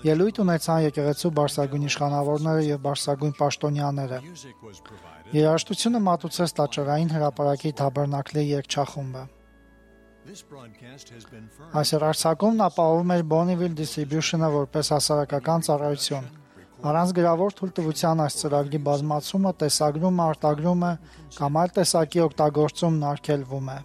S5: Ելույթ ունեցան եկեղեցու բարձրագույն իշխանավորները եւ բարձրագույն պաշտոնյաները։ Երաժշտությունը մատուցեց տաճարային հրապարակի Թաբերնակլի երգչախումբը։ Այս հեռարձակումն ապահովում էր Bonneville Distribution-ը որպես հասարակական ծառայություն։ Առանց գրավոր թույլտվության այս ծրագրի բազմացումը, տեսագրումը, արտագրումը կամ այլ տեսակի օգտագործումն արգելվում է։